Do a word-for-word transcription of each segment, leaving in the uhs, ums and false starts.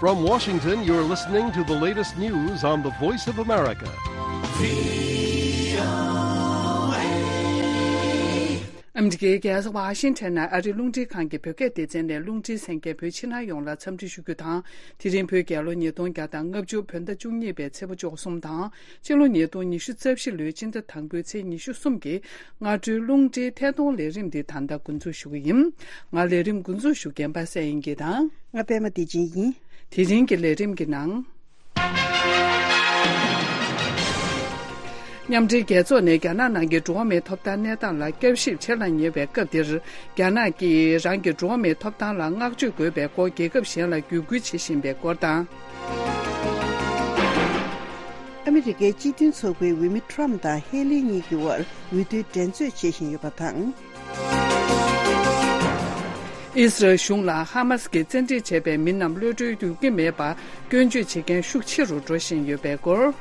From Washington, you're listening to the latest news on the Voice of America. ཨ་མི་རི་ཀའི་རྒྱལ་ས་ཝ་ཤིང་ཊོན་ནང་ཨ་རིའི་རླུང་འཕྲིན་ཁང་གི་བོད་སྐད་སྡེ་ཚན་ནས་རླུང་འཕྲིན་གསན་མཁན་བོད་ཕྱི་ནང་ཡོངས་ལ་འཚམས་འདྲི་ཞུ་རྒྱུ་དང་། དེ་རིང་བོད་རྒྱལ་ལོ་ཉིས་སྟོང་བརྒྱ་དང་ལྔ་བཅུ་བོད་ཟླ་བཅུ་གཉིས་པའི་ཚེས་པ་བཅུ་གསུམ་དང་། ཕྱི་ལོ་ཉིས་སྟོང་ཉི་ཤུ་རྩ་བཞི་ལོའི་སྤྱི་ཟླ་དང་པོའི་ཚེས་ཉི་ཤུ་གསུམ་གྱི་སྔ་དྲོའི་རླུང་འཕྲིན་ཐད་གཏོང་ལས་རིམ་འདི་ད་ལྟ་འགོ་འཛུགས་ཞུ་གི་ཡིན། ང་ལས་རིམ་འགོ་འཛུགས་ཞུ་མཁན་པ་སངས་དབྱངས་སྐྱིད་དང་། ང་པད་མ་བདེ་ཆེན་ཡིན། དེ་རིང་གི་ལས་རིམ་གྱི་ནང་། མཉམ་འབྲེལ་རྒྱལ་ཚོགས་ནས་རྒྱ་ནག་ནང་གི་འགྲོ་བ་མིའི་ཐོབ་ཐང་གནས་སྟངས་ལ་བསྐྱར་ཞིབ་བྱེད་ལ་ཉེ་བའི་སྐབས་འདིར། རྒྱ་ནག་གིས་རང་གི་འགྲོ་བ་མིའི་ཐོབ་ཐང་ལ་བསྔགས་བརྗོད་དགོས་པའི་སྐོར་རྒྱལ་ཁབ་གཞན་ལ་བརྒྱུད་སྐུལ་བྱེད་བཞིན་པའི་སྐོར་དང་། ཨ་མི་རི་ཀའི་སྤྱི་མཐུན་ཚོགས་པའི་འོས་མི་ཁྲོམ་དང་ཧེ་ལི་གཉིས་ཀྱི་དབར་འོས་བསྡུའི་འགྲན་རྩོད་བྱེད་བཞིན་ཡོད་པ་དང་། ཨི་སི་རལ་གཞུང་ལ་ཧ་མ་སི་གིས་བཙན་ཁྲིད་བྱས་པའི་མི་རྣམས་གློད་གྲོལ་འགྱུར་གྱི་མེད་པར་སྐྱོན་བརྗོད་བྱེད་མཁན་ཤུགས་ཆེ་རུ་འགྲོ་བཞིན་ཡོད་པའི་སྐོར།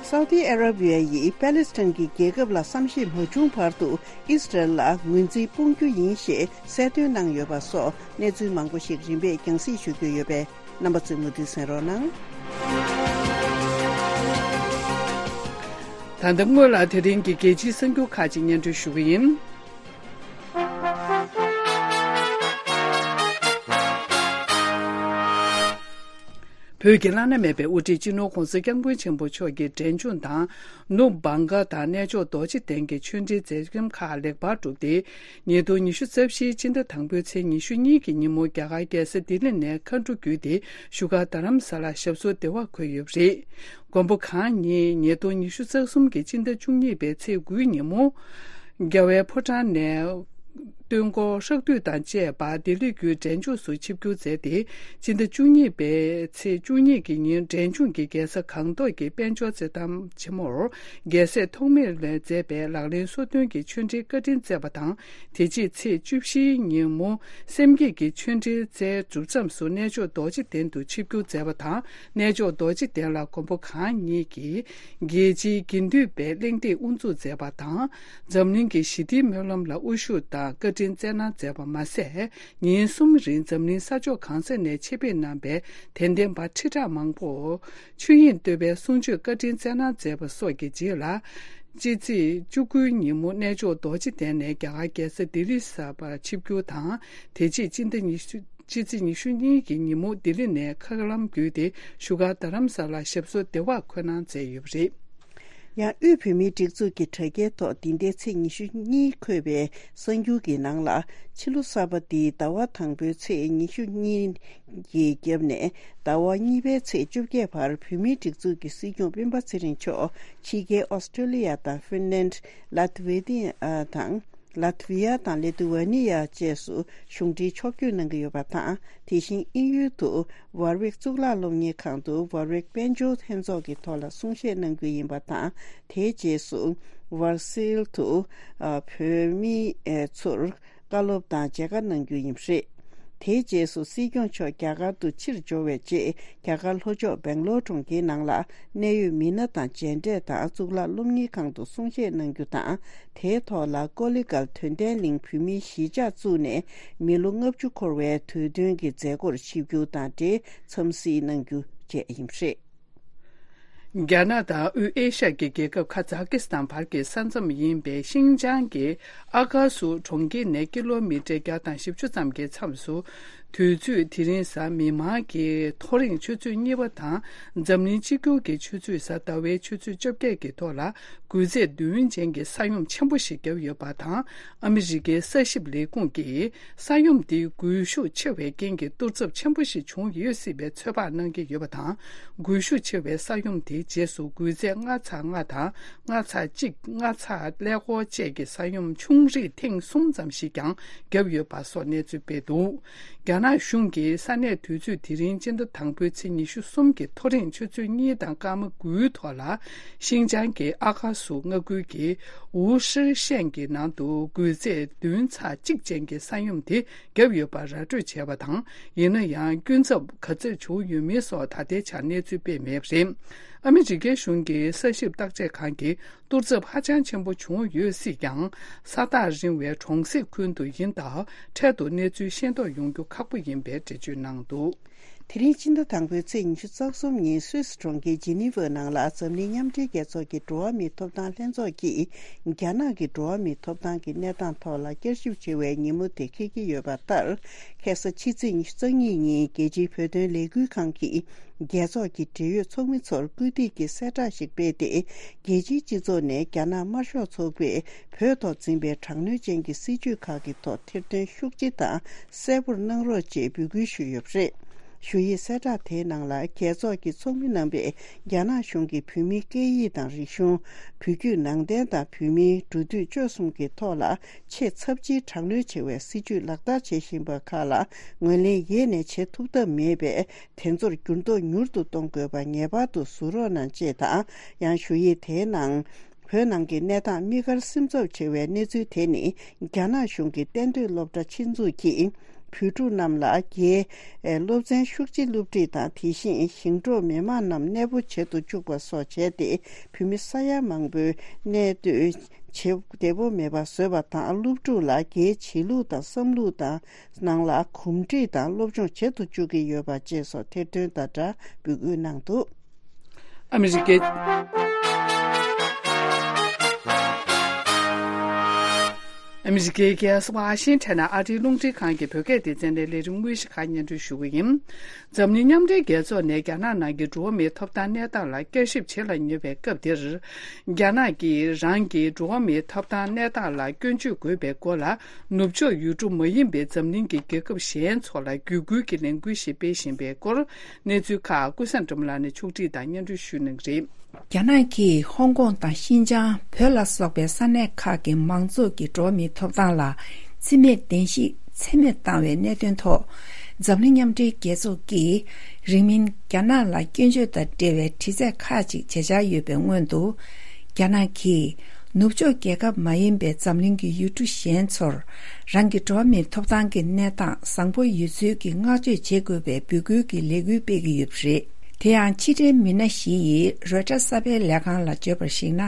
སའུ་ཏི་ཨ་ར་བི་ཡ་ཡིས་པེ་ལེ་སི་ཐན་གྱི་རྒྱལ་ཁབ་ལ་བསམ་ཤེས་མ་བྱུང་བར་དུ་ཨི་སི་རལ་ལ་ངོས་འཛིན་སྤོང་རྒྱུ་ཡིན་ཞེས་གསལ་སྟོན་གནང་ཡོད་པ་སོགས་གནས་ཚུལ་མང་པོ་ཞིག་རིམ་པས་རྒྱང་སྲིང་ཞུ་རྒྱུ་ཡོད་པས། རྣམ་པ་ཚོས་མུ་མཐུད་གསན་རོགས་གནང་། ད་ལྟ་སྔོན་ལ་དེ་རིང་གི་རྒྱལ་སྤྱིའི་གསར་འགྱུར་ཁག་ཅིག་སྙན་སྒྲོན་ཞུ་གི་ཡིན། བོད་ཀྱི་བླ་ན་མེད་པའི་དབུ་ཁྲིད་སྤྱི་ནོར་༧གོང་ས་༧སྐྱབས་མགོན་ཆེན་པོ་མཆོག་གི་འབྲས་ལྗོངས་དང་། ནུབ་བྷང་ག་དང་གནས་མཆོག་རྡོ་རྗེ་གདན་གྱི་ཆོས་འབྲེལ་མཛད་རིམ་ཁག་ལེགས་པར་གྲུབ་སྟེ། ཉིས་སྟོང་ཉི་ཤུ་རྩ་བཞིའི་སྤྱི་ཟླ་དང་པོའི་ཚེས་ཉི་ཤུ་གཉིས་ཀྱི་ཉིན་མོ་རྒྱ་གར་རྒྱལ་ས་ལྡི་ལི་ནས་མཁའ་འགྲོ་བརྒྱུད་དེ་བཞུགས་སྒར་རྡ་རམ་ས་ལར་ཞབས་སོར་བདེ་བར་འཁོད་ཡོད་པ་རེད། མགོན་པོ་གང་ཉིད་ཉིས་སྟོང་ཉི་ཤུ་རྩ་གསུམ་གྱི་སྤྱི་ཟླ་བཅུ་གཉིས་པའི་ཚེས་དགུའི་ཉིན་མོ། རྒྱལ་བའི་ཕོ་བྲང་ནས། སྟོན་འཁོར་ཧྲག་བསྡུས་དང་བཅས་པ་ལྡི་ལི་བརྒྱུད་འབྲས་ལྗོངས་སུ་ཆིབས་བསྒྱུར་མཛད་དེ། སྤྱི་ཟླ་བཅུ་གཉིས་པའི་ཚེས་བཅུ་གཉིས་ཀྱི་ཉིན་འབྲས་ལྗོངས་ཀྱི་རྒྱལ་ས་སྒང་ཏོག་གི་དཔལ་འབྱོར་རྩེད་ཐང་ཆེན་མོར་རྒྱལ་སྲས་ཐོགས་མེད་ལས་མཛད་པའི་ལག་ལེན་སོ་བདུན་གྱི་ཆོས་འབྲེལ་བཀའ་དྲིན་སྩལ་བ་དང་། དེ་རྗེས་ཚེས་བཅུ་བཞིའི་ཉིན་མོ་སེམས་བསྐྱེད་ཀྱི་ཆོས་འབྲེལ་སྩལ་གྲུབ་མཚམས་སུ་གནས་མཆོག་རྡོ་རྗེ་གདན་དུ་ཆིབས་བསྒྱུར་མཛད་པ་དང་། གནས་མཆོག་རྡོ་རྗེ་གདན་ལ་མགོན་པོ་གང་ཉིད་ཀྱིས་རྒྱལ་སྤྱིའི་དགེ་འདུན་པའི་གླེང་སྟེགས་དབུ་འཛུགས་མཛད་པ་དང་། འཛམ་གླིང་གི་ཞི་བདེའི་སྨོན་ལམ་ལ་དབུ་བཞུགས་དང་བཀའ་དྲིན་སྩལ་གནང་མཛད་པ་མ་ཟད། ཉིན་གསུམ་རིང་འཛམ་གླིང་ས་ཕྱོགས་གང་ས་ནས་ཆེད་ཕེབས་གནང་པའི་དད་ལྡན་པ་ཁྲི་ཕྲག་མང་པོ་ཆོས་དབྱིངས་བསྟོད་པའི་གསུང་ཆོས་བཀའ་དྲིན་སྩལ་གནང་མཛད་པ་སོགས་ཀྱི་རྗེས་ལ། སྤྱི་ཚེས་བཅུ་དགུའི་ཉིན་མོ་གནས་མཆོག་རྡོ་རྗེ་གདན་ནས་རྒྱ་གར་རྒྱལ་ས་ལྡི་ལི་གསར་པར་ཆིབས་བསྒྱུར་དང་། དེ་རྗེས་སྤྱི་ཟླ་ཉི་ཤུ། སྤྱི་ཚེས་ཉི་ཤུ་གཉིས་ཀྱི་ཉིན་མོ་ལྡི་ལི་ནས་མཁའ་ལམ་བརྒྱུད་དེ་བཞུགས་སྒར་རྡ་རམ་ས་ལར་ཞབས་སོར་བདེ་བར་འཁོད་གནང་མཛད་ཡོད་པ་རེད། ཡང་དབུས་བོད་མིའི་སྒྲིག་འཛུགས་ཀྱི་དྲ་རྒྱའི་ཐོག་འདི་ཟླའི་ཚེས་ཉི་ཤུ་གཉིས་འཁོད་པའི་གསར་འགྱུར་གྱི་ནང་ལ། ཕྱི་ལོ་གསར་པ་འདིའི་ཟླ་བ་དང་པོའི་ཚེས་ཉི་ཤུ་གཉིས་ཀྱི་རྒྱབ་ནས་ཟླ་བ་གཉིས་པའི་ཚེས་བཅོ་བརྒྱད་བར་བོད་མིའི་སྒྲིག་འཛུགས་ཀྱི་སྲིད་སྐྱོང་སྤེན་པ་ཚེ་རིང་མཆོག་ཕྱི་རྒྱལ་ཨོ་སི་ཀྲོ་ལི་ཡ་དང་ཧྥིན་ལན། ལ་ཐི་ཝེ་ཏི་ཡ་དང་། ལ་ཐི་ཝི་ཡ་དང་ལི་ཐུ་ཝེ་ནི་ཡ་བཅས་སུ་གཞུང་འབྲེལ་ཕྱོགས་བསྐྱོད་གནང་གི་ཡོད་པ་དང་། དེ་བཞིན་དབྱིན་ཡུལ་དུ་ཝར་ཝིག་གཙུག་ལག་སློབ་གཉེར་ཁང་དུ་ཝར་ཝིག་དཔལ་འབྱོར་ལྷན་ཚོགས་ཀྱི་ཐོག་ལ་གསུང་བཤད་གནང་རྒྱུ་ཡིན་པ་དང་། དེའི་རྗེས་སུ་ཝར་སིལ་དུ་ཨ་བོད་མི་ཨེ་ཚོར་བཀའ་སློབ་དང་མཇལ་ཁ་གནང་རྒྱུ་ཡིན་པ་རེད། དེའི་རྗེས་སུ་སྲིད་སྐྱོང་མཆོག་རྒྱ་གར་དུ་ཕྱིར་འབྱོར་བའི་རྗེས། རྒྱ་གར་ལྷོ་ཕྱོགས་སྦེང་ལོར་གྲོང་ཁྱེར་ནང་ལ་གནད་ཡོད་མི་སྣ་དང་མཇལ་འཕྲད་དང་གཙུག་ལག་སློབ་གཉེར་ཁང་དུ་གསུང་བཤད་གནང་རྒྱུ་དང་། དེའི་ཐོག་ལ་ཀོ་ལི་གལ་དོན་ལྡན་གླིང་བོད་མིའི་གཞིས་ཆགས་བཙུགས་ནས་མི་ལོ་ལྔ་བཅུ་འཁོར་བའི་དུས་སྟོན་གྱི་མཛད་སྒོར་ཆིབས་བསྒྱུར་དང་འབྲེལ་འཚམས་གཟིགས་གནང་རྒྱུ་བཅས་ཡིན་པ་རེད། རྒྱ་ནག་དང་དབུས་ཨེ་ཤ་ཡའི་རྒྱལ་ཁབ་ཁ་ཛ་ཀི་སི་ཐན་བར་གྱི་ས་མཚམས་ཡིན་པའི་ཤིན་ཅང་གི་ཨ་ཀ་སུ་གྲོང་ཁྱེར་ནས་ཀི་ལོ་མི་ཊར་བརྒྱ་དང་བཞི་བཅུ་ཙམ་གྱི་མཚམས་སུ། དུས་ཚོད་དེ་རིང་གཟའ་མིག་དམར་གྱི་ཐོ་རེངས་ཆུ་ཚོད་གཉིས་པ་དང་། འཛམ་གླིང་གཅིག་གྱུར་གྱི་ཆུ་ཚོད་གཟའ་ཟླ་བའི་ཆུ་ཚོད་བཅོ་བརྒྱད་ཀྱི་ཐོག་ལ། འགུལ་ཚད་བདུན་ཅན་གྱི་ས་ཡོམ་ཆེན་པོ་ཞིག་བརྒྱབ་ཡོད་པ་དང་། ཨ་མི་རི་ཀའི་ས་ཞིབ་ལས་ཁུངས་ཀྱིས། ས་ཡོམ་དེའི་སྒུལ་ཤུགས་ཆེ་བའི་རྐྱེན་གྱིས་གཏོར་ཚབས་ཆེན་པོ་ཞིག་བྱུང་ཡོད་སྲིད་པའི་ཚོད་དཔག་གནང་གི་ཡོད་པ་དང་། སྒུལ་ཤུགས་ཆེ་བའི་ས་ཡོམ་དེའི་རྗེས་སུ་འགུལ་ཚད་ལྔ་ཚེག་ལྔ་དང་ལྔ་ཚེག་གཅིག་ལྔ་ཚེག་ཀླད་ཀོར་བཅས་ཀྱི་ས་ཡོམ་ཆུང་རིགས་ཐེངས་གསུམ་ཙམ་ཞིག་ཀྱང་བརྒྱབ་ཡོད་པ་སོགས་གནས་ཚུལ་སྤེལ་འདུག་རྒྱ་ནག་གཞུང་གིས་ས་གནས་དུས་ཚོད་དེ་རིང་སྤྱི་ཟླ་དང་པོའི་ཚེས་ཉི་ཤུ་གསུམ་གྱི་ཐོ་རེངས་ཆུ་ཚོད་གཉིས་དང་སྐར་མ་དགུའི་ཐོག་ལ། ཤིན་ཅང་གི་ཨ་ཁ་སུ་མངའ་ཁུལ་གྱི་ཝུ་ཧྲི་ཤན་གྱི་ནང་དུ་འགུལ་ཚད་བདུན་ཚེག་གཅིག་ཅན་གྱི་ས་ཡོམ་དེ་བརྒྱབ་ཡོད་པ་ར་སྤྲོད་བྱས་པ་དང་། ཡིན་ན་ཡང་སྐྱོན་ཚབས་ག་ཚོད་བྱུང་ཡོད་མེད་སོགས་ད་ལྟའི་ཆར་གནས་ཚུལ་སྤེལ་མེད་པ་རེད། ཨ་མི་རི་ཀའི་གཞུང་གི་ས་ཞིབ་བརྟག་དཔྱད་ཁང་གིས་གཏོར་ཚབས་ཧ་ཅང་ཆེན་པོ་བྱུང་ཡོད་སྲིད་ཀྱང་། ས་ཐག་རིང་བའི་གྲོང་གསེབ་ཁུལ་དུ་ཡིན་སྟབས། འཕྲལ་དུ་གནས་ཚུལ་ཤེས་རྟོགས་ཡོང་རྒྱུ་ཁག་པོ་ཡིན་པའི་འགྲེལ་བརྗོད་གནང་འདུག། དེ་རིང་སྤྱི་ཟླ་དང་པོའི་ཚེས་ཉི་ཤུ་རྩ་གསུམ་ཉིན་སུད་སི་གྲོང་ཁྱེར་ཇི་ནི་ཝ་ནང་ལ་འཛམ་གླིང་མཉམ་འབྲེལ་རྒྱལ་ཚོགས་ཀྱི་འགྲོ་བ་མིའི་ཐོབ་ཐང་ལྷན་ཚོགས་ཀྱིས། རྒྱ་ནག་གི་འགྲོ་བ་མིའི་ཐོབ་ཐང་གི་གནས་སྟངས་ཐོག་ལ་བསྐྱར་ཞིབ་བྱེད་པའི་ཉིན་མོ་དེ་འཁེལ་གྱི་ཡོད་པ་ལྟར། ཁ་སང་ཕྱི་ཚེས་ཉི་ཤུ་རྩ་གཉིས་ཉིན་རྒྱལ་སྤྱིའི་བོད་དོན་ལས་འགུལ་ཁང་གིས། རྒྱལ་ཚོགས་ཀྱི་འབྲེལ་ཡོད་ཚོགས་མི་ཚོར་སྐུལ་འདེད་ཀྱི་གསལ་བསྒྲགས་ཤིག་སྤེལ་ཏེ། རྒྱལ་སྤྱིའི་སྤྱི་ཚོགས་ནས་རྒྱ་ནག་དམར་ཤོག་ཚོགས་པས་བོད་ཐོག་འཛིན་པའི་དྲག་གནོན་ཅན་གྱི་སྲིད་བྱུས་ཁག་གི་ཐོག་ཐེར་འདོན་ཤུགས་ཆེ་དང་གསལ་པོར་གནང་རོགས་ཅེས་འབོད་སྐུལ་ཞུས་ཡོད་པ་རེད། ཞུ་ཡིག་གསལ་བསྒྲགས་དེའི་ནང་ལ། རྒྱལ་ཚོགས་ཀྱི་ཚོགས་མི་རྣམ་པས་རྒྱ་ནག་གཞུང་གིས་བོད་མིའི་སྐད་ཡིག་དང་རིག་གཞུང་། བོད་བརྒྱུད་ནང་བསྟན་དང་བོད་མིའི་འགྲོ་དུས་སྤྱོད་གསུམ་གྱི་ཐོག་ལ་ཆེས་ཚབས་ཆེའི་དྲག་གནོན་བྱེད་པའི་སྲིད་བྱུས་ལག་བསྟར་བྱེད་བཞིན་པ་ཁག་ལ་ངོས་ལེན་ཡེ་ནས་བྱེད་ཐུབ་ཐབས་མེད་པས། དེ་ཚོར་འགྱུར་ལྡོག་མྱུར་དུ་གཏོང་དགོས་པ་ངེས་པར་དུ་གཟུགས་རོགས་གནང་ཅེས་དང་། ཡང་ཞུ་ཡིག་དེའི་ནང་། བོད་ནང་གི་གནས་སྟངས་དམིགས་བཀར་སིམ་འཛུལ་ཆེ་བའི་གནས་ཚུལ་དེ་ནི། རྒྱ་ནག་གཞུང་གི་གཏན་སྡོད་སློབ་གྲྭ་ཆེད་འཛུགས་ཀྱིས། བོད་ཕྲུག་རྣམས་ལ་རྒྱའི་སློབ་ཚན་ཤུགས་ཆེ་སློབ་ཁྲིད་དང་། དེ་བཞིན་ཞིང་འབྲོག་མི་མང་རྣམས་གནས་སྤོ་བྱེད་དུ་བཅུག་པ་སོགས་བྱས་ཏེ། བོད་མི་ས་ཡ་མང་པོའི་གནས་སྡོད་བྱེད་བདེ་པོ་མེད་པ་བཟོས་པ་དང་། སློབ་ཕྲུག་ལ་རྒྱའི་བྱེད་ལུགས་དང་བསམ་ལུགས་དང་། ནང་ལ་གོམས་འདྲིས་དང་སློབ་སྦྱོང་བྱེད་དུ་བཅུག་གི་ཡོད་པ་བཅས་སོགས་ཐེར་འདོན་དང་སྦྲགས་འབོད་སྐུལ་གནང་འདུག། ཨ་མི་རི་ཀའི། ཨ་མི་རི་ཀའི་རྒྱལ་ས་ཝ་ཤིང་ཊོན་ནང་ཨ་རིའི་རླུང་འཕྲིན་ཁང་གི་བོད་སྐད་སྡེ་ཚན་ནས་ལས་རིམ་དངོས་གཞི་ཁག་སྙན་སྒྲོན་ཞུ་གི་ཡིན། འཛམ་གླིང་མཉམ་འབྲེལ་རྒྱལ་ཚོགས་ནས་རྒྱ་ནག་ནང་གི་འགྲོ་བ་མིའི་ཐོབ་ཐང་གནས་སྟངས་ལ་བསྐྱར་ཞིབ་བྱེད་ལ་ཉེ་བའི་སྐབས་འདིར། རྒྱ་ནག་གིས་རང་གི་འགྲོ་བ་མིའི་ཐོབ་ཐང་གནས་སྟངས་ལ་སྐྱོན་བརྗོད་དགོས་པའི་སྐོར་ལ། ནུབ་ཕྱོགས་ཡུལ་གྲུ་མ་ཡིན་པའི་འཛམ་གླིང་གི་རྒྱལ་ཁབ་གཞན་ཚོ་ལ་བརྒྱུད་སྐུལ་གྱི་ལས་འགུལ་ཞིག་སྤེལ་བཞིན་པའི་སྐོར། གནས་ཚུལ་ཁག་ཀུན་བཟང་སྒྲོལ་མ་ལགས་ནས་ཕྱོགས་སྒྲིག་དང་སྙན་སྒྲོན་ཞུ་གནང་གི་རེད། རྒྱ་ནག་གིས་ཧོང་ཀོང་དང་ཤིན་ཅང་། བོད་ལ་སོགས་པའི་ས་གནས་ཁག་གི་མང་ཚོགས་ཀྱི་འགྲོ་བ་མིའི་ཐོབ་ཐང་ལ་བརྩི་མེད་བདེན་བཞི་ཚད་མེད་བཏང་བའི་གནད་དོན་ཐོག། འཛམ་གླིང་མཉམ་འབྲེལ་རྒྱལ་ཚོགས་ཀྱིས་རིང་མིན་རྒྱ་ནག་ལ་སྐྱོན་བརྗོད་དང་འབྲེལ་བའི་དྲི་རྩད་ཁག་ཅིག་བྱེད་འཆར་ཡོད་པའི་སྔོན་དུ། རྒྱ་ནག་གིས་ནུབ་ཕྱོགས་རྒྱལ་ཁབ་མ་ཡིན་པའི་འཛམ་གླིང་གི་ཡུལ་གྲུ་གཞན་ཚོར་རང་གི་འགྲོ་བ་མིའི་ཐོབ་ཐང་གི་གནས་སྟངས་བཟང་པོ་ཡོད་ཚུལ་གྱི་བསྔགས་བརྗོད་བྱེད་དགོས་པའི་འབོད་སྐུལ་གྱི་ལས་འགུལ་སྤེལ་གྱི་ཡོད་པ་རེད། དེ་ཡང་ཕྱི་འབྲེལ་མི་སྣ་བཞི་ཡིས་རོའི་ཊར་གསར་སྤེལ་ལས་ཁང་ལ་བརྗོད་པར་གཞིགས་ན།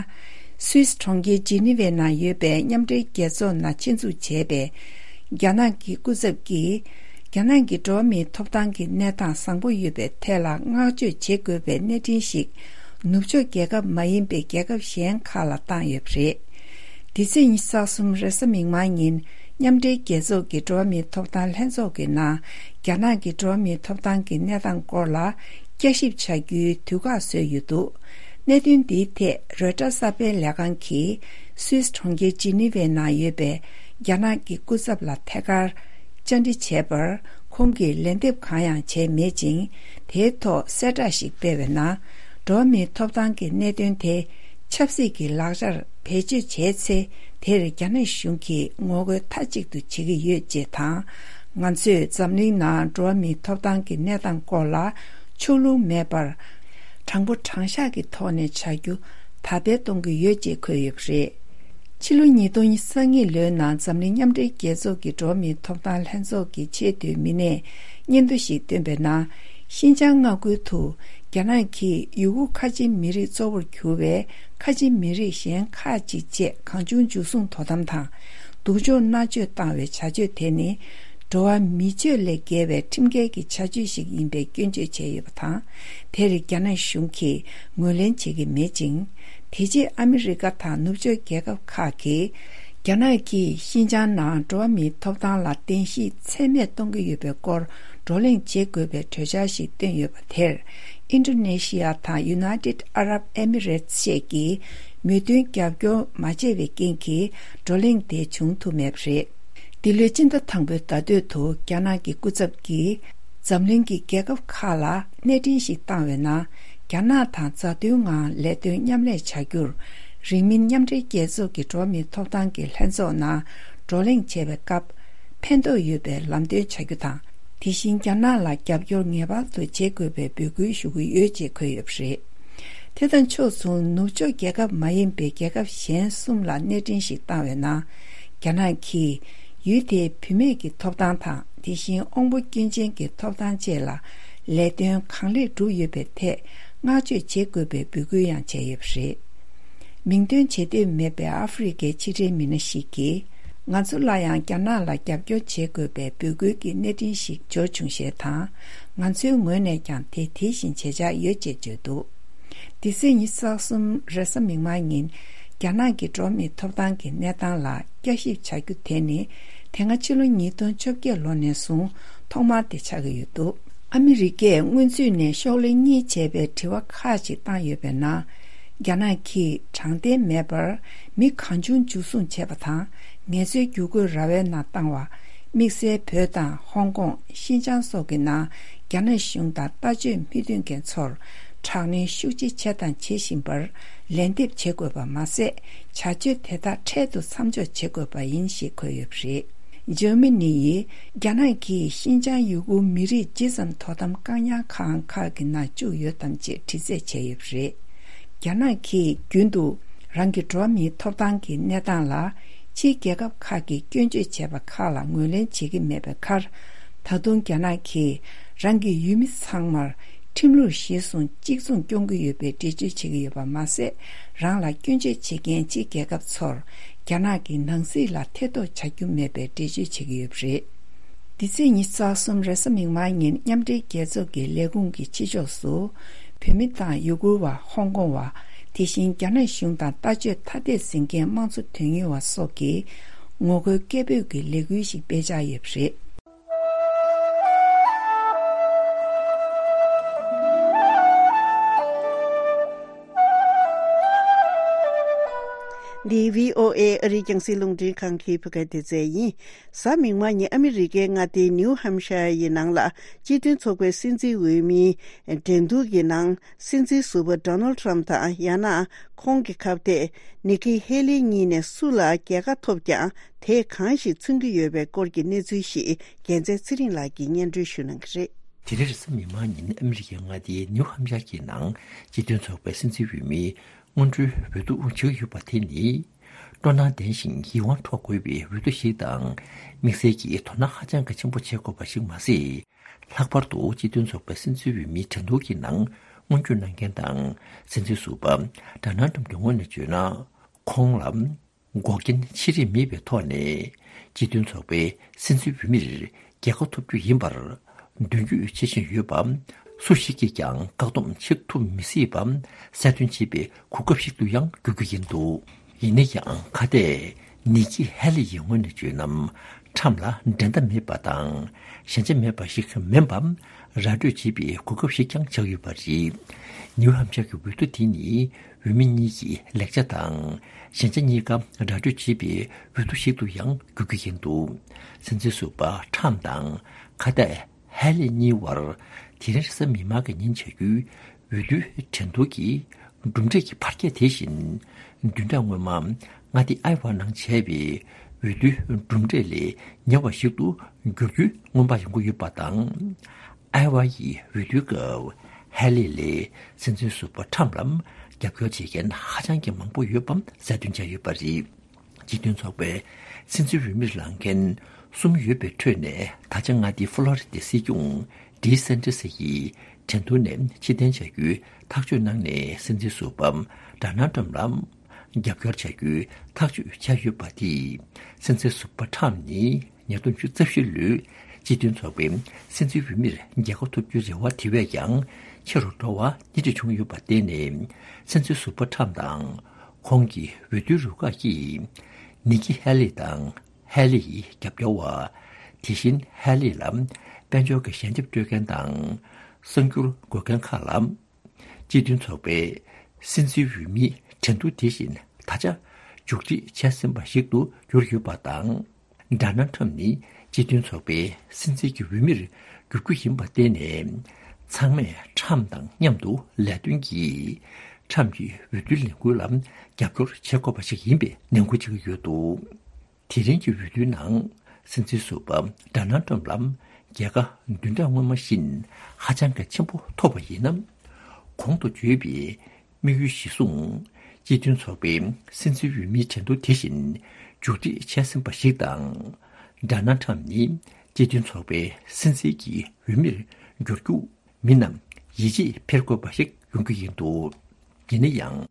སུད་སི་གྲོང་ཁྱེར་ཇི་ནི་ཝའི་ནང་ཡོད་པའི་མཉམ་འབྲེལ་རྒྱལ་ཚོགས་ནང་ཆེད་འཛུགས་བྱས་པའི་རྒྱ་ནག་གི་སྐུ་ཚབ་ཀྱིས། རྒྱ་ནག་གི་འགྲོ་བ་མིའི་ཐོབ་ཐང་གི་གནས་སྟངས་བཟང་པོ་ཡོད་པའི་ཐད་ལ་བསྔགས་བརྗོད་བྱེད་དགོས་པའི་གནས་འཕྲིན་ཞིག་ནུབ་ཕྱོགས་རྒྱལ་ཁབ་མ་ཡིན་པའི་རྒྱལ་ཁབ་གཞན་ཁག་ལ་བཏང་ཡོད་པ་རེད། འདི་ཚེས་ཉི་ཤུ་རྩ་གསུམ་རེས་གཟའ་མིག་དམར་ཉིན། མཉམ་འབྲེལ་རྒྱལ་ཚོགས་ཀྱི་འགྲོ་བ་མིའི་ཐོབ་ཐང་ལྷན་ཚོགས་ཀྱི་ནང་། རྒྱ་ནག་གི་འགྲོ་བ་མིའི་ཐོབ་ཐང་གི་གནས་སྟངས་སྐོར་ལ་བསྐྱར་ཞིབ་བྱ་རྒྱུའི་དུས་བཀག་བཟོས་ཡོད་འདུག། གནད་དོན་འདིའི་ཐད་རོའི་ཊར་གསར་སྤེལ་ལས་ཁང་གིས་སུད་སི་གྲོང་ཁྱེར་ཇི་ནི་ཝའི་ནང་ཡོད་པའི་རྒྱ་ནག་གི་སྐུ་ཚབ་ལ་ཐད་ཀར་བཅར་འདྲི་བྱས་པར། ཁོང་གིས་ལན་འདེབས་གང་ཡང་བྱས་མེད་ཅིང་། དེའི་ཐོག་གསལ་བསྒྲགས་ཤིག་སྤེལ་བའི་ནང་། འགྲོ་བ་མིའི་ཐོབ་ཐང་གི་གནད་དོན་དེ་ཆབ་སྲིད་ཀྱི་ལག་ཆར་བེད་སྤྱོད་བྱས་ཚེ། དེར་རྒྱ་ནག་གཞུང་གིས་ངོ་རྒོལ་མཐའ་གཅིག་ཏུ་བྱེད་ཀྱི་ཡོད་ཅེས་དང་། ང་ཚོས་འཛམ་གླིང་ནང་འགྲོ་བ་མིའི་ཐོབ་ཐང་གི་གནས་སྟངས་སྐོར་ལ་ཕྱོགས་ལྷུང་མེད་པར། དྲང་པོ་དྲང་བཞག་གི་ཐོག་ནས་བྱ་རྒྱུ་དར་སྤེལ་གཏོང་གི་ཡོད་ཅེས་འཁོད་ཡོད་པ་རེད། ཕྱི་ལོ་ཉིས་སྟོང་ཉི་ཤུ་རྩ་གཉིས་ལོའི་ནང་འཛམ་གླིང་མཉམ་འབྲེལ་རྒྱལ་ཚོགས་ཀྱི་འགྲོ་བ་མིའི་ཐོབ་ཐང་ལྷན་ཚོགས་ཀྱི་ཆེས་མཐོའི་མི་སྣས་སྙན་ཐོ་ཞིག་བཏོན་པའི་ནང་། ཤིན་ཅང་མངའ་ཁུལ་དུ་རྒྱ་ནག་གིས་ཡུ་གུར་ཁ་ཆེ་མི་རིགས་གཙོ་བོར་གྱུར་བའི་ཁ་ཆེ་མི་རིགས་གཞན་ཁག་ཅིག་བཅས་གང་བྱུང་འཇུ་བཟུང་དོ་དམ་དང་། སྡུག་སྦྱོང་མནར་གཅོད་བཏང་བའི་བྱ་སྤྱོད་དེ་ནི། འགྲོ་བ་མི་སྤྱོད་ལས་བརྒལ་བའི་ཁྲིམས་འགལ་གྱི་བྱ་སྤྱོད་ཞིག་ཡིན་པའི་སྐྱོན་བརྗོད་བྱས་ཡོད་པ་དང་། དེར་རྒྱ་ནག་གཞུང་གིས་ངོས་ལེན་བྱེད་ཀྱི་མེད་ཅིང་། དེ་རྗེས་ཨ་མི་རི་ཀ་དང་ནུབ་ཕྱོགས་རྒྱལ་ཁབ་ཁག་གིས། རྒྱ་ནག་གིས་ཤིན་ཅང་ནང་འགྲོ་བ་མིའི་ཐོབ་ཐང་ལ་བརྟེན་གཞི་ཚད་མེད་གཏོང་གི་ཡོད་པའི་སྐོར་བགྲོ་གླེང་བྱེད་དགོས་པའི་གྲོས་འཆར་ཞིག་བཏོན་ཡོད་པ་དེར། ཨིན་ཌོ་ནེ་ཤི་ཡ་དང་ཡུ་ནའི་ཊེཌ་ཨ་རབ་ཨེ་མི་རེ་ཊི་བཅས་ཀྱིས་མོས་མཐུན་རྒྱབ་སྐྱོར་མ་བྱས་པའི་རྐྱེན་གྱིས། བགྲོ་གླེང་དེ་བྱུང་ཐུབ་མེད་པ་རེད། འདི་ལོའི་སྤྱི་ཟླ་དང་པོའི་ཟླ་སྟོད་དུ་རྒྱ་ནག་གི་སྐུ་ཚབ་ཀྱིས། འཛམ་གླིང་གི་རྒྱལ་ཁབ་ཁག་ལ་གནས་འཕྲིན་ཞིག་བཏང་བའི་ནང་། རྒྱ་ནག་དང་མཛའ་མཐུན་ངང་ལས་དོན་མཉམ་ལས་བྱ་རྒྱུར། རིང་མིན་མཉམ་འབྲེལ་རྒྱལ་ཚོགས་ཀྱི་འགྲོ་བ་མིའི་ཐོབ་ཐང་གི་ལྷན་ཚོགས་ནང་བགྲོ་གླེང་བྱེད་པའི་སྐབས། ཕན་ཐོགས་ཡོད་པའི་ལམ་སྟོན་བྱ་རྒྱུ་དང་། དེ་བཞིན་རྒྱ་ནག་ལ་རྒྱབ་སྐྱོར་ངེས་པར་དུ་བྱེད་དགོས་པའི་འབོད་སྐུལ་ཞུ་གི་ཡོད་ཅེས་འཁོད་ཡོད་པ་རེད། དེ་དང་ཕྱོགས་མཚུངས། ནུབ་ཕྱོགས་རྒྱལ་ཁབ་མ་ཡིན་པའི་རྒྱལ་ཁབ་གཞན་གསུམ་ལ་གནས་འཕྲིན་ཞིག་བཏང་བའི་ནང་། རྒྱ་ནག་གིས་ཡུལ་དེའི་བུད་མེད་ཀྱི་ཐོབ་ཐང་དང་། དེ་བཞིན་དབང་པོ་སྐྱོན་ཅན་གྱི་ཐོབ་ཐང་བཅས་ལ་ལས་དོན་གང་ལེགས་བསྒྲུབས་ཡོད་པའི་ཐད། བསྔགས་བརྗོད་བྱེད་དགོས་པའི་འབོད་སྐུལ་ཡང་བྱས་ཡོད་པ་རེད། མིང་འདོན་བྱེད་འདོད་མེད་པའི་ཨ་ཧྥེ་རི་ཁའི་ཕྱི་འབྲེལ་མི་སྣ་ཞིག་གིས། ང་ཚོ་ལ་ཡང་རྒྱ་ནག་ལ་རྒྱབ་སྐྱོར་བྱེད་དགོས་པའི་འབོད་སྐུལ་གྱི་གནས་འཕྲིན་ཞིག་འབྱོར་བྱུང་ཞེས་དང་། ང་ཚོའི་ངོས་ནས་ཀྱང་དེ་དེ་བཞིན་བྱེད་འཆར་ཡོད་ཅེས་བརྗོད་འདུག་འདི་ཚེས་ཉི་ཤུ་རྩ་གསུམ་རེས་གཟའ་མིག་དམར་ཉིན། རྒྱ་ནག་གི་འགྲོ་བ་མིའི་ཐོབ་ཐང་གི་གནས་སྟངས་ལ་བསྐྱར་ཞིབ་བྱ་རྒྱུ་དེ་ནི། དེ་སྔ་ཕྱི་ལོ་ཉིས་སྟོང་བཅོ་བརྒྱད་ལོ་ནས་བཟུང་ཐོག་མར་དེ་ཆགས་ཀྱི་ཡོད་འདུག་ཨ་མི་རི་ཀས་སྔོན་ཚུད་ནས་ཤོག་ལྷེ་གཉིས་བྱས་པའི་དྲི་བ་ཁག་ཅིག་བཏང་ཡོད་པའི་ནང་། རྒྱ་ནག་གིས་དྲང་བདེན་མེད་པར་མི་གང་བྱུང་འཇུ་བཟུང་བྱས་པ་དང་། ངལ་རྩོལ་བསྒྱུར་བཀོད་ར་བའི་ནང་བཏང་བ། དམིགས་བསལ་བོད་དང་ཧོང་ཀོང་། ཤིན་ཅང་སོགས་ཀྱི་ནང་རྒྱ་ནག་གཞུང་དང་ལྟ་སྤྱོད་མི་མཐུན་མཁན་ཚོར་དྲག་གནོན་ཤུགས་ཆེ་བྱས་དང་བྱེད་བཞིན་པར་ལན་འདེབས་བྱེད་དགོས་པ་མ་ཟད། བྱ་སྤྱོད་དེ་དག་འཕྲལ་དུ་མཚམས་འཇོག་བྱེད་དགོས་པ་ཡིན་ཞེས་འཁོད་ཡོད་པ་རེད། འཇར་མ་ནི་ཡིས་རྒྱ་ནག་གིས་ཤིན་ཅང་ཡུ་གུར་མི་རིགས་ཇི་ཙམ་དོ་དམ་བཀག་ཉར་ཁང་ཁག་གི་ནང་བཅུག་ཡོད་དམ་ཅེས་དྲི་རྩད་བྱས་ཡོད་པ་རེད། རྒྱ་ནག་གིས་རྒྱུན་དུ་རང་གི་འགྲོ་བ་མིའི་ཐོབ་ཐང་གི་གནས་སྟངས་ལ་ཕྱིའི་རྒྱལ་ཁབ་ཁག་གིས་སྐྱོན་བརྗོད་བྱས་པ་ཁག་ལ་ངོས་ལེན་བྱེད་ཀྱི་མེད་པའི་ཁར། ད་དུང་རྒྱ་ནག་གིས་རང་གི་ཡུལ་མི་ཚང་མར་ཁྲིམས་ལུགས་གཞིར་བཟུང་གཅིག་མཚུངས་སྐྱོང་གི་ཡོད་པའི་འགྲེལ་བརྗོད་བྱེད་ཀྱི་ཡོད་པ་མ་ཟད། རང་ལ་སྐྱོན་བརྗོད་བྱེད་མཁན་ཕྱིའི་རྒྱལ་ཁབ་ཚོར་རྒྱ་ནག་གི་ནང་སྲིད་ལ་ཐེ་གཏོགས་བྱ་རྒྱུ་མེད་པའི་འགྲེལ་བརྗོད་བྱེད་ཀྱི་ཡོད་པ་རེད། འདི་ཚེས་ཉི་ཤུ་རྩ་གསུམ་རེས་གཟའ་མིག་དམར་ཉིན་མཉམ་འབྲེལ་རྒྱལ་ཚོགས་ཀྱི་ལས་ཁུངས་ཀྱི་ཕྱི་ཕྱོགས་སུ། བོད་མི་དང་ཡུ་གུར་བ། ཧོང་ཀོང་བ། དེ་བཞིན་རྒྱ་ནག་གཞུང་དང་ལྟ་སྤྱོད་ཐ་དད་འཛིན་མཁན་དམངས་གཙོ་དོན་གཉེར་བ་སོགས་ཀྱིས་ངོ་རྒོལ་སྐད་འབོད་ཀྱི་ལས་འགུལ་ཞིག་སྤེལ་འཆར་ཡོད་པ་རེད། འདི་བྷི་ཨོ་ཨེ་ཨ་རིའི་རྒྱང་སྲིང་རླུང་འཕྲིན་ཁང་གི་བོད་སྐད་སྡེ་ཚན་ཡིན། གཟའ་མིག་དམར་ཉིན་ཨ་མི་རི་ཀའི་མངའ་སྡེ་ནིའུ་ཧམ་ཤར་ཡི་ནང་ལ་སྤྱི་མཐུན་ཚོགས་པའི་སྲིད་འཛིན་འོས་མིའི་འགྲན་བསྡུར་གྱི་ནང་སྲིད་འཛིན་ཟུར་པ་ཌོ་ནལ་ཊམ་དང་ཡང་ན་ཁོང་གི་ཁ་གཏད་ནི་ཀི་ཧེ་ལི་གཉིས་ནས་སུ་ལ་རྒྱལ་ཁ་ཐོབ་ཀྱང་དེས་གང་ཞིག་མཚོན་གྱི་ཡོད་པའི་སྐོར་གྱི་གནས་ཚུལ་ཞིག་རྒྱལ་མཚན་ཚེ་རིང་ལགས་ཀྱིས་སྙན་སྒྲོན་ཞུ་གནང་གི་རེད། དེ་རིང་རེས་གཟའ་མིག་དམར་ཉིན་ཨ་མི་རི་ཀའི་མངའ་སྡེའི་ནིའུ་ཧམ་ཤར་གྱི་ནང་སྤྱི་མཐུན་ཚོགས་པའི་སྲིད་འཛིན་འོས་མིའི་སྔོན་འགྲོའི་འོས་བསྡུ་བྱེད་ཀྱི་ཡོད་པ་དེ་ནི། སྤྲོ་སྣང་ལྡན་ཞིང་ཡིད་དབང་འཕྲོག་དགོས་པའི་འོས་བསྡུ་ཞིག་དང་། དམིགས་བསལ་གྱིས་དོ་སྣང་ཧ་ཅང་གི་ཆེན་པོ་བྱེད་དགོས་པ་ཞིག་མ་ཟད། ལྷག་པར་དུ་སྤྱི་མཐུན་ཚོགས་པའི་སྲིད་འཛིན་འོས་མིའི་འགྲན་བསྡུར་གྱི་ནང་སྔོན་སྐྱོད་གནང་མཁན་དང་སྲིད་འཛིན་ཟུར་པ་ཌོ་ནལ་ཊམ་གྱི་ངོས་ནས་བརྗོད་ན། ཁོང་ལ་འགོག་རྐྱེན་ཆེ་རིགས་མེད་པའི་ཐོག་ནས་སྤྱི་མཐུན་ཚོགས་པའི་སྲིད་འཛིན་འོས་མིར་རྒྱལ་ཁ་ཐོབ་རྒྱུ་ཡིན་པར་མདུན་སྐྱོད་བྱེད་བཞིན་ཡོད་པ། སུ་ཞིག་གིས་ཀྱང་བཀག་སྡོམ་བྱེད་ཐུབ་མི་སྲིད་པ་གསལ་སྟོན་བྱེད་པའི་གོ་སྐབས་ཤིག་ཏུ་ཡང་འགྱུར་རྒྱུ་ཡིན་འདུག་ཡིན་ན་ཡང་ཁ་གཏད་ནི་ཀི་ཧེ་ལི་ཡི་ངོས་ནས་བརྗོད་ན། ཊམ་ལ་འགྲན་ཟླ་མེད་པ་དང་ཞན་ཆ་མེད་པ་ཞིག་མིན་པ་ར་སྤྲོད་བྱེད་པའི་གོ་སྐབས་ཤིག་ཀྱང་ཆགས་ཡོད་པ་རེད། ནིའུ་ཧམ་ཤར་གྱི་འོས་བསྡུ་དེ་ནི་འོས་མི་གཉིས་ཀྱི་ལེགས་ཆ་དང་ཞན་ཆ་གཉིས་ཀ་ར་སྤྲོད་བྱེད་པའི་འོས་བསྡུ་ཞིག་ཏུ་ཡང་འགྱུར་གྱི་ཡིན་འདུག་སྲིད་འཛིན་ཟུར་པ་ཊམ་དང་ཁ་གཏད་ཧེ་ལི་གཉིས་བར་དེ་རིང་རེས་གཟའ་མིག་དམར་གྱི་ཉིན་བྱ་རྒྱུའི་འོས་བསྡུའི་འགྲན་བསྡུར་གྱི་གྲུབ་འབྲས་ཀྱི་ཕར་སྐྱེལ་དེ་བཞིན། བདུན་ཕྲག་སྔོན་མ་མངའ་སྡེ་ཨའི་ཝ་ནང་བྱས་པའི་འོས་བསྡུའི་གྲུབ་འབྲས་ལས་ཉེ་བ་ཞིག་ཏུ་འགྱུར་རྒྱུའི་སྔོན་དཔག་ཡོང་གི་ཡོད་པ་དང་། ཨའི་ཝ་ཡི་འོས་བསྡུའི་སྐབས་ཧེ་ལི་ལས་སྲིད་འཛིན་ཟུར་པ་ཊམ་ལ་རྒྱབ་སྐྱོར་བྱེད་མཁན་ཧ་ཅང་གི་མང་པོ་ཡོད་པ་གསལ་སྟོན་བྱས་ཡོད་པ་རེད། སྤྱི་མཐུན་ཚོགས་པའི་སྲིད་འཛིན་འོས་མིར་ལངས་མཁན་གསུམ་ཡོད་པའི་ཁྲོད་ནས་ད་ཆ་མངའ་སྡེ་ཧྥ་ལོ་རི་ཏའི་སྲིད་སྐྱོང་ཌི་སན་ཏི་སི་ཡིས་འགྲན་བསྡུར་ནས་ཕྱིར་འཐེན་བྱ་རྒྱུའི་ཐག་གཅོད་གནང་ནས་སྲིད་འཛིན་ཟུར་པ་ཌོ་ནལ་ཊམ་ལ་རྒྱབ་སྐྱོར་བྱ་རྒྱུའི་ཐག་གཅོད་བྱས་ཡོད་པ་དེས། སྲིད་འཛིན་ཟུར་པ་ཊམ་ནི་ཉིས་སྟོང་བཅུ་རྩ་བཞི་ལོའི་སྤྱི་མཐུན་ཚོགས་པའི་སྲིད་འཛིན་འོས་མིར་རྒྱལ་ཁ་ཐོབ་རྒྱུའི་རེ་བ་དེ་བས་ཀྱང་ཆེ་རུ་འགྲོ་བ་སྣེ་ཁྲིད་བྱུང་ཡོད་པར་བརྟེན་ནས། སྲིད་འཛིན་ཟུར་པ་ཊམ་དང་ཁོང་གི་འོས་བསྡུའི་རུ་ཁག་གིས་ནི་ཀི་ཧེ་ལི་དང་། ཧེ་ལི་ཡི་རྒྱབ་སྐྱོར་བ། དེ་བཞིན་ཧེ་ལི་ལ་དཔལ་འབྱོར་གྱི་ཞལ་འདེབས་སྤྲོད་མཁན་དང་། གསར་འགྱུར་འགོད་མཁན་ཁག་ལ། སྤྱི་མཐུན་ཚོགས་པའི་སྲིད་འཛིན་འོས་མིའི་འགྲན་བསྡུར་དེ་བཞིན་ད་ཆ་མཇུག་སྒྲིལ་བྱས་ཟིན་པ་ཞིག་ཏུ་གྱུར་ཡོད་པ་དང་། ཌོ་ནལ་ཊམ་ནི་སྤྱི་མཐུན་ཚོགས་པའི་སྲིད་འཛིན་གྱི་འོས་མིར་འགྱུར་རྒྱུ་ཡིན་པར་བརྟེན་ནས། ཚང་མས་ཊམ་དང་མཉམ་དུ་ལས་དོན་གྱིས་ཊམ་གྱི་འོས་བསྡུའི་ལས་འགུལ་ལ་རྒྱབ་སྐྱོར་བྱེད་དགོས་པ་ཞིག་ཡིན་པའི་ནན་སྐུལ་བྱེད་ཀྱི་ཡོད་འདུག་དེ་རིང་གི་འོས་བསྡུའི་ནང་སྲིད་འཛིན་ཟུར་པ་ཌོ་ནལ་ཊམ་ལ་རྒྱལ་ཁ་བདུན་ཕྲག་སྔོན་མ་བཞིན་ཧ་ཅང་གི་ཆེན་པོ་ཐོབ་པ་ཡིན་ན། གོང་དུ་བརྗོད་པའི་དམིགས་ཡུལ་གཞིར་བཟུང་། སྤྱི་མཐུན་ཚོགས་པའི་སྲིད་འཛིན་འོས་མིའི་འགྲན་བསྡུར་དེ་བཞིན་མཇུག་སྒྲིལ་བྱས་ཟིན་པ་ཞིག་དང་། ཌོ་ནལ་ཊམ་ནི་སྤྱི་མཐུན་ཚོགས་པའི་སྲིད་འཛིན་གྱི་འོས་མིར་འགྱུར་རྒྱུ། མི་རྣམས་ཡིད་ཆེས་འཕེར་དགོས་པ་ཞིག་ ཡོང་རྒྱུ་ཡིན་འདུག་ཡིན་ན་ཡང་།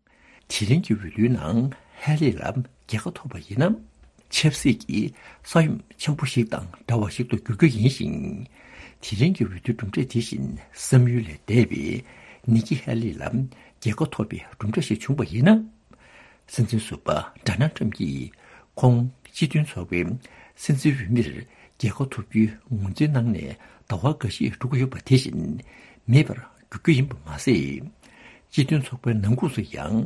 དེ་རིང་གི་འོས་བསྡུའི་ནང་ཧེ་ལི་ལ་རྒྱལ་ཁ་ཐོབ་པ་ཡིན་ན། ཆབ་སྲིད་ཀྱི་ས་ཡོམ་ཆེན་པོ་ཞིག་དང་འདྲ་བ་ཞིག་ཏུ་འགྱུར་རྒྱུ་ཡིན་ཞིང་། དེ་རིང་གི་འོས་བསྡུའི་གྲུབ་འབྲས་དེ་བཞིན་བསམ་ཡུལ་ལས་འདས་པའི་ནི་ཀི་ཧེ་ལི་ལ་རྒྱལ་ཁ་ཐོབ་པའི་གྲུབ་འབྲས་ཤིག་བྱུང་བ་ཡིན་ན། སྲིད་འཛིན་ཟུར་པ་ཌོ་ནལ་ཊམ་གྱིས་ཁོང་སྤྱི་མཐུན་ཚོགས་པའི་སྲིད་འཛིན་འོས་མིར་རྒྱལ་ཁ་ཐོབ་རྒྱུའི་ངོས་འཛིན་གནང་ནས་ཟླ་བ་འགའ་ཤས་འགྲོ་གི་ཡོད་པ་དེ་བཞིན་མེད་པར་འགྱུར་རྒྱུ་ཡིན་པ་མ་ཟད། སྤྱི་མཐུན་ཚོགས་པའི་ནང་ཁུལ་དུ་ཡང་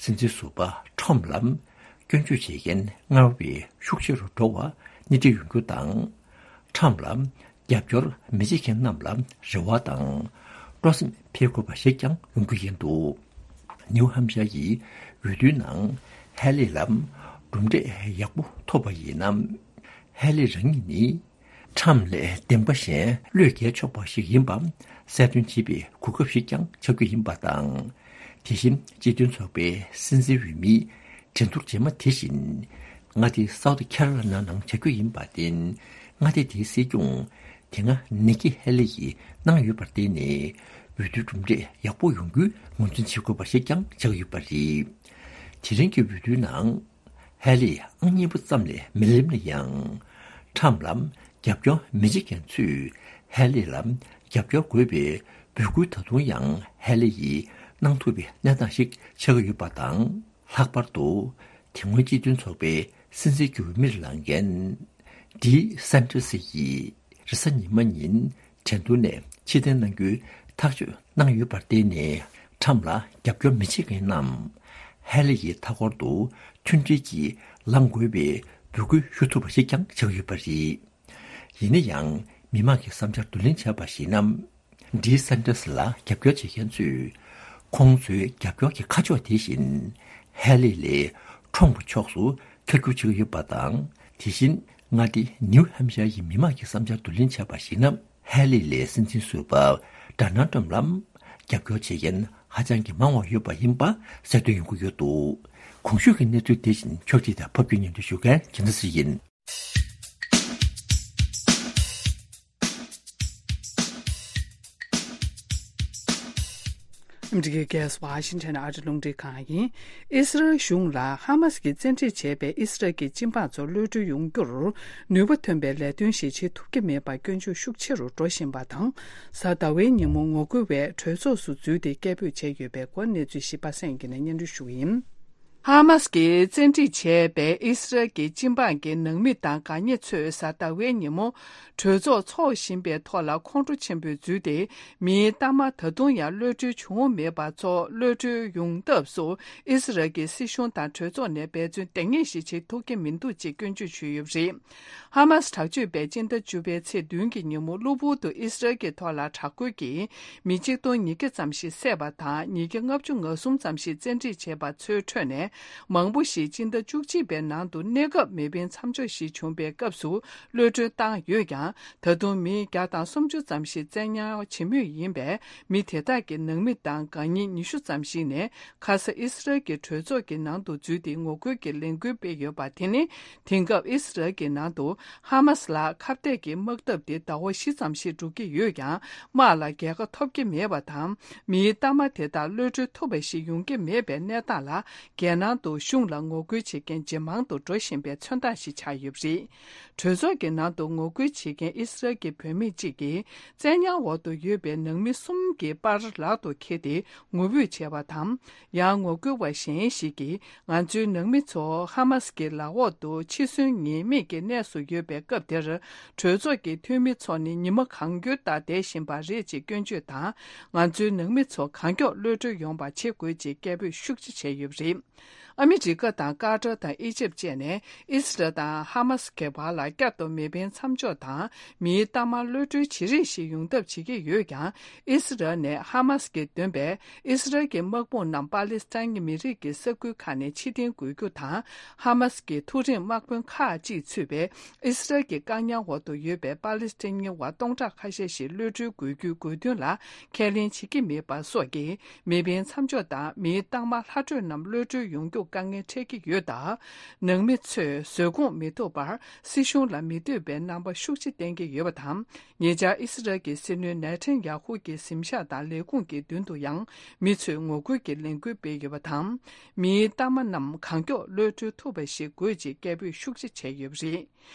སྲིད་འཛིན་ཟུར་པ་ཊམ་ལ་སྐྱོན་བརྗོད་བྱེད་མཁན་སྔར་བས་ཤུགས་ཆེ་རུ་འགྲོ་བ་སྣེ་ཁྲིད་ཡོང་རྒྱུ་དང་། ཊམ་ལ་རྒྱབ་སྐྱོར་མི་བྱེད་མཁན་རྣམས་ལ་རེ་བ་དང་སྤྲོ་སེམས་འཕེལ་དགོས་པ་ཞིག་ཀྱང་ཡོང་རྒྱུ་ཡིན་འདུག་ནིའུ་ཧམ་ཤར་ཡི་འོས་བསྡུའི་ནང་ཧེ་ལི་ལ་གྲུབ་འབྲས་ཡག་པོ་ཐོབ་པ་ཡིན་ན། ཧེ་ལི་རང་ཉིད་ནི་ཊམ་ལས་འདེམས་པ་གཞན་བློས་འགེལ་ཆོག་པ་ཞིག་ཡིན་པ་གསལ་སྟོན་བྱེད་པའི་གོ་སྐབས་ཤིག་ཀྱང་ཆགས་རྒྱུ་ཡིན་པ་དང་། དེ་བཞིན་སྤྱི་མཐུན་ཚོགས་པའི་སྲིད་འཛིན་འོས་མི་འགྲན་བསྡུར་རྗེས་མ་དེ་བཞིན་མངའ་སྡེ་སའུ་ཐི་ཁེ་རོ་ལི་ན་ནང་བྱ་རྒྱུ་ཡིན་པར་བརྟེན། མངའ་སྡེ་དེའི་སྲིད་སྐྱོང་དེ་སྔ་ནི་ཀི་ཧེ་ལི་ཡིས་གནང་ཡོད་པར་བརྟེན་ནས། འོས་བསྡུའི་གྲུབ་འབྲས་ཡག་པོ་ཡོང་རྒྱུའི་ངོས་འཛིན་བྱེད་དགོས་པ་ཞིག་ཀྱང་ཆགས་ཡོད་པ་རེད། དེ་རིང་གི་འོས་བསྡུའི་ནང་ཧེ་ལི་ཨང་གཉིས་པ་ཙམ་ལས་མི་ལེན་ན་ཡང་། ཊམ་ལ་རྒྱབ་སྐྱོར་མི་བྱེད་མཁན་ཚོས་ཧེ་ལི་ལ་རྒྱབ་སྐྱོར་དགོས་པའི་འབོད་སྐུལ་ད་དུང་ཡང་ཧེ་ལི་ཡིས་གནང་ཐུབ་པའི་གནས་སྟངས་ཤིག་ཆགས་ཀྱི་ཡོད་པ་དང་། ལྷག་པར་དུ་དེ་སྔོན་སྤྱི་མཐུན་ཚོགས་པའི་སྲིད་འཛིན་གྱི་འོས་མིར་ལངས་མཁན་ཌི་སན་ཏྲེ་སི་ཡིས་རེས་གཟའ་ཉི་མ་ཉིན་ཁྲེང་ཏུའུ་ནས་ཕྱིར་འཐེན་གནང་རྒྱུའི་ཐག་གཅོད་གནང་ཡོད་པར་བརྟེན་ནས། ཊམ་ལ་རྒྱབ་སྐྱོར་མི་བྱེད་མཁན་རྣམས་ཧེ་ལི་ཡི་མཐའ་འཁོར་དུ་མཐུན་སྒྲིལ་གྱིས་ལངས་དགོས་པའི་འབོད་སྐུལ་ཞུ་ཐུབ་པ་ཞིག་ཀྱང་ཆགས་ཡོད་པ་རེད། ཡིན་ན་ཡང་མི་མང་གི་བསམ་འཆར་བསྡུ་ལེན་བྱས་པར་གཞིགས་ན། ཌི་སན་ཏྲེ་སི་ལ་རྒྱབ་སྐྱོར་བྱེད་མཁན་ཚོས་ཁོང་ཚོའི་རྒྱབ་སྐྱོར་གྱི་ཁ་ཕྱོགས་དེ་བཞིན་ཧེ་ལི་ལས་ཁྲོམ་གྱི་ཕྱོགས་སུ་འཁྱེར་རྒྱུ་བྱེད་ཀྱི་ཡོད་པ་དང་། དེ་བཞིན་མངའ་སྡེ་ནིའུ་ཧམ་ཤར་ཡི་མི་མང་གི་བསམ་འཆར་བསྡུ་ལེན་བྱས་པར་གཞིགས་ན། ཧེ་ལི་ལས་སྲིད་འཛིན་ཟུར་པ་ཌོ་ནལ་ཊམ་ལ་རྒྱབ་སྐྱོར་བྱེད་མཁན་ཧ་ཅང་གི་མང་བ་ཡོད་པ་ཡིན་པ་གསལ་སྟོན་ཡོང་གི་ཡོད་འདུག་གོང་ཞུས་ཀྱི་གནས་ཚུལ་དེ་བཞིན་ཕྱོགས་སྒྲིག་དང་ཕབ་སྒྱུར་སྙན་སྒྲོན་ཞུ་མཁན་རྒྱལ་མཚན་ཚེ་རིང་ཡིན། ཨ་མི་རི་ཀའི་རྒྱལ་ས་ཝ་ཤིང་ཊོན་ཨ་རི་རླུང་འཕྲིན་ཁང་ཡིན། ཨི་སི་རལ་གཞུང་ལ་ཧ་མ་སི་གིས་བཙན་ཁྲིད་བྱས་པའི་ཨི་སི་རལ་གྱི་སྤྱི་འབངས་ཚོར་གློད་གྲོལ་ཡོང་རྒྱུར་ནུས་པ་ཐོན་པའི་ལས་དོན་ཞིག་བྱེད་ཐུབ་ཀྱི་མེད་པར་སྐྱོན་བརྗོད་ཤུགས་ཆེ་རུ་འགྲོ་བཞིན་པ་དང་། གཟའ་ཟླ་བའི་ཉིན་མོ་ངོ་རྒོལ་བས་གྲོས་ཚོགས་སུ་འཛུལ་ཏེ་སྐད་འབོད་བྱས་ཡོད་པའི་སྐོར་གནས་ཚུལ་ཞིབ་པ་གསན་གྱི་ནས་སྙན་སྒྲོན་ཞུ་གི་ཡིན། ཧ་མ་སི་གིས་བཙན་ཁྲིད་བྱས་པའི་ཨི་སི་རལ་གྱི་སྤྱི་འབངས་ཀྱི་ནང་མི་དང་དགའ་ཉེ་ཚོས་གཟའ་ཟླ་བའི་ཉིན་མོ་གྲོས་ཚོགས་འཚོགས་བཞིན་པའི་ཐོག་ལ་ཁོང་ཁྲོ་ཆེན་པོས་འཛུལ་ཏེ། མིའི་གཏའ་མ་ད་དུང་ཡང་གློད་གྲོལ་བྱུང་མེད་པ་ཚོ་གློད་གྲོལ་ཡོང་ཐབས་སུ་ཨི་སི་རལ་གྱི་སྲིད་གཞུང་དང་གྲོས་ཚོགས་ནས་འབད་བརྩོན་འདང་ངེས་ཤིག་བྱེད་ཐུབ་ཀྱི་མི་འདུག་ཅེས་སྐྱོན་བརྗོད་ཞུས་ཡོད་པ་རེད། ཧ་མ་སི་དྲག་སྤྱོད་པས་སྤྱི་ཟླ་བཅུ་པའི་ཚེས་བདུན་གྱི་ཉིན་མོ་གློ་བུར་དུ་ཨི་སི་རལ་གྱི་ཐོག་ལ་དྲག་རྒོལ་གྱིས་མི་ཆིག་སྟོང་ཉིས་བརྒྱ་ཙམ་ཞིག་བསད་པ་དང་། ཉིས་བརྒྱ་ལྔ་བཅུ་ང་གསུམ་ཙམ་ཞིག་བཙན་ཁྲིད་བྱས་པ་ཚོའི་ཁྲོད་ནས་མང་པོ་ཞིག་སྤྱི་ཟླ་བཅུ་གཅིག་པའི་ནང་དུ་གནས་སྐབས་མེ་འཕེན་མཚམས་འཇོག་ཞིག་བྱུང་པའི་སྐབས་སུ་གློད་གྲོལ་བཏང་ཡོད་ཀྱང་། ད་དུང་མི་བརྒྱ་དང་སུམ་ཅུ་ཙམ་ཞིག་བཙན་ཉར་བྱེད་མུས་ཡིན་པས། མི་དེ་དག་གི་ནང་མི་དང་དགའ་ཉེ་ཉི་ཤུ་ཙམ་ཞིག་ནས་ཁ་ས་ཨི་སི་རལ་གྱི་གྲོས་ཚོགས་ཀྱི་ནང་དུ་འཛུལ་ཏེ་ངོ་རྒོལ་གྱི་ལས་འགུལ་སྤེལ་ཡོད་པ་དེ་ནི། དེང་སྐབས་ཨི་སི་རལ་གྱི་ནང་དུ་ཧ་མ་སི་ལ་ཁ་གཏད་ཀྱི་དམག་འཐབ་དེ་ཟླ་བ་བཞི་ཙམ་ཞིག་འགྲོ་གི་ཡོད་ཀྱང་། དམག་ལ་རྒྱལ་ཁ་ཐོབ་ཀྱི་མེད་པ་དང་། མིའི་གཏའ་མ་དེ་དག་གློད་གྲོལ་ཐུབ་པ་ཞིག་ཡོང་གི་མེད་པའི་གནས་སྟངས་ལ། རྒྱལ་ནང་དུ་གཞུང་ལ་ངོ་རྒོལ་བྱེད་མཁན་ཇེ་མང་དུ་འགྲོ་བཞིན་པའི་མཚོན་རྟགས་ཤིག་ཆགས་ཡོད་པ་རེད། གྲོས་ཚོགས་ཀྱི་ནང་དུ་ངོ་རྒོལ་བྱེད་མཁན་ཨི་སི་རལ་གྱི་བུད་མེད་ཅིག་གིས། བཙན་ཉར་འོག་ཏུ་ཡོད་པའི་ནང་མི་གསུམ་གྱི་པར་ལག་ཏུ་འཁྱེར་ཏེ་ངུ་འབོད་བྱས་པ་དང་། ཡང་ངོ་རྒོལ་བ་གཞན་ཞིག་གིས། ང་ཚོའི་ནང་མི་ཚོ་ཧ་མ་སི་གི་ལག་འོག་ཏུ་འཆི་གསོན་ངེས་མེད་ཀྱི་གནས་སུ་ཡོད་པའི་སྐབས་དེར། གྲོས་ཚོགས་ཀྱི་འཐུས་མི་ཚོ་ནི་ཉི་མ་གང་འཁྱོལ་ལྟར་བསྡད་བཞིན་པ་རེད་ཅེས་སྐྱོན་བརྗོད་དང་། ང་ཚོའི་ནང་མི་ཚོ་གང་མགྱོགས་གློད་གྲོལ་ཡོང་བ་བྱེད་དགོས་ཅེས་སྐད་འབོད་ཤུགས་ཆེ་བྱས་ཡོད་པ་རེད། ཨ་མི་རི་ཀ་དང་ཀ་ཏར་དང་ཨི་ཇིབ་བཅས་ནས་ཨི་སི་རལ་དང་ཧ་མ་སི་གི་བར་ལ་བསྐྱར་དུ་མེ་འཕེན་མཚམས་འཇོག་དང་མིའི་གཏའ་མ་གློད་གྲོལ་བྱེད་རེས་ཤིག་ཡོང་ཐབས་བྱེད་ཀྱི་ཡོད་ཀྱང་། ཨི་སི་རལ་ནས་ཧ་མ་སི་གིས་འདོན་པའི་ཨི་སི་རལ་གྱི་དམག་དཔུང་རྣམས་པ་ལི་སི་ཐན་གྱི་མི་རིགས་ཀྱི་ས་ཁུལ་ཁག་ནས་ཕྱིར་འཐེན་དགོས་རྒྱུ་དང་། ཧ་མ་སི་གི་མཐོ་རིམ་དམག་དཔོན་ཁག་ཅིག་ཚུད་པའི་ཨི་སི་རལ་གྱི་བཀག་ཉར་འོག་ཏུ་ཡོད་པའི་པ་ལི་སི་ཐན་མི་དབང་སྟོང་ཕྲག་ཁ་ཤས་ཤིག་གློད་གྲོལ་དགོས་རྒྱུའི་དགོས་འདུན་ལ་ཁས་ལེན་བྱེད་ཀྱི་མེད་པ་སོགས་ཀྱིས། མེ་འཕེན་མཚམས་འཇོག་དང་མིའི་གཏའ་མ་ལྷག་འཕྲོས་རྣམས་གློད་གྲོལ་ཡོང་རྒྱུ། དཀའ་ངལ་འཕྲད་ཀྱི་ཡོད་སྟབས། ནང་མི་ཚོས་བཟོད་སྒོམ་མི་ཐུབ་པར་སྲིད་གཞུང་ལ་མི་འདོད་པའི་རྣམ་པ་ཤུགས་ཆེ་བསྟན་གྱི་ཡོད་པ་དང་། ཉེ་ཆར་ཨི་སི་རལ་གྱི་སྲིད་བློན་ནེ་ཐན་ཡ་ཧུ་གྱི་གཟིམ་ཤག་དང་ལས་ཁུངས་ཀྱི་མདུན་དུ་ཡང་མི་ཚོས་ངོ་རྒོལ་གྱི་ལས་འགུལ་སྤེལ་ཡོད་པ་དང་། མིའི་གཏའ་མ་རྣམས་གང་མགྱོགས་གློད་གྲོལ་ཐུབ་པ་ཞིག་དགོས་ཅེས་སྐད་འབོད་ཤུགས་ཆེ་བྱས་ཡོད་པ་རེད།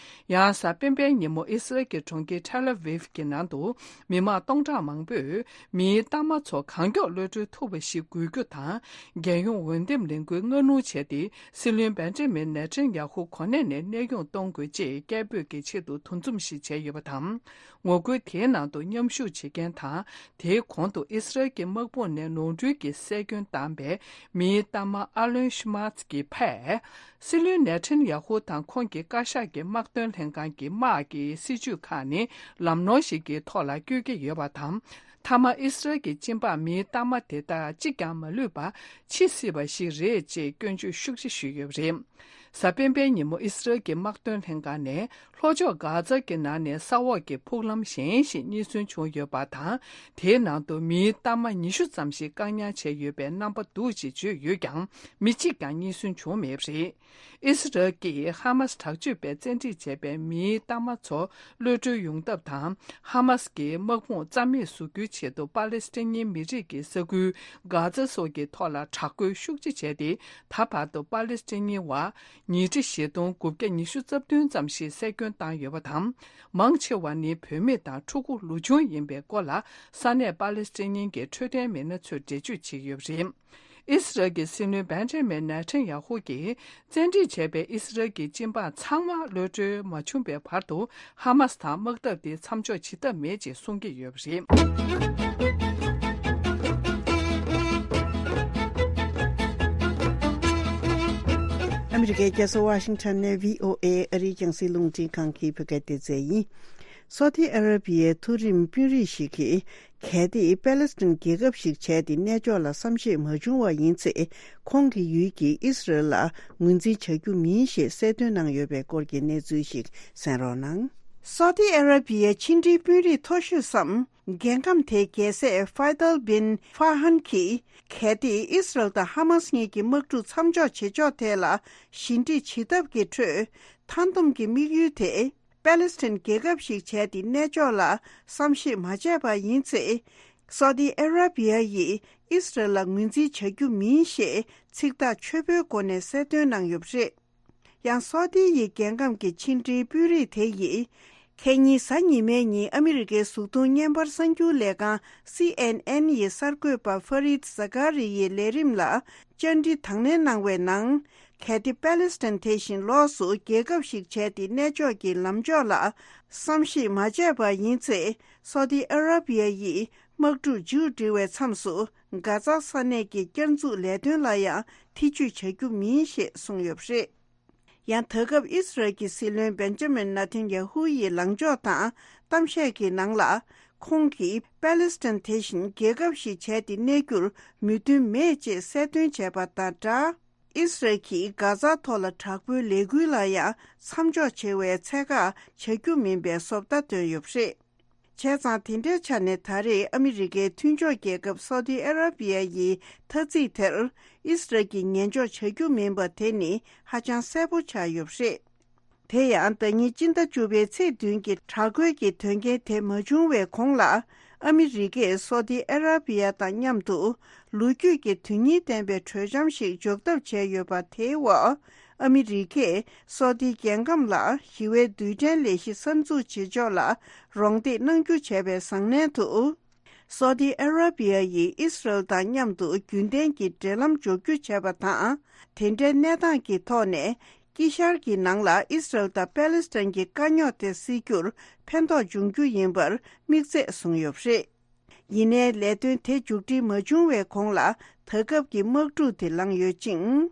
ཡང་གཟའ་སྤེན་པའི་ཉིན་མོ་ཨི་སི་རལ་གྱི་གྲོང་ཁྱེར་ཐེལ་ཨ་ཝིབ་ཀྱི་ནང་དུ་མི་མང་སྟོང་ཕྲག་མང་པོས་མིའི་གཏའ་མ་ཚོ་གང་མགྱོགས་གློད་གྲོལ་ཐུབ་པ་ཞིག་དགོས་རྒྱུ་དང་། རྒྱལ་ཡོངས་འོས་འདེམས་ལས་འགུལ་སྔ་སྣུར་བྱས་ཏེ། སྲིད་བློན་བན་ཇ་མིན་ནེ་ཐན་ཡ་ཧུ་གོ་གནས་ནས་གནས་དབྱུང་གཏོང་དགོས་ཅེས་སྐད་འབོད་ཀྱི་ཆེད་དུ་འདུ་འཛོམས་ཤིག་བྱས་ཡོད་པ་དང་། ངོ་རྒོལ་དེའི་ནང་དུ་མཉམ་ཞུགས་བྱེད་མཁན་དང་། དེའི་གོང་དུ་ཨི་སི་རལ་གྱི་དམག་དཔུང་ནས་ནོར་འཁྲུལ་གྱིས་བསད་སྐྱོན་བཏང་པའི་མིའི་གཏའ་མ་ཨ་ལོན་ཤི་མཱ་ཚི་གི་ཕས། སྲིད་བློན་ནེ་ཐན་ཡ་ཧུ་དང་ཁོང་གི་བཀའ་ཤག་གི་དམག་དོན་ལྷན་ཁང་གི་དམག་གི་སྲིད་ཇུས་ཁག་ནི་ལམ་ནོར་ཞིག་གི་ཐོག་ལ་བསྐྱོད་ཀྱི་ཡོད་པ་དང་། མཐའ་མ་ཨི་སི་རལ་གྱི་སྤྱི་འབངས་མིའི་གཏའ་མ་དེ་དག་གཅིག་ཀྱང་མ་ལུས་པ་འཆི་སྲིད་པ་ཞིག་རེད་ཅེས་སྐྱོན་བརྗོད་ཤུགས་ཆེ་ཞུས་ཡོད་པ་རེད། གཟའ་སྤེན་པའི་ཉིན་མོ་ཨི་སི་རལ་གྱི་དམག་དོན་ལྷན་ཁང་ནས། ལྷོ་ཕྱོགས་གྷ་ཛ་གྱི་ནང་ནས་ས་འོག་གི་ཕུག་ལམ་གཞན་ཞིག་རྙེད་སོན་བྱུང་ཡོད་པ་དང་། དེའི་ནང་དུ་མིའི་གཏའ་མ་ཉི་ཤུ་ཙམ་ཞིག་བཀག་ཉར་བྱས་ཡོད་པའི་རྣམ་པ་འདུག་ཅེས་བརྗོད་ཡོད་ཀྱང་། མི་གཅིག་ཀྱང་རྙེད་སོན་བྱུང་མེད་པ་རེད། ཨི་སི་རལ་གྱིས་ཧ་མ་སི་དྲག་སྤྱོད་པས་བཙན་ཁྲིད་བྱས་པའི་མིའི་གཏའ་མ་ཚོ་གློད་གྲོལ་ཡོང་ཐབས་དང་། ཧ་མ་སི་གི་དམག་དཔུང་རྩ་མེད་བཟོ་རྒྱུའི་ཆེད་དུ་པ་ལེ་སི་ཐན་ཉིན་མི་རིགས་ཀྱི་ས་ཁུལ་གྷ་ཛ་སོགས་ཀྱི་ཐོག་ལ་དྲག་རྒོལ་ཤུགས་ཆེ་བྱས་ཏེ། ད་བར་དུ་པ་ལེ་སི་ཐན་ཉིན་བ་ཉིས་ཁྲི་བཞི་སྟོང་དགུ་བརྒྱ་ཉི་ཤུ་རྩ་བདུན་ཙམ་ཞིག་བསད་སྐྱོན་བཏང་ཡོད་པ་དང་། མང་ཆེ་བ་ནི་བུད་མེད་དང་ཕྲུ་གུ་ལོ་ཆུང་ཡིན་པའི་སྐོར་ལ། ས་གནས་པ་ལེ་སི་ཐན་ཉིན་གྱི་འཕྲོད་བསྟེན་མི་སྣ་ཚོས་འགྲེལ་བརྗོད་བྱས་ཡོད་པ་རེད། ཨི་སི་རལ་གྱི་སྲིད་བློན་བན་ཇ་མིན་ནེ་ཐན་ཡ་ཧུ་གྱིས། བཙན་ཁྲིད་བྱས་པའི་ཨི་སི་རལ་གྱི་སྤྱི་འབངས་ཚང་མ་གློད་གྲོལ་མ་བྱུང་བའི་བར་དུ། ཧ་མ་སི་དང་དམག་འཐབ་དེ་མཚམས་འཇོག་བྱེད་ཐབས་མེད་ཅེས་གསུང་གི་ཡོད་པ་རེད། ཨ་མི་རི་ཀའི་རྒྱལ་ས་ཝ་ཤིང་ཊོན་ནས་བྷི་ཨོ་ཨེ་ཨ་རིའི་རྒྱང་སྲིང་རླུང་འཕྲིན་ཁང་གི་བོད་སྐད་སྡེ་ཚན་ཡིན། སོ་ཏི་ཨ་ར་བི་ཡའི་མཐོ་རིམ་དཔོན་རིགས་ཤིག་གིས། གལ་ཏེ་པེ་ལེ་སི་ཐན་རྒྱལ་ཁབ་ཞིག་བྱས་ཏེ་གནས་མཆོག་ལ་བསམ་ཤེས་མ་བྱུང་བ་ཡིན་ཚེ། ཁོང་གི་ཡུལ་གྱིས་ཨིས་རལ་ལ་ངོས་འཛིན་བྱ་རྒྱུ་མིན་ཞེས་གསལ་སྟོན་གནང་ཡོད་པའི་སྐོར་གྱི་གནས་ཚུལ་ཞིག་གསན་རོགས་གནང་། སོ་ཏི་ཨ་ར་བི་ཡའི་ཕྱི་འབྲེལ་དཔོན་རིགས་མཐོ་ཤོས་སམ། རྒྱལ་ཁམས་དེའི་རྒྱལ་སྲས་ཕའི་ཏལ་བིན་ཧྥ་ཧན་གྱིས། གལ་ཏེ་ཨིས་རལ་དང་ཧ་མ་སི་གཉིས་ཀྱི་དམག་འཁྲུག་མཚམས་འཇོག་བྱེད་ཕྱོགས་ཐད་ལ་ཞི་འགྲིག་བྱེད་ཐབས་ཀྱི་ཁྲོད། མཐའ་འདོམས་ཀྱི་དམིགས་ཡུལ་དེ། པེ་ལེ་སི་ཐན་རྒྱལ་ཁབ་ཞིག་བྱས་ཏེ་གནས་མཆོག་ལ་བསམ་ཤེས་མ་བྱས་པ་ཡིན་ཚེ། སོ་ཏི་ཨ་ར་བི་ཡ་ཡིས་ཨིས་རལ་ལ་ངོས་འཛིན་བྱ་རྒྱུ་མིན་ཞེས་ཚིག་ཐག་ཆོད་པོའི་སྒོ་ནས་གསལ་སྟོན་གནང་ཡོད་པ་རེད། ཡང་སོ་ཏི་ཡི་རྒྱལ་ཁམས་ཀྱི་ཕྱི་འབྲེལ་དཔོན་རིགས་དེ་ཡིས། ཁེ་ཉིན་གཟའ་ཉི་མའི་ཉིན་ཨ་མི་རི་ཀའི་གཟུགས་མཐོང་བརྙན་པར་གསར་འགྱུར་ལས་ཁང་སི་ཨེན་ཨེན་ཡི་གསར་འགོད་པ་ཧྥ་རིད་ཟ་ཀ་རི་ཡི་ལས་རིམ་ལ་བཅར་འདྲི་དང་ལེན་གནང་བའི་ནང་། གལ་ཏེ་པེ་ལེ་སི་ཐན་དེ་བཞིན་ལོགས་སུ་རྒྱལ་ཁབ་ཞིག་བྱས་ཏེ་གནས་མཆོག་གི་ལམ་ཕྱོགས་ལ་བསམ་ཤེས་མ་བྱས་པ་ཡིན་ཚེ། སོ་ཏི་ཨ་ར་བི་ཡ་ཡིས་དམག་འཁྲུག་མཇུག་སྒྲིལ་བའི་མཚམས་སུ། གྷ་ཛ་ས་གནས་ཀྱི་བསྐྱར་འཛུགས་ལས་དོན་ལ་ཡང་ཐེ་ཇུས་བྱ་རྒྱུ་མིན་ཞེས་གསུངས་ཡོད་པ་རེད། ཡང་ད་སྐབས་ཨིས་རལ་གྱི་སྲིད་བློན་བེན་ཇ་མིན་ནེ་ཐན་ཡ་ཧུ་ཡི་ལངས་ཕྱོགས་དང་གཏམ་བཤད་ཀྱི་ནང་ལ། ཁོང་གིས་པེ་ལེ་སི་ཐན་དེ་བཞིན་རྒྱལ་ཁབ་ཞིག་བྱས་ཏེ་གནས་རྒྱུར་མོས་མཐུན་མེད་ཅེས་གསལ་སྟོན་བྱས་པ་དང་སྦྲགས། ཨིས་རལ་གྱིས་གྷ་ཛ་ཐོག་ལ་དྲག་པོའི་ལས་འགུལ་ལ་ཡང་མཚམས་འཇོག་བྱེད་པའི་ཚད་བཀག་བྱ་རྒྱུ་མིན་པའི་བཟོ་ལྟ་བཏོན་ཡོད་པ་རེད། བྱས་ཙང་དེ་འདྲའི་ཆ་ནས་ད་རེས་ཨ་མི་རི་ཀའི་མཐུན་ཕྱོགས་རྒྱལ་ཁབ་སོ་ཏི་ཨ་ར་བི་ཡ་ཡི་ཐ་ཚིག་དེར་ཨིས་རལ་གྱིས་ཉན་འཇོག་བྱ་རྒྱུ་མིན་པ་དེ་ནི་ཧ་ཅང་གསལ་པོ་ཆགས་ཡོད་པ་རེད། དེ་ཡང་ཟླ་ཉིན་སྤྱི་ཟླ་བཅུ་པའི་ཚེས་བདུན་གྱི་དྲག་རྒོལ་གྱི་དོན་རྐྱེན་དེ་མ་བྱུང་བའི་གོང་ལ། ཨ་མི་རི་ཀས་སོ་ཏི་ཨ་ར་བི་ཡ་དང་མཉམ་དུ་ལོ་རྒྱུས་ཀྱི་དོན་སྙིང་ལྡན་པའི་གྲོས་འཆམ་ཞིག་འཇོག་ཐབས་བྱས་ཡོད་པ་དེའི་འོག་ཨ་མི་རི་ཀས་སོ་ཏི་རྒྱལ་ཁམས་ལ་ཞི་བའི་རྡུལ་ཕྲན་ལས་གཞི་གསར་འཛུགས་བྱེད་ཕྱོགས་ལ་རོགས་འདེགས་གནང་རྒྱུ་བྱས་པའི་བཟང་ལན་དུ། སོ་ཏི་ཨ་ར་བི་ཡ་ཡིས་ཨིས་རལ་དང་མཉམ་དུ་རྒྱུན་ལྡན་གྱི་འབྲེལ་ལམ་འཇོག་རྒྱུ་བྱས་པ་དང་། དེ་འདྲའི་གནས་སྟངས་ཀྱི་ཐོག་ནས། དཀྱིལ་ཤར་གྱི་ནང་ལ་ཨིས་རལ་དང་པེ་ལེ་སི་ཐན་གྱི་དཀའ་རྙོག་དེ་སེལ་རྒྱུར་ཕན་ཐོགས་འབྱུང་རྒྱུ་ཡིན་པར་དམིགས་ཚད་བཟུང་ཡོད་པ་རེད། ཡིན་ནའི་ལས་དོན་དེ་མཇུག་སྒྲིལ་མ་བྱུང་བའི་གོང་ལ་ད་སྐབས་ཀྱི་དམག་འཁྲུག་དེ་ལངས་ཡོད་ཅིང་།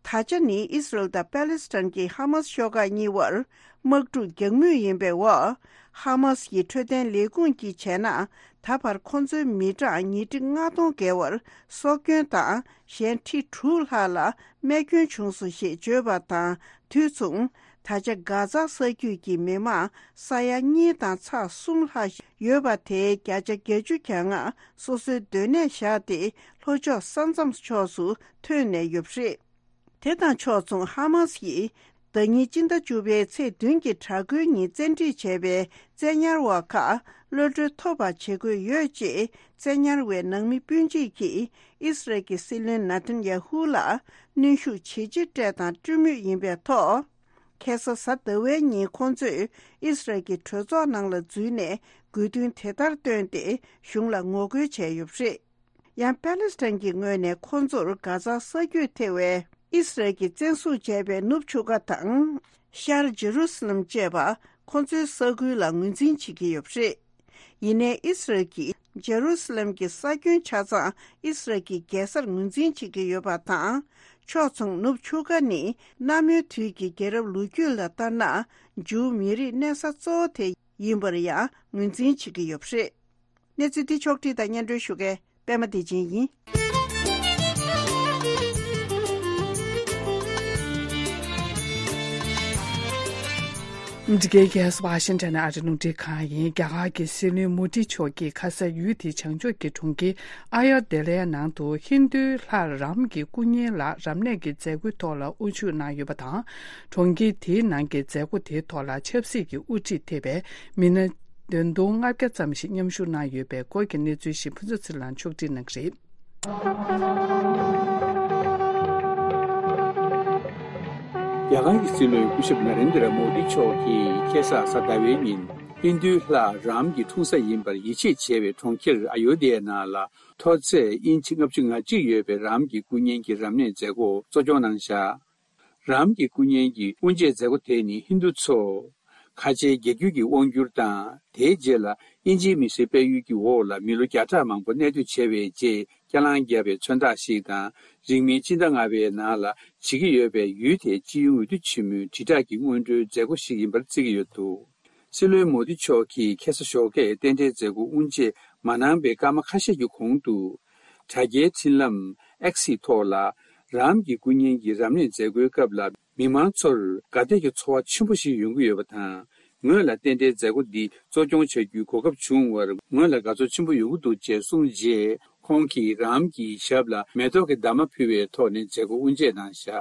ད་ཆ་ནི་ཨིས་རལ་དང་པེ་ལེ་སི་ཐན་གྱི་ཧ་མ་སི་ཤོག་ཁག་གཉིས་བར་དམག་འཁྲུག་རྒྱག་མུས་ཡིན་པའི་འོག་ཧ་མ་སི་ཡི་འཕྲོད་བསྟེན་ལས་ཁུངས་ཀྱིས་བྱས་ན། ད་བར་ཁོ་ཚོའི་མི་གྲངས་ཉིས་ཁྲི་ལྔ་སྟོང་བརྒལ་བར་སྲོག་སྐྱོན་དང་། གཞན་ཁྲི་དྲུག་ལྷག་ལ་རྨས་སྐྱོན་བྱུང་སོང་ཞེས་བརྗོད་པ་དང་དུས་མཚུངས། ད་ཆ་གྷ་ཛ་ས་རྒྱུད་ཀྱི་མི་མང་ས་ཡ་གཉིས་དང་ཚེག་གསུམ་ལྷག་ཡོད་པ་དེའི་བརྒྱ་ཆ་བརྒྱད་ཅུ་གྱ་ལྔ་སོ་སོའི་སྡོད་གནས་བཞག་སྟེ་ལྷོ་ཕྱོགས་ས་མཚམས་ཕྱོགས་སུ་ཐོན་ནས་ཡོད་པ་རེད། དེ་དང་ཕྱོགས་མཚུངས་ཧ་མཱ་སི་ཡིས་ཟླ་ཉིན་སྤྱི་ཟླ་བཅུ་པའི་ཚེས་བདུན་གྱི་དྲག་རྒོལ་ཉིན་བཙན་ཁྲིད་བྱས་པའི་བཙན་ཉར་བ་ཁག་གློད་གྲོལ་ཐོབ་པ་བྱེད་དགོས་ཡོད་ཅེས་བཙན་ཉར་བའི་ནང་མི་སྤུན་མཆེད་ཀྱིས་ཨི་སི་རལ་གྱི་སྲིད་བློན་ནཱ་ཐན་ཡ་ཧུ་ལ་གནོན་ཤུགས་ཇེ་ཆེར་སྤྲད་དང་སྤྲོད་མུས་ཡིན་པའི་ཐོག་ཁ་སང་གཟའ་ཟླ་བའི་ཉིན་ཁོང་ཚོས་ཨི་སི་རལ་གྱི་གྲོས་ཚོགས་ནང་ལ་འཛུལ་ནས་དགོས་འདུན་དེ་ལྟར་བཏོན་ཏེ་གཞུང་ལ་ངོ་རྒོལ་བྱས་ཡོད་པ་རེད། ཡང་པ་ལི་སི་ཐན་གྱི་ངོས་ནས་ཁོང་ཚོར་གྷ་ཛ་ས་རྒྱུད་ཐེ་བའི་ཨི་སི་རལ་གྱིས་བཙན་བཟུང་བྱས་པའི་ནུབ་ཆུ་ཁ་དང་ཤར་ཇེ་རུ་སི་ལམ་བཅས་པ་ཁོང་ཚོའི་ས་ཁུལ་ལ་ངོས་འཛིན་བྱེད་ཀྱི་ཡོད་པ་རེད། ཡིན་ནའི་ཨི་སི་རལ་གྱིས་ཇེ་རུ་སི་ལམ་གྱི་ས་ཁྱོན་ཆ་ཚང་ཨི་སི་རལ་གྱི་རྒྱལ་སར་ངོས་འཛིན་བྱེད་ཀྱི་ཡོད་པ་དང་། ཕྱོགས་མཚུངས་ནུབ་ཆུ་ཁ་ནི་གནའ་མོའི་དུས་ཀྱི་རྒྱལ་རབས་ལོ་རྒྱུས་ལ་ལྟར་ན་ཇུའུ་མི་རིགས་གནས་ས་གཙོ་བོ་དེ་ཡིན་པར་ཡང་ངོས་འཛིན་བྱེད་ཀྱི་ཡོད་པ་རེད། གནས་ཚུལ་འདི་ཕྱོགས་བསྒྲིགས་དང་སྙན་སྒྲོན་ཞུ་མཁན་པད་མ་བདེ་ཆེན་ཡིན། འདི་གའི་རྒྱལ་ས་ཝ་ཤིང་ཊོན་ཨ་རི་རླུང་འཕྲིན་ཁང་ཡིན། རྒྱ་གར་གྱི་སྲིད་བློན་མོ་དི་མཆོག་གིས་ཁ་ས་ཡུལ་དེའི་བྱང་ཕྱོགས་ཀྱི་གྲོང་ཁྱེར་ཨ་ཡར་དེ་ལའི་ནང་དུ་ཧིན་རྡུའི་ལྷ་རམ་གྱི་སྐུ་བརྙན་ལ་རབ་གནས་ཀྱི་མཛད་སྒོའི་ཐོག་ལ་དབུ་བཞུགས་གནང་ཡོད་པ་དང་། གྲོང་ཁྱེར་དེའི་ནང་གི་མཛད་སྒོ་དེའི་ཐོག་ལ་ཆབ་སྲིད་ཀྱི་དབུ་ཁྲིད་ཐེ་བའི་མི་སྣ་བདུན་སྟོང་ལྔ་བརྒྱ་ཙམ་ཞིག་མཉམ་ཞུགས་གནང་ཡོད་པའི་སྐོར་གྱི་གནས་ཚུལ་ཞིག་ཕུན་ཚོགས་ཚེ་རིང་ལགས་ཕྱོགས་སྒྲིག་གནང་གི་རེད། རྒྱ་གར་གྱི་སྲིད་བློན་སྐུ་ཞབས་ན་རེན་དྲ་མོ་དི་མཆོག་གིས་ཁ་སང་གཟའ་ཟླ་བའི་ཉིན་ཧིན་རྡུའི་ལྷ་རམ་གྱི་འཁྲུངས་ས་ཡིན་པར་ཡིད་ཆེས་བྱེད་པའི་གྲོང་ཁྱེར་ཨ་ཡོ་དྷི་ཡ་ནང་ལ་མཐོ་ཚད་ཨིན་ཆི་ལྔ་བཅུ་ང་གཅིག་ཡོད་པའི་རམ་གྱི་སྐུ་བརྙན་གྱི་རབ་གནས་མཛད་སྒོ་གཙོ་སྐྱོང་གནང་བཞག་རམ་གྱི་སྐུ་བརྙན་གྱི་དབུ་འབྱེད་མཛད་སྒོ་དེ་ནི་ཧིན་རྡུ་ཚོ། ཁ་ཆེའི་རྒྱལ་རྒྱུད་ཀྱི་དབང་སྒྱུར་དང་། དེའི་རྗེས་ལ་དབྱིན་ཇིའི་མི་སེར་སྤེལ་ཡུལ་གྱི་འོག་ལ་མི་ལོ་བརྒྱ་ཕྲག་མང་པོ་གནས་སྡོད་བྱས་པའི་རྗེས་སྐྱ་ལང་བརྒྱབ་པའི་མཚོན་རྟགས་ཤིག་དང་། རིང་མིན་སྤྱི་ཟླ་ལྔ་པའི་ནང་ལ་བྱེད་ཀྱི་ཡོད་པའི་ཡུལ་དེའི་སྤྱི་ཡོངས་འོས་བསྡུ་ཆེན་མོའི་དྲིལ་བསྒྲགས་ཀྱི་སྔོན་འགྲོའི་མཛད་སྒོ་ཞིག་ཡིན་པར་བརྩི་གི་ཡོད་འདུག་སྲིད་བློན་མོ་དི་མཆོག་གིས་ཁ་སང་ཞོགས་ཀས་རྟེན་འབྲེལ་མཛད་སྒོ་དབུ་འབྱེད་མ་གནང་པའི་སྐར་མ་ཁ་ཤས་ཀྱི་གོང་དུ། དྲ་རྒྱའི་འཕྲིན་ལམ་X་ཡི་ཐོག་ལ། རམ་གྱི་སྐུ་བརྙན་གྱི་རབ་གནས་མཛད་སྒོའི་སྐབས་ལ། མི་མང་ཚོར་དགའ་དད་ཀྱི་ཚོར་བ་ཆེན་པོ་ཞིག་ཡོང་གི་ཡོད་པ་དང་། ངོས་ལ་རྟེན་འབྲེལ་མཛད་སྒོ་འདི་གཙོ་སྐྱོང་བྱ་རྒྱུའི་གོ་སྐབས་བྱུང་བར་ངོས་ལ་དགའ་ཚོར་ཆེན་པོ་ཡོང་གི་འདུག་ཅེས་གསུངས་རྗེས། ཁོང་གིས་རམ་གྱི་ཞབས་ལ་མེ་ཏོག་གི་འདབ་མ་ཕུལ་བའི་ཐོག་ནས་མཛད་སྒོ་དབུ་འབྱེད་གནང་བཞག་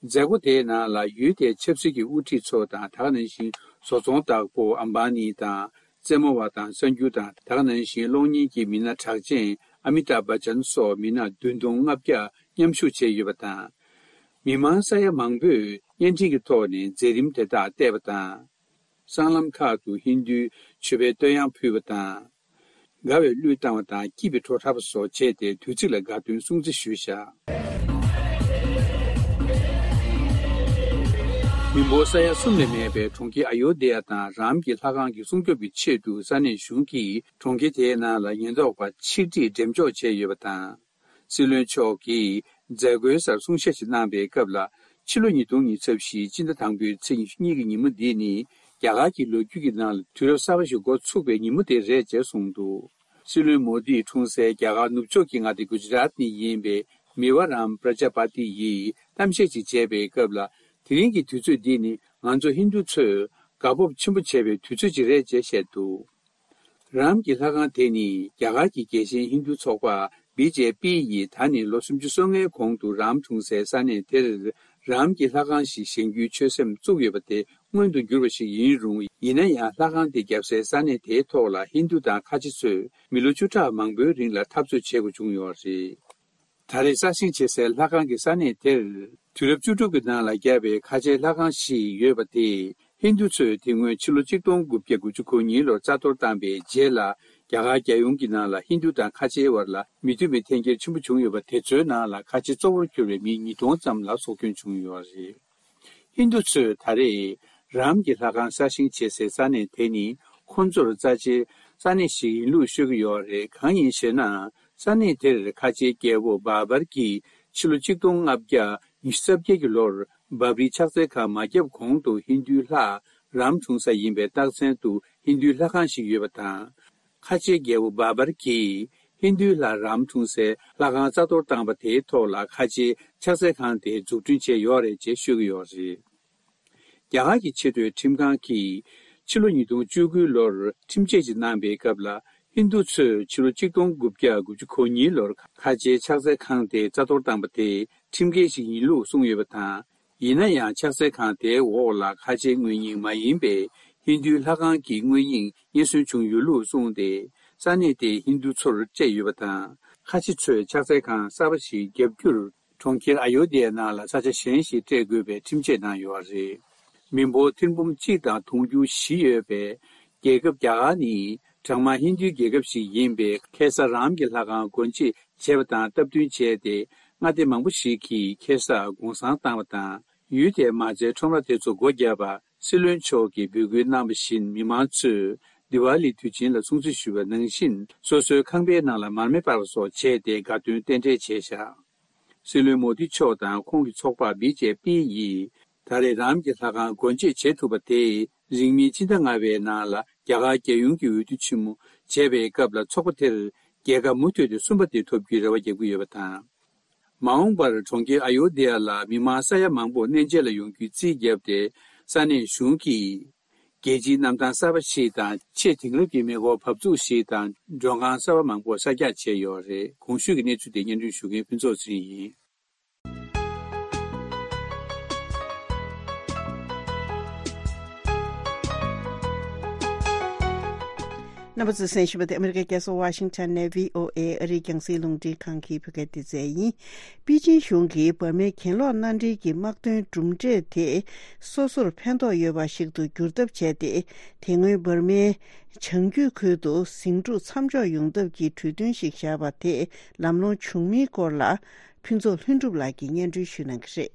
མཛད་སྒོ་དེའི་ནང་ལ་ཡུལ་དེའི་ཆབ་སྲིད་ཀྱི་དབུ་ཁྲིད་ཚོ་དང་། ད་ག་ནང་བཞིན་བཟོ་ཚོང་བདག་པོ་ཨམ་བྷ་ནི་དང་། རྩེད་མོ་བ་དང་གསར་འགྱུར་དང་། ད་ག་ནང་བཞིན་གློག་བརྙན་གྱི་མི་སྣ་གྲགས་ཅན་ཨ་མི་ཏཱབ་བྷ་ཅན་སོགས་མི་སྣ་བདུན་སྟོང་ལྔ་བརྒྱ་མཉམ་ཞུགས་བྱས་ཡོད་པ་དང་། མི་མང་ས་ཡ་མང་པོས་བརྙན་འཕྲིན་གྱི་ཐོག་ནས་མཛད་རིམ་དེ་དག་བལྟས་པ་དང་། སྲང་ལམ་ཁག་ཏུ་ཧིན་རྡུའི་མཆོད་པའི་བསྟོད་དབྱངས་ཕུལ་བ་དང་། དགའ་བའི་གླུ་བཏང་བ་དང་། སྐྱིད་པའི་བྲོ་འཁྲབ་པ་སོགས་བྱས་ཏེ། དུས་ཚིགས་ལ་དགའ་སྟོན་སྲུང་བརྩི་ཞུས་བཞག་མི་འབོར་ས་ཡ་གསུམ་ལས་མེད་པའི་གྲོང་ཁྱེར་ཨ་ཡོ་དྷི་ཡ་དང་རམ་གྱི་ལྷ་ཁང་གི་སྲུང་སྐྱོབ་ཀྱི་ཆེད་དུ་ས་གནས་གཞུང་གིས་གྲོང་ཁྱེར་དེའི་ནང་ལ་ཉེན་རྟོག་པ་ཆིག་ཁྲིས་འགྲེམས་འཇོག་བྱས་ཡོད་པ་དང་། སྲིད་བློན་མཆོག་གིས་མཛད་སྒོའི་སར་གསུང་བཤད་ཞིག་གནང་པའི་སྐབས་ལ། ཕྱི་ལོ་ཉིས་སྟོང་ཉི་ཤུ་རྩ་བཞི་སྤྱི་ཟླ་དང་པོའི་ཚེས་ཉི་ཤུ་གཉིས་ཀྱི་ཉིན་མོ་འདི་ནི། རྒྱ་གར་གྱི་ལོ་རྒྱུས་ཀྱི་ནང་ལ་དུས་རབས་གསར་པ་ཞིག་འགོ་ཚུགས་པའི་ཉིན་མོ་དེ་རེད་ཅེས་གསུངས་འདུག་སྲིད་བློན་མོ་དིའི་འཁྲུངས་སའི་རྒྱ་གར་ནུབ་ཕྱོགས་ཀྱི་མངའ་སྡེ་གུ་ཇི་རཱཏ་ནས་ཡིན་པའི་མི་བ་རམ་པྲ་ཇ་པ་ཏི་ཡིས་གཏམ་བཤད་ཅིག་བྱས་པའི་སྐབས་ལ། དེ་རིང་གི་དུས་ཚོད་འདི་ནི་ང་ཚོ་ཧིན་རྡུ་ཚོས་དགའ་སྤོབས་ཆེན་པོ་བྱེད་པའི་དུས་ཚོད་ཅིག་རེད་ཅེས་བཤད་འདུག་རམ་གྱི་ལྷ་ཁང་དེ་ནི་རྒྱ་གར་གྱི་རྒྱལ་ཆེན་ཧིན་རྡུ་ཚོགས་པ་བི་ཇེ་པི་ཡིས་ད་ནི་ལོ་སུམ་ཅུ་སོ་ལྔའི་གོང་དུ་རམ་འཁྲུངས་སའི་ས་གནས་དེར་རམ་གྱི་ལྷ་ཁང་ཞིག་བཞེངས་རྒྱུའི་ཆོད་སེམས་བཙུགས་ཡོད་པ་དེ་མངོན་དུ་གྱུར་བ་ཞིག་ཡིན་རུང་། ཡིན་ན་ཡང་ལྷ་ཁང་དེ་བརྒྱབ་སའི་ས་གནས་དེའི་ཐོག་ལ་ཧིན་རྡུ་དང་ཁ་ཆེ་ཚོས་མི་ལོ་བཅུ་ཕྲག་མང་པོའི་རིང་ལ་འཐབ་རྩོད་བྱེད་དགོས་བྱུང་ཡོད་རེད། ད་རེས་གསར་བཞེངས་བྱེད་སའི་ལྷ་ཁང་གི་ས་གནས་དེར། དུས་རབས་བཅུ་དྲུག་གི་ནང་ལ་བརྒྱབ་པའི་ཁ་ཆེའི་ལྷ་ཁང་ཞིག་ཡོད་པ་དེ། ཧིན་རྡུ་ཚོས་དེ་སྔོན་ཕྱི་ལོ་ཆིག་སྟོང་དགུ་བརྒྱ་དགུ་བཅུ་གོ་གཉིས་ལོར་རྩ་གཏོར་བཏང་པའི་རྗེས་ལ། རྒྱ་གར་རྒྱལ་ཡོངས་ཀྱི་ནང་ལ་ཧིན་རྡུ་དང་ཁ་ཆེའི་བར་ལ་མི་མཐུན་པའི་འཐེན་འཁྱེར་ཆེན་པོ་བྱུང་ཡོད་པ་དེ་ཚོའི་ནང་ལ་ཁ་ཆེ་གཙོ་བོར་གྱུར་བའི་མི་ཉིས་སྟོང་ཙམ་ལ་སྲོག་སྐྱོན་བྱུང་ཡོད་རེད། ཧིན་རྡུ་ཚོས་ད་རེས་རམ་གྱི་ལྷ་ཁང་གསར་བཞེངས་བྱེད་སའི་ས་གནས་དེ་ནི་ཁོང་ཚོར་རྩ་ཆེའི་ས་གནས་ཤིག་ཡིན་ལུགས་ཤོད་ཀྱི་ཡོད་རེད། གང་ཡིན་ཞེ་ན། ས་གནས་དེར་ཁ་ཆེའི་རྒྱལ་པོ་བཱ་བར་གྱིས་ཕྱི་ལོ་ཆིག་སྟོང་ལྔ་བརྒྱ་ཉི་ཤུ་རྩ་བརྒྱད་ཀྱི་ལོར་བཱ་བརིའི་ཕྱག་འཚལ་ཁང་མ་བརྒྱབ་གོང་དུ་ཧིན་རྡུའི་ལྷ་རམ་འཁྲུངས་ས་ཡིན་པའི་རྟགས་མཚན་དུ་ཧིན་རྡུའི་ལྷ་ཁང་ཞིག་ཡོད་པ་དང་། ཁ་ཆེའི་རྒྱལ་པོ་བཱ་བར་གྱིས་ཧིན་རྡུའི་ལྷ་རམ་འཁྲུངས་སའི་ལྷ་ཁང་རྩ་གཏོར་བཏང་པ་དེའི་ཐོག་ལ་ཁ་ཆེའི་ཕྱག་འཚལ་ཁང་དེ་འཛུགས་སྐྲུན་བྱས་ཡོད་རེད་ཅེས་ཤོད་ཀྱི་ཡོད་རེད། རྒྱ་གར་གྱི་ཆེས་མཐོའི་ཁྲིམས་ཁང་གིས་ཕྱི་ལོ་ཉིས་སྟོང་བཅུ་དགུ་ལོར་ཁྲིམས་ཆད་ཅིག་གནང་པའི་སྐབས་ལ། ཧིན་རྡུ་ཚོས་ཕྱི་ལོ་ཆིག་སྟོང་དགུ་བརྒྱ་དགུ་བཅུ་གོ་གཉིས་ལོར་ཁ་ཆེའི་ཕྱག་འཚལ་ཁང་དེ་རྩ་གཏོར་བཏང་པ་དེ་ཁྲིམས་འགལ་ཞིག་ཡིན་ལུགས་གསུངས་ཡོད་པ་དང་། ཡིན་ན་ཡང་ཕྱག་འཚལ་ཁང་དེའི་འོག་ལ་ཁ་ཆེའི་དངོས་རྙིང་མ་ཡིན་པའི་ཧིན་རྡུའི་ལྷ་ཁང་གི་དངོས་རྙིང་རྙེད་སོན་བྱུང་ཡོད་ལུགས་གསུངས་ཏེ། ས་གནས་དེའི་ཧིན་རྡུ་ཚོར་སྤྲད་ཡོད་པ་དང་། ཁ་ཆེ་ཚོས་ཕྱག་འཚལ་ཁང་གསར་པ་ཞིག་བརྒྱབ་རྒྱུར། གྲོང་ཁྱེར་ཨ་ཡོ་དྷི་ཡ་ནང་ལ་ས་ཆ་གཞན་ཞིག་སྤྲད་དགོས་པའི་ཁྲིམས་ཆད་གནང་ཡོད་པ་རེད། མི་འབོར་ཐེར་འབུམ་གཅིག་དང་དུང་ཕྱུར་བཞི་ཡོད་པའི་རྒྱལ་ཁབ་རྒྱ་གར་ནི། གྲངས་མང་ཧིན་རྡུའི་རྒྱལ་ཁབ་ཞིག་ཡིན་པས། ཁེ་ས་རམ་གྱི་ལྷ་ཁང་སྒོ་འབྱེད་བྱས་པ་དང་སྟབས་བསྟུན་བྱས་ཏེ། མངའ་སྡེ་མང་པོ་ཞིག་གིས་ཁེ་ས་གུང་སེང་བཏང་བ་དང་། ཡུལ་དེའི་མ་རྩའི་ཁྲོམ་ར་དེ་ཚོ་སྒོ་བརྒྱབ་པ། སྲིད་བློན་མཆོག་གིས་འབོད་སྐུལ་གནང་བ་བཞིན། མི་མང་ཚོས་དི་ཝཱ་ལི་དུས་ཆེན་ལ་སྲུང་བརྩི་ཞུ་བ་ནང་བཞིན། སོ་སོའི་ཁང་པའི་ནང་ལ་མར་མེ་སྤར་བ་སོགས་བྱས་ཏེ། དགའ་སྟོན་རྟེན་འབྲེལ་བྱས་བཞག་སྲིད་བློན་མོ་དི་མཆོག་དང་ཁོང་གི་ཚོགས་པ་བི་ཇེ་པི་ཡིས། ད་རེས་རམ་གྱི་ལྷ་ཁང་སྒོ་འབྱེད་བྱེད་ཐུབ་པ་དེས། རིང་མིན་ཕྱི་ཟླ་ལྔ་པའི་ནང་ལ་རྒྱ་གར་རྒྱལ་ཡོངས་ཀྱི་འོས་བསྡུ་ཆེན་མོ་བྱས་པའི་སྐབས་ལ། ཚོགས་པ་དེར་རྒྱལ་ཁ་མུ་མཐུད་དེ་གསུམ་པ་དེ་ཐོབ་རྒྱུའི་རེ་བ་རྒྱག་གི་ཡོད་པ་དང་། མ་འོངས་པར་གྲོང་ཁྱེར་ཨ་ཡོ་དྷི་ཡ་ལ་མི་མང་ས་ཡ་མང་པོ་གནས་མཇལ་ལ་ཡོང་རྒྱུའི་རྩིས་བརྒྱབ་སྟེ། ས་གནས་གཞུང་གིས་རྒྱལ་སྤྱིའི་གནམ་ཐང་གསར་པ་ཞིག་དང་། ཆེས་དེང་རབས་ཀྱི་མེ་འཁོར་བབས་ཚུགས་ཤིག་དང་། མགྲོན་ཁང་གསར་པ་མང་པོ་གསར་རྒྱག་བྱས་ཡོད་རེད། གོང་ཞུས་ཀྱི་གནས་ཚུལ་དེ་སྙན་སྒྲོན་ཞུ་མཁན་ཕུན་ཚོགས་ཚེ་རིང་ཡིན། རྣམ་པ་ཚོས་གསན་བཞིན་པ་དེ་ཨ་མི་རི་ཀའི་རྒྱལ་ས་ཝ་ཤིང་ཊོན་ནས་བྷི་ཨོ་ཨེ་ཨ་རིའི་རྒྱང་སྲིང་རླུང་འཕྲིན་ཁང་གི་བོད་སྐད་སྡེ་ཚན་ཡིན། པེ་ཅིན་གཞུང་གིས་འབར་མའི་གྱེན་ལོག་མནའ་འབྲེལ་གྱི་དམག་དོན་གྲུབ་འབྲས་དེ་སོ་སོར་ཕན་ཐོགས་ཡོད་པ་ཞིག་ཏུ་བསྒྱུར་ཐབས་བྱས་ཏེ། དེ་སྔོན་འབར་མའི་བྱང་རྒྱུད་ཁུལ་དུ་ཟིང་འཁྲུག་མཚམས་འཇོག་ཡོང་ཐབས་ཀྱི་གྲོས་མཐུན་ཞིག་བཞག་པ་དེ་ལམ་ལྷོང་བྱུང་མིན་སྐོར་ལ། ཕུན་ཚོགས་ལྷུན་གྲུབ་ལགས་ཀྱིས་སྙན་སྒྲོན་ཞུ་གནང་གི་རེད།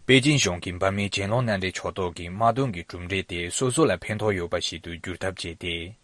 པེ་ཅིན་གཞུང་གིས་འབར་མའི་གྱེན་ལོག་མནའ་འབྲེལ་ཕྱོགས་གཏོགས་ཀྱི་དམག་དོན་གྱི་གྲུབ་འབྲས་དེ་སོ་སོ་ལ་ཕན་ཐོགས་ཡོད་པ་ཞིག་ཏུ་བསྒྱུར་ཐབས་བྱས་ཏེ།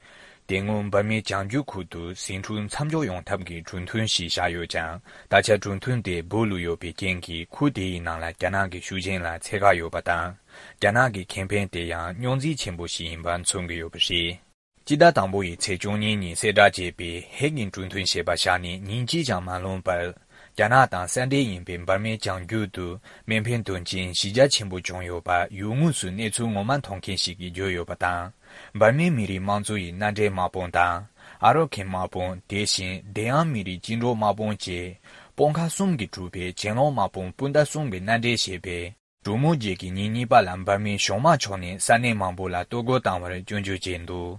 དེ་སྔོན་འབར་མའི་བྱང་རྒྱུད་ཁུལ་དུ་ཟིང་འཁྲུག་མཚམས་འཇོག་ཡོང་ཐབས་ཀྱི་གྲོས་མཐུན་ཞིག་བཞག་ཡོད་ཀྱང་། ད་ཆ་གྲོས་མཐུན་དེ་སྦུག་ལུས་ཡོད་པའི་རྐྱེན་གྱིས། ཁུལ་དེའི་ནང་ལ་རྒྱ་ནག་གི་ཤུགས་རྐྱེན་ལ་འཚེ་ཁག་ཡོད་པ་དང་། རྒྱ་ནག་གི་ཁེ་ཕན་དེ་ཡང་རྙོག་འཛིང་ཆེན་པོ་ཞིག་ཡིན་པ་མཚོན་གྱི་ཡོད་པ་རེད། སྤྱི་ཟླ་དང་པོ་ཡི་ཚེས་བཅུ་གཉིས་ཉིན་གསལ་བསྒྲགས་བྱས་པའི་ཧེག་གི་གྲོས་མཐུན་ཞེས་པ་བཞག་ནས་ཉིན་གཅིག་ཀྱང་མ་ལོན་པར། རྒྱ་ནག་དང་ས་འབྲེལ་ཡིན་པའི་འབར་མའི་བྱང་རྒྱུད་དུ་མེ་འཕེན་དོན་རྐྱེན་གཞི་རྒྱ་ཆེན་པོ་བྱུང་ཡོད་པ་ཡུལ་དངོས་སུ་གནས་ཚུལ་ངོ་མ་མཐོང་མཁན་ཞིག་གིས་བརྗོད་ཡོད་པ་དང་། འབར་མའི་མི་རིགས་དམངས་གཙོ་ཡི་མནའ་འབྲེལ་དམག་དཔུང་དང་། ཨ་རོ་ཁན་དམག་དཔུང་། དེ་བཞིན་དེ་ཡང་མི་རིགས་བཅིངས་འགྲོལ་དམག་དཔུང་བཅས་དཔུང་ཁག་གསུམ་གྱིས་གྲུབ་པའི་གྱེན་ལོག་དམག་དཔུང་སྤུན་ཟླ་གསུམ་གྱི་མནའ་འབྲེལ་ཞེས་པའི། གྲོས་མོལ་རྗེས་ཀྱི་ཉིན་གཉིས་པ་ལ་འབར་མའི་གཞུང་དམག་ཕྱོགས་ནས་ས་གནས་མང་པོ་ལ་གཏོར་རྒོལ་བཏང་བར་སྐྱོན་བརྗོད་བྱས་འདུག་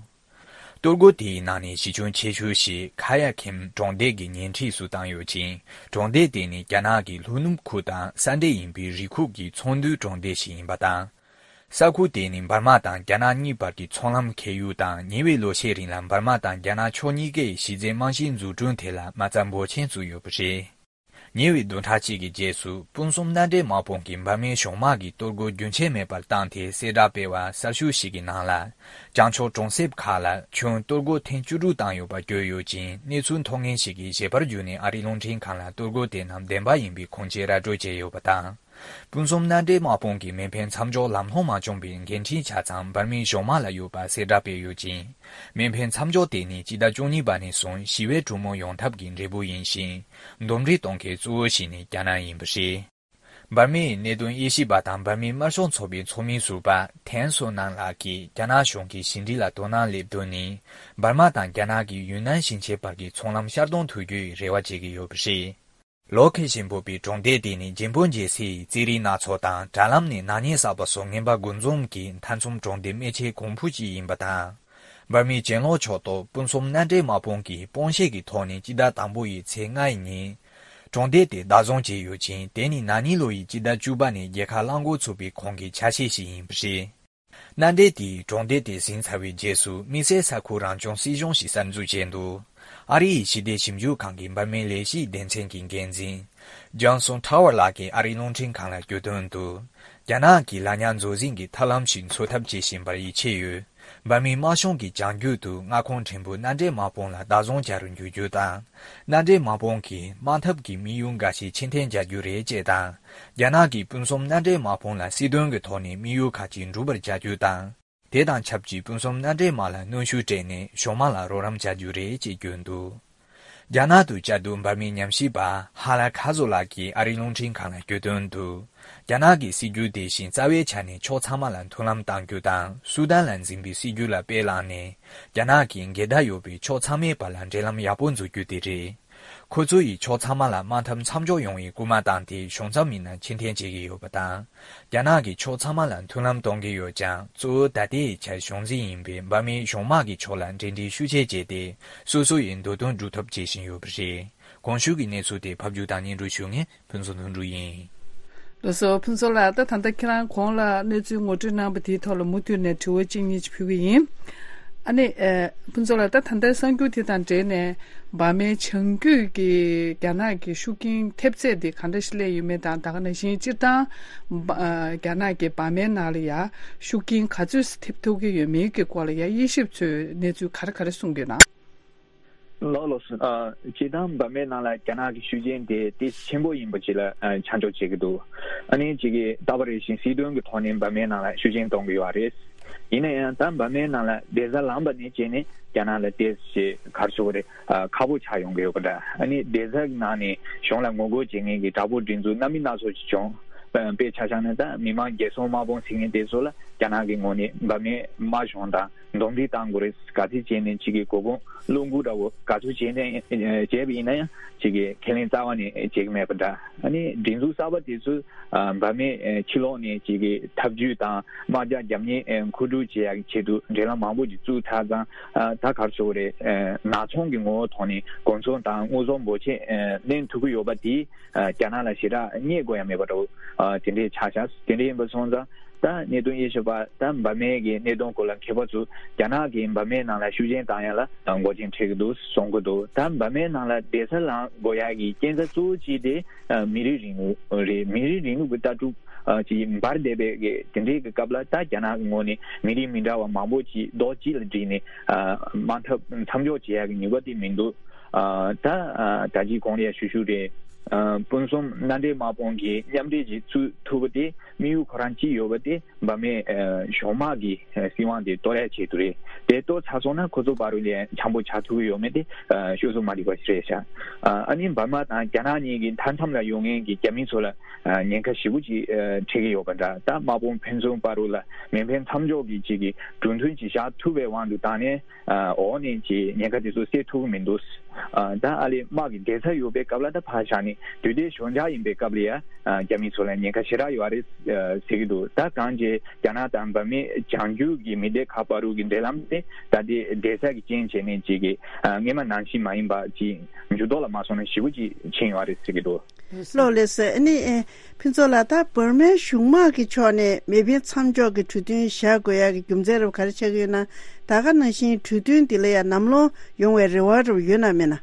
གཏོར་རྒོལ་དེའི་ནང་ནས་གཞི་ཁྱོན་ཆེ་ཤོས་ཤིག་ཁ་ཡ་ཁེམ་གྲོང་སྡེ་གི་ཉེ་འཁྲིས་སུ་བཏང་ཡོད་ཅིང་། གྲོང་སྡེ་དེ་ནི་རྒྱ་ནག་གི་ལྷོ་ནུབ་ཁུལ་དང་ས་འབྲེལ་ཡིན་པའི་རི་ཁུག་གི་ཚོང་འདུས་གྲོང་སྡེ་ཞིག་ཡིན་པ་དང་། ས་ཁུལ་དེ་ནི་འབར་མ་དང་རྒྱ་ནག་གཉིས་བར་གྱི་ཚོང་ལམ་ཁེལ་ཡུལ་དང་། ཉེ་བའི་ལོ་ཤས་རིང་ལ་འབར་མ་དང་རྒྱ་ནག་ཕྱོགས་གཉིས་ཀའི་གཞི་རྩའི་རྨང་གཞིའི་འཛུགས་སྐྲུན་དེ་ལ་མ་རྩ་འབོར་ཆེན་བཙུགས་ཡོད་པ་རེད། ཉེ་བའི་བདུན་ཕྲག་གཅིག་གི་རྗེས་སུ་སྤུན་གསུམ་མནའ་འབྲེལ་དམག་དཔུང་གིས་འབར་མའི་གཞུང་དམག་གི་གཏོར་རྒོལ་རྒྱུན་ཆད་མེད་པར་བཏང་སྟེ་གསལ་བསྒྲགས་སྤེལ་བ་གསར་ཤོས་ཤིག་གི་ནང་ལ། བྱང་ཕྱོགས་གྲོང་གསེབ་ཁག་ལ་ཁྱོན་གཏོར་རྒོལ་ཐེངས་བཅུ་དྲུག་བཏང་ཡོད་པ་བཀོད་ཡོད་ཅིང་། གནས་ཚུལ་མཐོང་མཁན་ཞིག་གིས་ཞལ་པར་བརྒྱུད་ནས་ཨ་རིའི་རླུང་འཕྲིན་ཁང་ལ་གཏོར་རྒོལ་དེ་རྣམས་བདེན་པ་ཡིན་པའི་ཁུངས་སྐྱེལ་ར་སྤྲོད་བྱས་ཡོད་པ་དང་། སྤུན་གསུམ་མནའ་འབྲེལ་དམག་དཔུང་གིས་མེ་འཕེན་མཚམས་འཇོག་ལམ་ལྷོང་མ་བྱུང་བའི་འགན་འཁྲི་ཆ་ཚང་འབར་མའི་གཞུང་དམག་ལ་ཡོད་པ་གསལ་བསྒྲགས་སྤེལ་ཡོད་ཅིང་། མེ་འཕེན་མཚམས་འཇོག་དེ་ནི་སྤྱི་ཟླ་བཅུ་གཉིས་པ་ནས་བཟུང་ཞི་བའི་གྲོས་མོལ་ཡོང་ཐབས་ཀྱི་འབྲས་བུ་ཡིན་ཞིང་། འདུམ་འགྲིག་གཏོང་མཁན་གཙོ་བོ་ཞིག་ནི་རྒྱ་ནག་ཡིན་པ་རེད། འབར་མའི་གནད་དོན་དབྱེ་ཞིབ་པ་དང་འབར་མའི་དམར་ཤོག་ཚོགས་པའི་ཚོགས་མི་ཟུར་པ་ཐན་སོ་ནན་ལགས་ཀྱིས་རྒྱ་ནག་གཞུང་གི་ཕྱི་འབྲེལ་ལ་དོ་སྣང་སླེབས་དོན་ནི། འབར་མ་དང་རྒྱ་ནག་གི་ཡུན་ནན་ཞིང་ཆེན་བར་གྱི་ཚོང་ལམ་ཤར་གཏོང་ཐུབ་རྒྱུའི་རེ་བ་བྱེད་ཀྱི་ཡོད་པ་རེད། ལོ་ཁེ་ཞན་ཕུ་པའི་གྲོང་སྡེ་དེ་ནི་ཇིན་པོན་རྒྱལ་སའི་རྩེད་རིགས་སྣ་ཚོགས་དང་། དྲ་ལམ་ནས་ནག་ཉེས་བསགས་པ་སོགས་ངན་པ་དགུ་འཛོམས་ཀྱི་མཐའ་མཚམས་གྲོང་སྡེ་སྨད་ཆེན་གོང་ཕུ་ཅིག་ཡིན་པ་དང་། འབར་མའི་གྱེན་ལོག་ཕྱོགས་གཏོགས་སྤུན་གསུམ་མནའ་འབྲེལ་དམག་དཔུང་གིས་སྤོང་བཤད་ཀྱི་ཐོག་ནས་སྤྱི་ཟླ་དང་པོ་ཡི་ཚེས་ལྔ་ཡི་ཉིན། གྲོང་སྡེ་དེ་བདག་བཟུང་བྱས་ཡོད་ཅིང་། དེ་ནི་ན་ནིང་ལོ་ཡི་སྤྱི་ཟླ་བཅུ་པ་ནས་རྒྱལ་ཁ་བླང་འགོ་ཚུགས་པའི་གོང་གི་ཆ་ཤས་ཤིག་ཡིན་པ་རེད། མནའ་འབྲེལ་དེས་གྲོང་སྡེ་དེ་ཟིན་ཚར་བའི་རྗེས་སུ་དམིགས་བསལ་ས་ཁུལ་རང་སྐྱོང་སྲིད་གཞུང་ཞིག་གསར་འཛུགས་བྱས་འདུག་ཨ་རི་ཡི་ཞི་བདེ་ཞིབ་འཇུག་ཁང་གི་འབར་མའི་ལས་གཞིའི་སྡེ་ཚན་གྱི་འགན་འཛིན་ཇོན་སོན་ཊ་ཝར་ལགས་ཀྱིས་ཨ་རིའི་རླུང་འཕྲིན་ཁང་ལ་བརྗོད་དོན་དུ། རྒྱ་ནག་གིས་ལ་ཉག་མཛོད་འཛིན་གྱི་ཐབས་ལམ་ཞིག་འཚོལ་ཐབས་བྱེད་བཞིན་པར་ཡིད་ཆེས་ཡོད། འབར་མའི་དམར་གཞུང་གིས་བྱང་རྒྱུད་དུ་མངའ་ཁོངས་ཕྲན་བུ་མནའ་འབྲེལ་དམག་དཔུང་ལ་བདག་བཟུང་བྱ་རུ་འཇུག་རྒྱུ་དང་། མནའ་འབྲེལ་དམག་དཔུང་གིས་དམག་འཐབ་ཀྱི་དམིགས་ཡུལ་འགའ་ཞིག་ཕྱིར་འཐེན་བྱ་རྒྱུ་རེད་ཅེས་དང་། རྒྱ་ནག་གིས་སྤུན་གསུམ་མནའ་འབྲེལ་དམག་དཔུང་ལ་སྲིད་དོན་གྱི་ཐོག་ནས་དམིགས་ཡུལ་ཁག་ཅིག་འགྲུབ་པར་བྱ་རྒྱུ་དང་། དེ་དང་ཆབས་ཅིག་སྤུན་གསུམ་མནའ་འབྲེལ་དམག་ལ་གནོན་ཤུགས་སྤྲད་ནས་གཞུང་དམག་ལ་རོགས་རམ་བྱ་རྒྱུ་རེད་ཅེས་བརྗོད་འདུག་རྒྱ་ནག་ཏུ་བཅའ་སྡོད་འབར་མའི་ཉམས་ཞིབ་པ་ཧ་ལ་ཁ་ཛོ་ལགས་ཀྱིས་ཨ་རིའི་རླུང་འཕྲིན་ཁང་ལ་བརྗོད་དོན་དུ། རྒྱ་ནག་གི་སྲིད་ཇུས་དེ་བཞིན་རྩ་བའི་ཆ་ནས་ཕྱོགས་ཚང་མ་ལ་མཐུན་ལམ་གཏང་རྒྱུ་དང་སུ་དཱན་ལ་འཛིན་པའི་སྲིད་ཇུས་ལ་དཔེ་བླངས་ནས་རྒྱ་ནག་གིས་འགལ་ཟླ་ཡོད་པའི་ཕྱོགས་ཚང་མའི་བར་ལ་འབྲེལ་ལམ་ཡག་པོ་འཛུགས་རྒྱུ་དེ་རེད། ཁོ་ཚོ་ཡིས་ཕྱོགས་ཚང་མ་ལ་དམག་འཐབ་མཚམས་འཇོག་ཡོང་བའི་སྐུལ་མ་བཏང་སྟེ་གཞུང་ཚབ་མི་སྣ་ཕྱིར་འཐེན་བྱེད་ཀྱི་ཡོད་པ་དང་། རྒྱ་ནག་གིས་ཕྱོགས་ཚང་མ་ལ་མཐུན་ལམ་གཏོང་གི་ཡོད་ཀྱང་གཙོ་བོ་ད་ལྟའི་ཆར་གཞུང་འཛིན་ཡིན་པའི་འབར་མའི་གཞུང་དམག་གི་ཕྱོགས་ལ་འབྲེལ་འདྲིས་ཤུགས་ཆེ་བྱས་ཏེ་སོ་སོ་ཡི་འདོད་དོན་སྒྲུབ་ཐབས་བྱེད་བཞིན་ཡོད་པ་རེད། གོང་ཞུས་ཀྱི་གནས་ཚུལ་དེ་ཕབ་སྒྱུར་དང་སྙན་སྒྲོན་ཞུ་མཁན་ཕུན་ཚོགས་དོན་གྲུབ་ཡིན། ལགས་སོ། ཕུན་ཚོགས་ལགས། ད་ད་ལྟ་ཁྱེད་རང་གོང་ལ་གནས་ཚུལ་ངོ་སྤྲོད་གནང་བ་དེའི་ཐོག་ལ་མུ་མཐུད་ནས་དྲི་བ་གཅིག་གཉིས་ཅིག་ཕུལ་གི་ཡིན། ཨ་ནི། ཨ། ཕུན་ཚོགས་ལགས། ད་ད་ལྟའི་གསར་འགྱུར་དེ་དང་འབྲེལ་ནས་འབར་མའི་བྱང་རྒྱུད་ཀྱི་རྒྱ་ནག་གི་ཤུགས་རྐྱེན་ཐེབས་ཚད་དེ་ག་འདྲ་ཞིག་སླེབས་ཡོད་མེད་དང་། ད་ག་ནང་བཞིན་སྤྱིར་བཏང་འབ། ཨ། རྒྱ་ནག་གི་འབར་མའི་ནང་ལ་ཡ་ཤུགས་རྐྱེན་ག་ཚོད་ཐེབས་ཐུབ་ཀྱི་ཡོད་མེད་ཀྱི་སྐོར་ལ་ཡ་དབྱེ་ཞིབ་ཚོས་གནས་ཚུལ་ག་རེ་ག་རེ་གསུངས་ཀྱི་ཡོད་ན། ལགས་ལགས་སོ། ཨ། སྤྱིར་བཏང་འབར་མའི་ནང་ལ་རྒྱ་ནག་གི་ཤུགས་རྐྱེན་དེ་ཏོག་ཙམ་ཆེན་པོ་ཡིན་པ་ཅིག་ལ་ཨ་ཆ་འཇོག་བྱེད་ཀྱི་འདུག་ཨ་ནི་ཅིག་གིས་ད་བར་རེ་བཞིན་སྲིད་དོན་གྱི་ཐོག་ནས་འབར་མའི་ནང་ལ་ཤུགས་རྐྱེན་གཏོང་གི་ཡོད་རེད། ཡིན་ན་ཡང་ད་འབར་མའི་ནང་ལ་བདེ་རྩ་ལངས་པ་ནས་བྱས་ནས་རྒྱ་ནག་ལ་ཏོག་ཙམ་ག་རེ་ཟེར་དགོས་རེད། ཨ། ཁག་པོ་ཆགས་ཡོང་གི་ཡོད་པ་འདྲ། ཨ་ནི་བདེ་རྩ་གི་ནང་ནས་གཞུང་ལ་ངོ་རྒོལ་བྱེད་མཁན་གྱི་དྲག་པོའི་སྒྲིག་འཛུགས་སྣ་མིན་སྣ་ཚོགས་ཤིག་བྱུང་། དཔེ་ཆ་བཞག་ན་ད་མི་དམངས་རྒྱལ་སྲུང་དམག་དཔུང་ཟེར་མཁན་དེ་ཚོ་ལ་རྒྱ་ནག་གི་ངོས་ནས་འབར་མའི་དམག་གཞུང་དང་འདུམ་འགྲིག་གཏང་དགོས་རེད། ག་ཚོད་བྱས་ནས་ཅིག་གི་གོ་གུང་བློ་འགུག་འདྲ་བོ་ག་ཚོད་བྱས་ནས་བྱས་པ་ཡིན་ན་ཡང་ཅིག་གི་ཁས་ལེན་རྩ་བ་ནས་བྱེད་ཀྱི་མེད་པ་འདྲ། ཨ་ནི་སྒྲིག་འཛུགས་གསར་པ་དེ་ཚོས་ཨ། འབར་མའི་ཨ་ཕྱི་ལོགས་ནས་ཅིག་གི་འཐབ་ཇུས་དང་དམག་རྒྱག་རྒྱབ་གཉེར་ཨ་མཁོ་སྒྲུབ་བྱེད་ཡག་གི་ཆེད་དུ་འབྲེལ་ལམ་མང་པོ་ཅིག་བཙུགས་ཚར་ཙང་། ཨ། ད་ག་རེ་ཟེར་དགོས་རེད། ཨ། ནག་ཚོང་གི་ངོ་བོ་ཐོག་ནས་གོ་མཚོན་དང་དངོས་ཟོག་འབོར་ཆེན་ཨ་ལེན་ཐུབ་ཀྱི་ཡོད་པ་དེས། ཨ། རྒྱ་ནག་ལ་ཞེ་དྲག་བརྙས་དགོས་ཡ་མེད་པ་འདྲ་བོ། ཨ། དེ་འདྲས་ཆགས་ཤག་དེ་འདྲས་ཡིན་པ་སོང་ཙང་ད་གནད་དོན་དབྱེ་ཞིབ་པ་ད་འབར་མའི་གི་གནད་དོན་སྐོར་ལ་མཁས་པ་ཚོས་རྒྱ་ནག་གིས་འབར་མའི་ནང་ལ་ཤུགས་རྐྱེན་བཏང་ཡ་ལ་འགོག་རྐྱེན་འཕྲད་ཀྱི་འདུག་གསུང་གི་འདུག་ད་འབར་མའི་ནང་ལ་བདེ་རྩ་ལངས་དགོས་ཡ་གི་རྐྱེན་རྩ་གཙོ་བོ་གཅིག་དེ་ཨ་མི་རིགས་རིང་ལུགས་རེད། མི་རིགས་རིང་ལུགས་ཀྱི་ལྟ་གྲུབ་ཨ་ཅིག་འབར་བསྡད་པའི་གི་དེ་འདྲའི་གི་སྐབས་ལ་ད་རྒྱ་ནག་གི་ངོས་ནས་མི་རིགས་མི་འདྲ་བ་མང་པོ་ཅིག་རྡོག་གཅིག་ལ་བསྒྲིལ་ནས་ཨ་དམག་འཐབ་མཚམས་འཇོག་བྱེད་ཡ་གི་ནུས་པ་དེ་མི་འདུག་ཨ་ད་ཨ་ད་ཅི་གོང་ལ་ཡ་ཞུ་ཞུ་རེད། ཨ་སྤུན་གསུམ་མནའ་འབྲེལ་དམག་དཔུང་གི་མཉམ་འབྲེལ་ཅིག་བཙུགས་ཐུབ་པ་དེ་དམིགས་ཡུལ་ཁོ་རང་གཅིག་ཡོད་པ་དེ་འབར་མའི་ཨ་གཞུང་དམག་གི་ཨ་སྲིད་དབང་དེ་གཏོར་ཡ་ཆེད་དུ་རེད། དེ་གཏོར་ཚར་སོང་ན་ཁོ་ཚོ་བར་དུ་ལ་འཆམ་པོ་ཆགས་ཐུབ་ཀྱི་ཡོད་མེད་དེ་ཨ་ཤོད་སུ་མ་འགྲིག་པ་ཞིག་རེད་ཤག་ཨ་ཨ་ནི་འབར་མ་དང་རྒྱ་ནག་གཉིས་ཀྱི་མཐའ་མཚམས་ལ་ཡོད་མཁན་གྱི་རྒྱ་མི་ཚོ་ལ་ཨ་ཉེན་ཁ་ཞེ་པོ་ཅིག་ཨ་འཕྲད་ཀྱི་ཡོད་པ་འདྲ། ད་དམག་དཔུང་ཕན་ཚུན་བར་དུ་ལ་མེ་འཕེན་མཚམས་འཇོག་གི་ཅིག་གི་གྲོས་མཐུན་ཅིག་བཞག་ཐུབ་པའི་དབང་དུ་བཏང་ནས། ཨ་འོག་ནས་ཀྱི་ཉེན་ཁ་དེ་ཚོ་སེལ་ཐུབ་ཀྱི་མི་འདུག་ཨ་ད་ཨ་ལེ་དམག་གི་བདེ་རྩ་ཡོད་པའི་སྐབས་ལ་ད་ཕར་བཞག་ནས་དུས་དེ་ཞོད་འཇགས་ཡིན་པའི་སྐབས་ལ་ཡ་ཨ་རྒྱ་མི་ཚོ་ལ་ཉེན་ཁ་ཞེ་དྲག་ཡོད་རེད་ཨ་ཟེར་གྱི་འདུག་ད་གང་ཅི་རྒྱ་ནག་དང་འབར་མའི་བྱང་རྒྱུད་ཀྱི་མི་སྡེ་ཁག་བར་དུ་གི་འབྲེལ་ལམ་དེ་ད་ལྟའི་བདེ་རྩ་གི་རྐྱེན་བྱས་ནས་ཅིག་གི་ཨ་སྔས་མ་ནང་བཞིན་མ་ཡིན་པ་ཅིག་འགྱུར་ལྡོག་ལ་མ་སོང་ན་ཞེ་པོ་ཅིག་ཕྱིན་ཡོད་རེད་ཟེར་གྱི་འདུག་ལགས་ལགས་སོ། ཨ་ནི་ཨེ་ཕུན་ཚོགས་ལགས། ད་འབར་མའི་གཞུང་དམག་གི་ཕྱོགས་ནས་མེ་འཕེན་མཚམས་འཇོག་གི་གྲོས་མཐུན་བཞག་དགོས་ཡག་གི་རྒྱུ་མཚན་རབ་ག་རེ་ཆགས་ཀྱི་ཡོད་ན། ད་ག་ནང་བཞིན་གྲོས་མཐུན་འདི་ལ་ཡང་ནམ་ལངས་ཡོང་བའི་རེ་བ་རབ་ཡོད་ན་མེད་ན།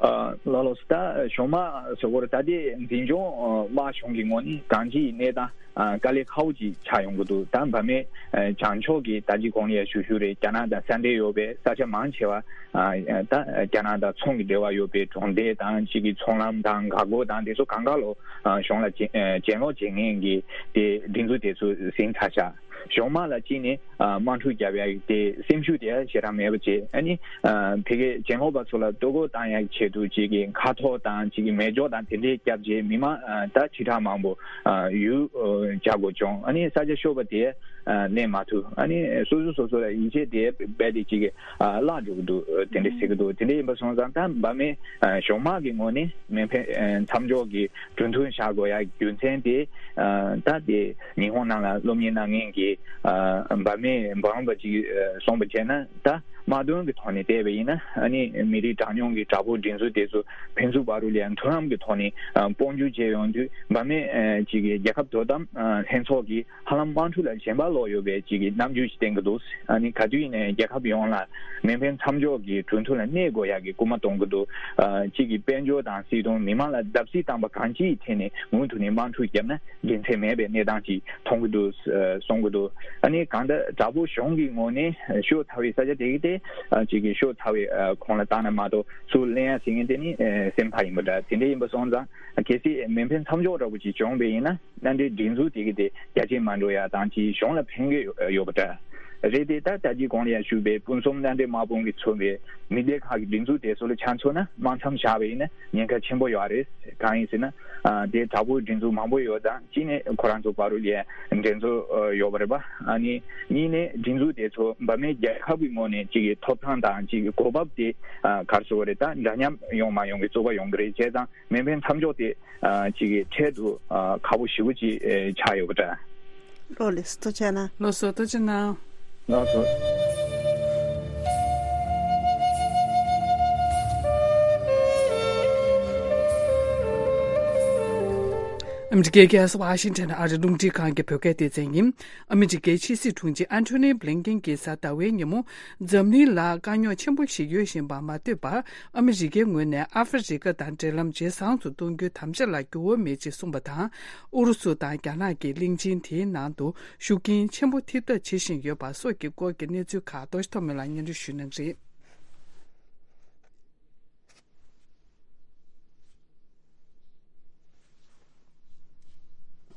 ཨ་ལགས་ལགས་སོ། ད་གཞུང་དམག་ཟེར་བ་རེད། ད་ལྟའི་འཛིན་སྐྱོང་དམག་གཞུང་གི་ངོས་ནས་གང་ཅིའི་གནས་སྟངས་ཨ་དཀའ་ལས་ཁག་པོ་ཅིག་ཆགས་ཡོང་གི་འདུག་ད་འབར་མའི་ཨ་བྱང་ཕྱོགས་ཀྱི་ད་ཅི་གོང་ལ་ཡང་ཞུ་ཞུ་རེད། རྒྱ་ནག་དང་ས་འབྲེལ་ཡོད་པའི་ས་ཆ་མང་ཆེ་བ་ཨ་ད་རྒྱ་ནག་དང་ཚོང་གི་འབྲེལ་བ་ཡོད་པའི་གྲོང་སྡེ་དང་གཅིག་གི་ཚོང་ལམ་དང་འགག་སྒོ་དང་དེ་ཚོ་གང་ག་ལོ་ཨ་གཞུང་ལ་གྱེན་ཨ་གྱེན་ལོག་བྱེད་མཁན་གྱི་དེ་སྒྲིག་འཛུགས་དེ་ཚོ་ཟིན་ཚར་ཤག་གཞུང་དམག་ལ་གཅིག་ནས་ཨ་དམག་འཁྲུག་རྒྱབ་ཡ་དེ་སེམས་ཤུགས་དེ་ཞེ་དྲག་མེད་པ་བྱས། ཨ་ནི་ཨ་ཕ་གིའི་གྱེན་ལོག་པ་ཚོ་ལ་ལྟོ་གོས་བཏང་ཡ་ཆེད་དུ་གཅིག་གི་མཁའ་ཐོག་དང་གཅིག་གི་མེ་སྒྱོགས་དང་དེ་འདྲའི་བརྒྱབ་རྗེས་མི་མང་ཨ་ད་ཁྲི་ཕྲག་མང་པོ་ཨ་ཡུལ་ཨ་བྱ་དགོས་བྱུང་། ཨ་ནི་ས་ཆ་ཤོར་བ་དེ་ཨ་ལེན་མ་ཐུབ། ཨ་ནི་སོ་སོ་སོ་སོ་ལ་ཡིད་ཆེས་དེ་རྦད་དེ་གཅིག་གི་ཨ་བརླག་འགྲོ་གི་འདུག་དེ་འདྲ་ཟེར་གི་འདུག་དེ་འདྲ་ཡིན་པ་སོང་ཙང་ད་འབར་མའི་ཨ་གཞུང་དམག་གི་ངོས་ནས་མེ་འཕེན་ཨ་མཚམས་འཇོག་གི་གྲོས་མཐུན་བཞག་དགོས་ཡ་རྒྱུ་མཚན་དེ་ཨ་ད་དེ་ཉི་ཧོང་ནང་ལ་སློབ་གཉེར་གནང་མཁན་གྱི་ཨ་འབར་མའི་འབུམ་རམས་པ་ཅིག་ཨ་གསུངས་པ་བྱས་ན། ད་དམག་དོན་གྱི་ཐོག་ནས་བལྟས་པ་ཡིན་ན། ཨ་ནི་མི་རིགས་གྲངས་ཉུང་གི་དྲག་པོའི་སྒྲིག་འཛུགས་དེ་ཚོ་ཕན་ཚུན་བར་དུ་ལ་མཐུན་ལམ་གྱི་ཐོག་ནས་ཨ་དཔུང་འཇུག་བྱས་ཡོང་དུས། འབར་མའི་ཨ་ཅིག་གི་རྒྱལ་ཁབ་དོ་དམ་ཨ་ལྷན་ཚོགས་ཀྱིས་ཧ་ལམ་དམག་འཁྲུག་ལ་ཞེན་པ་ལོག་ཡོད་པའི་ཅིག་གི་རྣམ་འགྱུར་ཞིག་བསྟན་གྱི་འདུག་ཨ་ནི་ག་དུས་ཡིན་ནའི་རྒྱལ་ཁབ་ཡོངས་ལ་མེ་འཕེན་མཚམས་འཇོག་གི་གྲོས་མཐུན་ལ་གནས་དགོས་ཡག་གི་སྐུལ་མ་གཏོང་གི་འདུག་ཨ་གཅིག་གི་དཔལ་འབྱོར་དང་སྲིད་དོན། མི་མང་ལ་བརྡབ་གསིག་བཏང་པ་གང་ཅིའི་ཐད་ནས་མུ་མཐུད་ནས་དམག་འཁྲུག་བརྒྱབ་ན་དགེ་མཚན་མེད་པའི་གནས་སྟངས་ཅིག་མཐོང་གི་འདུག་ཨ་གསུང་གི་འདུག་ཨ་ནི་གང་ལྟར་དྲག་པོ་གཞུང་གི་ངོས་ནས་ཤོག་ཚ་བའི་ས་ཆ་དེ་གི་དེ་ཨ་གཅིག་གི་ཤོག་ཚ་བའི་ཨ་ཁོངས་ལ་བཏང་ན་མ་གཏོགས་ཚུར་ལེན་ཡ་ཟེར་མཁན་དེ་ནི་ཨ་སེམས་ཐག་ཡིན་པ་འདྲ། དེ་འདྲ་ཡིན་པ་སོང་ཙང་གལ་སྲིད་མེ་འཕེན་མཚམས་འཇོག་འདྲ་པོ་ཅིག་བྱུང་བ་ཡིན་ན། མནའ་འབྲེལ་སྒྲིག་འཛུགས་དེ་གི་དེ་རྒྱ་ཆེ་མ་འགྲོ་ཡ་དང་ཅིག་གཞུང་ལ་ཕན་གི་ཡོད་པ་འདྲ། རེད་དེ། ད་ལྟ་གི་གོང་ལ་ཡང་ཞུས་པའི་ཕུན་སུམ་མནའ་འབྲེལ་དམག་དཔུང་གིས་མཚོན་པའི་མི་སྡེ་ཁག་གི་སྒྲིག་འཛུགས་དེ་ཚོ་ལ་ཆ་མཚོན་ན། དམག་མཚམས་བཞག་པ་ཡིན་ན་ཉེན་ཁ་ཆེན་པོ་ཡོད་རེད། གང་ཡིན་ཟེར་ན། ཨ། དེ་དྲག་པོའི་སྒྲིག་འཛུགས་མང་པོ་ཡོད་ཙང་། གཅིག་ནས་ཁོ་རང་ཚོ་བར་ལ་ཡང་འགྲན་རྩོད་ཡོད་པ་རེད་པ། ཨ་ནི་གཉིས་ནས་སྒྲིག་འཛུགས་དེ་ཚོ་འབར་མའི་རྒྱལ་ཁབ་ཀྱི་ངོས་ནས་གཅིག་གི་ཐོབ་ཐང་དང་གཅིག་གི་གོ་བབ་དེ། ཨ། ག་རེ་ཟེར་དགོས་རེད། ད་འདྲ་མཉམ་ཡོང་མ་ཡོང་གི་རྩོད་པ་ཡོང་གི་རེད། བྱས་ཙང་མེ་འཕེན་མཚམས་འཇོག་དེ། ཨ། གཅིག་གི་འཕྲལ་དུ། ཨ། ཁག་པོ་ཞེ་པོ་ཅིག་ཨེ། ཆགས་ཡོད་པ་འདྲ། ལགས་སོ། ཐུགས་རྗེ་གནང་། ལགས་སོ། ཐུགས་རྗེ་གནང་། ལགས་སོ། ཨ་མི་རི་ཀའི་རྒྱལ་ས་ཝ་ཤིང་ཊོན་ཨ་རིའི་རླུང་འཕྲིན་ཁང་གི་བོད་སྐད་སྡེ་ཚན་ཡིན། ཨ་མི་རི་ཀའི་ཕྱི་སྲིད་དྲུང་ཆེ་ཨན་ཐོ་ནི་བྷི་ལིན་ཀེན་གྱིས་གཟའ་ཟླ་བའི་ཉིན་མོ། འཛམ་གླིང་ལ་དཀའ་རྙོག་ཆེན་པོ་ཞིག་ཡོད་བཞིན་པ་མ་ལྟོས་པར། ཨ་མི་རི་ཀའི་ངོས་ནས་ཨ་ཧྥེ་རི་ཀ་དང་འབྲེལ་ལམ་ཇེ་བཟང་དུ་གཏོང་རྒྱུའི་དམ་བཅའ་ལ་འགྱུར་བ་མེད་ཅེས་གསུངས་པ་དང་། ཨུ་རུ་སུ་དང་རྒྱ་ནག་གིས་གླིང་ཆེན་དེའི་ནང་དུ་ཤུགས་རྐྱེན་ཆེན་པོ་ཐེབས་ཐབས་བྱེད་བཞིན་ཡོད་པ་སོགས་ཀྱི་སྐོར་གྱི་གནས་ཚུལ་ཁག་རྡོ་རྗེ་ཐོགས་མེད་ལགས་སྙན་སྒྲོན་ཞུ་གནང་གི་རེད།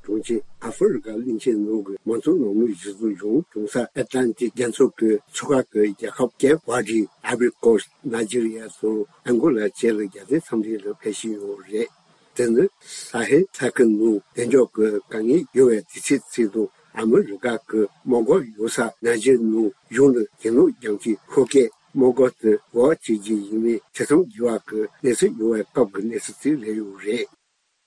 དྲུང་ཆེ། ཨ་ཧྥེ་རི་ཀ་གླིང་ཆེན་ནང་གི་མང་གཙོ་ལམ་ལུགས་གཞི་བཟུང་གཞུང་སྐྱོང་ས་ཨེ་ཏི་ལན་ཏིག་རྒྱ་མཚོ་གི་མཚོ་ཁ་གི་རྒྱལ་ཁབ་ཀེབ་ཝར་ཌི། ཨའི་བྷོ་རི་ཀོ་སི། ནཱི་ཇི་རི་ཡ་དང་ཨང་གོ་ལ་བཅས་ལ་རྒྱལ་དོན་འཚམས་འདྲི་ལ་ཕེབས་བཞིན་ཡོད་རེད། དེ་ནི་ས་ཧེལ་ས་ཁུལ་ནང་བདེ་འཇགས་ཀྱི་དཀའ་ངལ་ཡོད་པའི་དུས་ཚོད་ཅིག་དང་། ཨ་མི་རི་ཀ་གི་དམག་སྒར་ཡོད་ས་ནཱི་ཇི་རི་ནང་གཞུང་ལ་གྱེན་ལོག་རྒྱག་མཁན་ཤོག་ཁག་དམག་སྒར་དུ་འབོ་བ་བྱེད་རྒྱུ་ཡིན་མིན་ཐེ་ཚོམ་རྒྱག་པ་གི་གནས་ཚུལ་ཡོད་པའི་སྐབས་ཀྱི་གནས་ཚུལ་ཅིག་རེད་ཡོད་རེད།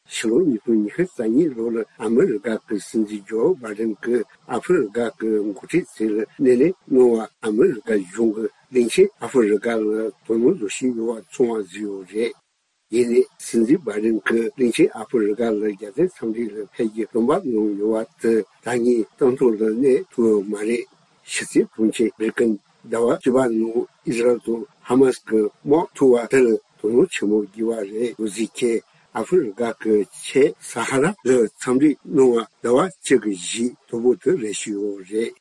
ཕྱི་ལོ་ཉིས་སྟོང་ཉི་ཤུ་རྩ་གཉིས་ལོ་ལ་ཨ་མི་རི་ཀ་གི་སྲིད་འཛིན་ཇོ་བྷའི་ཌེན་གྱིས་ཨ་ཧྥེ་རི་ཀ་གི་འགོ་ཁྲིད་ཚོ་ལ་སྣེ་ལེན་གནང་བར། ཨ་མི་རི་ཀ་གཞུང་གིས་གླིང་ཆེན་ཨ་ཧྥེ་རི་ཀ་ལ་དོ་སྣང་བཟོ་བཞིན་ཡོད་པ་ཚོར་བ་བཟོས་ཡོད་རེད། ཡིན་ནའི་སྲིད་འཛིན་བྷའི་ཌེན་གྱིས་གླིང་ཆེན་ཨ་ཧྥེ་རི་ཀ་ལ་རྒྱལ་དོན་འཚམས་འདྲི་ལ་ཕེབས་རྒྱུ་སྟོན་པ་གནང་ཡོད་པ་དེ་ད་ངས་གཏན་ཐོག་ལ་གནས་ཐུབ་ཡོད་མ་རེད། ཕྱི་སྲིད་དྲུང་ཆེ་བྷི་ལིན་ཀེན་ཟླ་བ་བཅུ་པ་ནང་ཨི་ཟི་རལ་དང་ཧ་མ་སི་གི་དམག་འཁྲུག་པ་དེ་ལ་དོ་སྣང་ཆེན་པོ་བགྱིས་པ་རེད་འདུག་ཟེར་མཁན། ཨ་ཧྥེ་རི་ཀ་གི་ཆེས་ས་ཧ་ར་ལ་འཚམས་འདྲི་གནང་བ་ཟླ་བ་གཅིག་གི་རྗེས་དོ་པོ་དེ་རེད་ཞུས་ཡོད་རེད།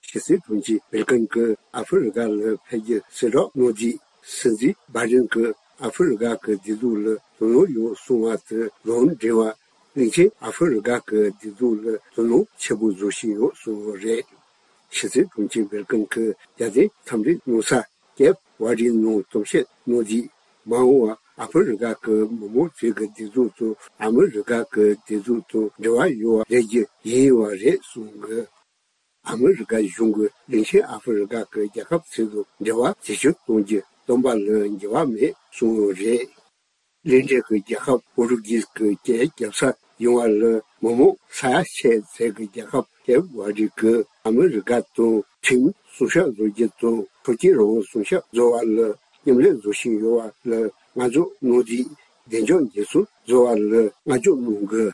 ཕྱི་སྲིད་དྲུང་ཆེ་བྷི་ལིན་ཀེན་གྱིས་ཨ་ཧྥེ་རི་ཀ་ལ་ཕེབས་རྒྱུ་གསལ་བསྒྲགས་གནང་རྗེས། སྲིད་འཛིན་བྷའི་ཌེན་གྱིས་ཨ་ཧྥེ་རི་ཀ་གི་བདེ་སྡུག་ལ་དོ་སྣང་ཡོད་གསུངས་པ་དེ་ལུང་འདྲེན་པར། གླིང་ཆེན་ཨ་ཧྥེ་རི་ཀ་གི་བདེ་སྡུག་ལ་དོ་སྣང་ཆེན་པོ་བཟོ་བཞིན་ཡོད་གསུངས་ཡོད་རེད། ཕྱི་སྲིད་དྲུང་ཆེ་བྷི་ལིན་ཀེན་གྱིས་རྒྱལ་དོན་འཚམས་འདྲི་གནང་ས་ཀེབ་ཝར་ཌི་ནང་གཏམ་བཤད་གནང་རྗེས། མ་འོངས་པར་ཨ་ཧྥེ་རི་ཀ་གི་མི་མང་ཚོའི་བདེ་སྡུག་དང་ཨ་མི་རི་ཀ་གི་བདེ་སྡུག་དང་འབྲེལ་བ་ཡོད་པ་རེད་རྒྱུ་ཡིན་པ་རེད་གསུངས་ཡོད། ཨ་མི་རི་ཀ་གཞུང་གིས་གླིང་ཆེན་ཨ་ཧྥེ་རི་ཀ་གི་རྒྱལ་ཁབ་ཚོ་དང་འབྲེལ་བ་ཇེ་ཆེར་གཏོང་རྒྱུ་སྟོན་པ་ལ་འགྱུར་བ་མེད་གསུངས་ཡོད་རེད། གླིང་ཕྲན་གྱི་རྒྱལ་ཁབ་པོར་ཊུ་གྷིས་ཀྱི་རྒྱལ་རྒྱབ་ས་ཡིན་པ་ལ། མི་མང་ས་ཡ་ཆེ་ཚད་ཀྱི་རྒྱལ་ཁབ་ཀེབ་ཝར་ཌི་གིས་ཨ་མི་རི་ཀ་དང་ཁྲིམས་སྲུང་སྐྱོབ་བཟོ་རྒྱུ་དང་། ཐོབ་ཆའི་རང་དབང་སྲུང་སྐྱོབ་བཟོ་བ་ལ་མཉམ་ལས་བཟོ་བཞིན་ཡོད་པ་ལ་བསྔགས་བརྗོད་གནང་རྗེས། བདེ་འཇགས་འགན་སྲུང་བཟོ་བ་ལ་བསྔགས་བརྗོད་གནང་གི།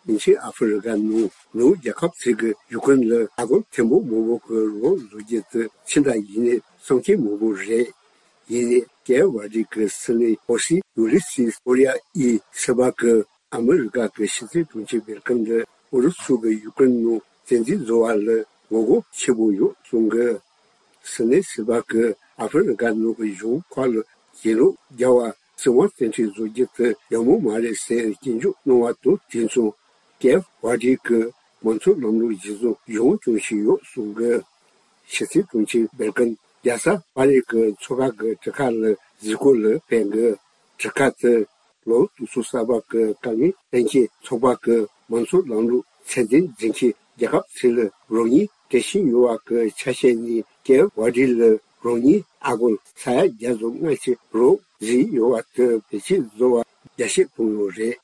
གླིང་ཆེན་ཨ་ཧྥེ་རི་ཀ་ནང་ནུབ་རྒྱལ་ཁབ་ཚོ་གིས་ཡུཀ་རེན་ལ་ཨ་སྒོར་ཐེར་འབུམ་མང་པོ་གི་རོགས་བཟོ་རྒྱུ་དེ་ཕྱི་ཟླ་བཞི་ནས་བསམ་འཆར་མང་པོ་རེད། ཡིན་ནའི་ཀེབ་ཝར་ཌི་གི་སྲིད་བློན་ཨོ་སི་ཡུ་ལི་སིས་ཨོ་རི་ཡ་ཡིས་སྲིད་པ་གི་ཨ་མི་རི་ཀ་གི་ཕྱི་སྲིད་དྲུང་ཆེ་བྷི་ལིན་ཀེན་ལ་ཨུ་རུ་སུ་གི་ཡུཀ་རེན་ནང་བཙན་འཛུལ་བཟོ་བ་ལ་ངོ་རྒོལ་ཆེན་པོ་ཡོད་གསུང་གི། སྲིད་བློན་སྲིད་པ་གིས་ཨ་ཧྥེ་རི་ཀ་ནང་གི་གཞུང་ཁག་ལ་གྱེན་ལོག་རྒྱག་པ། སྲིད་དབང་བཙན་ཁྲིད་བཟོ་རྒྱུ་དེ་ཡག་མོ་མ་རེད་ཟེར་སྐྱོན་བརྗོད་གནང་བ་དང་དུས་མཚུངས། ཀེབ་ཝར་ཌི་གིས་མང་གཙོ་ལམ་ལུགས་གཞི་བཟུང་གཞུང་སྐྱོང་བཞིན་ཡོད་གསུང་གི། ཕྱི་སྲིད་དྲུང་ཆེ་བྷི་ལིན་ཀེན་རྒྱལ་ས་པ་རི་གི་མཚོ་ཁ་གི་གྲུ་ཁ་ལ་གཟིགས་སྐོར་ལ་ཕེབས་གི། གྲུ་ཁ་དེ་ལོ་དྲུག་ཅུ་གསར་པ་གི་དཀའ་ངལ་སེལ་མཁན་ཚོགས་པ་གི་མང་གཙོ་ལམ་ལུགས་ཚད་ལྡན་འཛིན་མཁན་རྒྱལ་ཁབ་ཚོ་ལ་རོགས་དངུལ་སྤྲད་བཞིན་ཡོད་པ་གི་ཆ་ཤས་ནི། ཀེབ་ཝར་ཌི་ལ་རོགས་དངུལ་ཨ་སྒོར་ས་ཡ་བརྒྱ་དང་ལྔ་བཅུ་རོགས་ཟིན་ཡོད་པ་དེ་བེད་སྤྱོད་བཟོ་བར་རྒྱ་སྐྱེད་བཏང་ཡོད་རེད།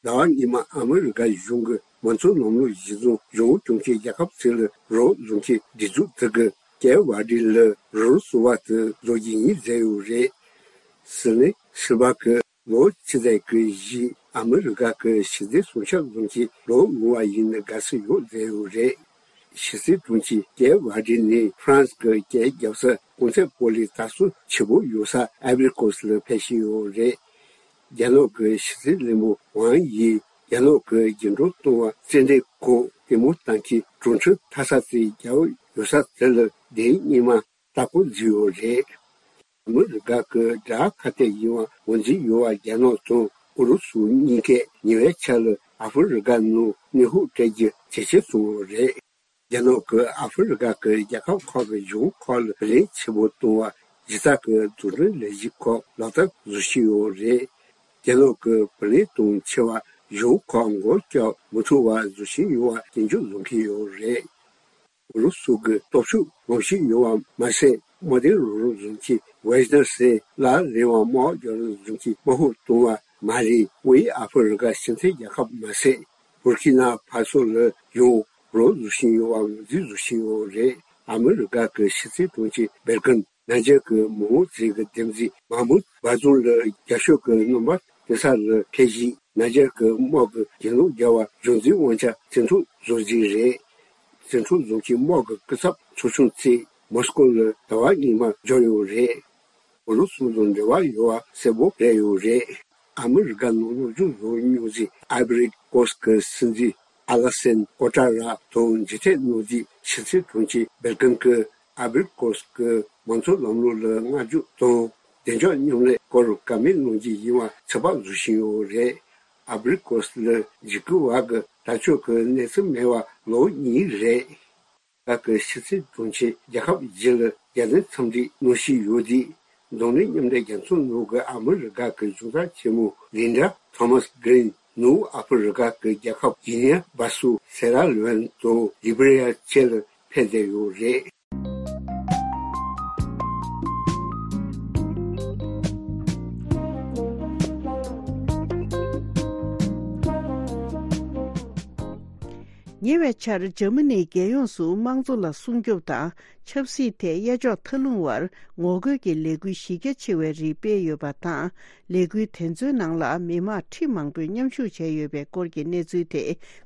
ཟླ་བ་སྔོན་མ་ཨ་མི་རི་ཀ་གཞུང་གིས་མང་གཙོ་ལམ་ལུགས་གཞི་བཟུང་གཞུང་སྐྱོང་མཁན་རྒྱལ་ཁབ་ཚོ་ལ་རོགས་བཟོ་མཁན་སྒྲིག་འཛུགས་དེ་གིས་ཀེབ་ཝར་ཌི་ལ་རོགས་བཟོ་བ་དེ་བཟོ་རྒྱུ་ཡིན་ཟེར་ཡོད་རེད། སྲིད་བློན་སྲིད་པ་གིས་ལོ་ཆེ་ཚད་ཀྱི་གཞི་ཨ་མི་རི་ཀ་གི་ཕྱི་སྲིད་སྲུང་སྐྱོབ་བཟོ་མཁན་ལོ་ཉུང་བ་ཡིན་ན་དགའ་བསུ་ཡོད་ཟེར་ཡོད་རེད། ཕྱི་སྲིད་དྲུང་ཆེ་ཀེབ་ཝར་ཌི་ནས་ཧྥ་རན་སི་གི་རྒྱལ་རྒྱབ་ས་གོང་ཚད་པོ་ལི་དར་སྲོལ་ཆེ་པོ་ཡོད་ས་ཨའི་བྷི་རི་ཀོ་སི་ལ་ཕེབས་བཞིན་ཡོད་རེད། རྒྱ་ནག་གི་ཕྱི་སྲིད་བློན་པོ་ཝང་ཡིས་རྒྱ་ནག་གི་རྒྱུན་འཁྱོངས་གཏོང་བར་རྩེད་འགྲན་ཁག་ལྟད་མོ་ལྟ་མཁན་གྲོང་ཁྱེར་མཐའ་ས་ཚོའི་རྒྱལ་བ་ཡོད་ས་དེ་ལ་དེ་རིང་སྔོན་མ་ལྟ་སྐོར་མཛད་ཡོད་རེད། ཨ་མི་རི་ཀ་གི་དགྲ་ཁ་གཏད་ཡིན་པ་ངོས་འཛིན་ཡོད་པ་རྒྱ་ནག་དང་ཨུ་རུ་སུ་གཉིས་ཀས་ཉེ་བའི་ཆར་ལ་ཨ་ཧྥེ་རི་ཀ་ནང་གནོན་ཤུགས་སྤྲད་རྒྱུ་ཇེ་ཆེར་སོང་བ་རེད། རྒྱ་ནག་གིས་ཨ་ཧྥེ་རི་ཀ་གི་རྒྱལ་ཁབ་ཁག་གི་གཞུང་ཁག་ལ་བར་ལེན་ཆེན་པོ་གཏོང་བར་གཞི་རྩ་གི་འཛུགས་སྐྲུན་ལས་གཞི་ཁག་ལག་བསྟར་བཟོ་བཞིན་ཡོད་རེད། རྒྱ་ནག་གིས་བར་ལེན་གཏོང་ཆེ་བ་གཞུང་ཁག་མགོ་བཀྱག་མི་ཐུབ་པ་བཟོ་བཞིན་ཡོད་པ་སྐྱོན་བརྗོད་བཟོ་གི་ཡོད་རེད། ཨུ་རུ་སུ་གི་སྟོབས་ཤུགས་ལོངས་བཞིན་ཡོད་པ་མ་ཟད། དམག་སྡེ་རུ་རུ་རྫོང་གི་ཝེ་ཇི་ནར་སི་ལ་རེ་བ་དམག་རྒྱག་རུ་རྫོང་གི་དམག་ཧུར་གཏོང་བ་མ་རེད། དབུས་ཨ་ཧྥེ་རི་ཀ་ཕྱི་འཐེན་རྒྱལ་ཁབ་མ་ཟད། བུར་ཁི་ན་ཕ་སོ་ལ་ཡང་རོགས་བཟོ་བཞིན་ཡོད་པ་ངོས་འཛིན་བཟོ་བཞིན་ཡོད་རེད། ཨ་མི་རི་ཀ་གི་ཕྱི་སྲིད་དྲུང་ཆེ་སྦེར་ཀིན་ནཱ་ཇར་གྱི་མི་དབང་མཛད་ཀྱི་འདེམས་རྩིས་མཱ་མུད་བྷ་ཛུམ་ལ་རྒྱ་ཤོག་གི་རྣམ་པ་སྟོན་ས་ལ་ཕེབས་རྗེས། ནཱ་ཇར་གྱི་དམག་གི་གྱེན་ལོག་རྒྱག་པར་གཞུང་འཛིན་དབང་ཆ་བཙན་འཕྲོག་བཟོ་རྩིས་རེད། བཙན་འཕྲོག་བཟུང་གིས་དམག་གི་སྐུ་ཚབ་ཚོགས་ཆུང་བཙུགས། མོ་སི་ཀོ་ལ་ཟླ་བ་གཉིས་མ་འབྱོར་ཡོད་རེད། ཨུ་རུ་སུ་དང་འབྲེལ་བ་ཡོད་པ་གསལ་པོ་རེད་ཡོད་རེད། ཨ་མི་རི་ཀ་ནང་སློབ་སྦྱོང་བཟོ་བར་སྙུང་གཞི་ཨ་བི་རི་ཀོ་སི་གི་སྲིད་འཛིན་ཨ་ལ་སན་ཀོ་ཀྲ་ར་དང་མཇུག་འབྲས་གནང་རྗེས་ཕྱི་སྲིད་དྲུང་ཆེ་སྦེར་ཀིན་གྱིས་ཨ་བི་རི་ཀོ་སི་གི་མང་གཙོ་ལམ་ལུགས་ལ་བསྔགས་བརྗོད་དང་བདེ་འཇགས་མཉམ་ལས་སྐོར་བཀའ་མོལ་གནང་རྒྱུ་ཡིན་པ་ཚོད་དཔག་བཟོ་བཞིན་ཡོད་རེད། ཨ་བི་རི་ཀོ་སི་ལ་འཇིགས་སྐུལ་བ་གི་དྲག་སྤྱོད་ཀྱི་གནས་ཚུལ་མེད་པ་ལོ་གཉིས་རེད། བཀའ་ཀྱི་ཕྱི་སྲིད་དྲུང་ཆེ་རྒྱལ་ཁབ་བཞི་ལ་རྒྱལ་དོན་འཚམས་འདྲི་གནང་བཞིན་ཡོད་དུས། འཛམ་གླིང་མཉམ་འབྲེལ་རྒྱལ་ཚོགས་ནང་གི་ཨ་མི་རི་ཀ་གི་གཞུང་ཚབ་ཆེན་མོ་ལིན་ཌ་ཐོ་མཱས་གྷི་རིན་ནུབ་ཨ་ཧྥེ་རི་ཀ་གི་རྒྱལ་ཁབ་གྷི་ནི་ཡ་སྦ་སུ། སེ་ར་ལེ་ཨོན་དང་ལི་བི་རི་ཡ་བཅས་ལ་ཕེབས་བསྡད་ཡོད་རེད། ཉེ་བའི་ཆར་འཇར་མ་ནིའི་རྒྱལ་ཡོངས་སུ་དམངས་གཙོ་ལ་སྲུང་སྐྱོབ་དང་ཆབ་སྲིད་ཐད་གཡས་འཇོག་མཐའ་ལྷུང་བར་ངོ་རྒོལ་གྱི་ལས་འགུལ་གཞི་རྒྱ་ཆེ་བའི་རིགས་སྤེལ་ཡོད་པ་དང་། ལས་འགུལ་དེ་ཚོའི་ནང་ལ་མི་དམངས་ཁྲི་མང་པོས་མཉམ་ཞུགས་བྱས་ཡོད་པའི་སྐོར་གྱི་གནས་ཚུལ་དེ་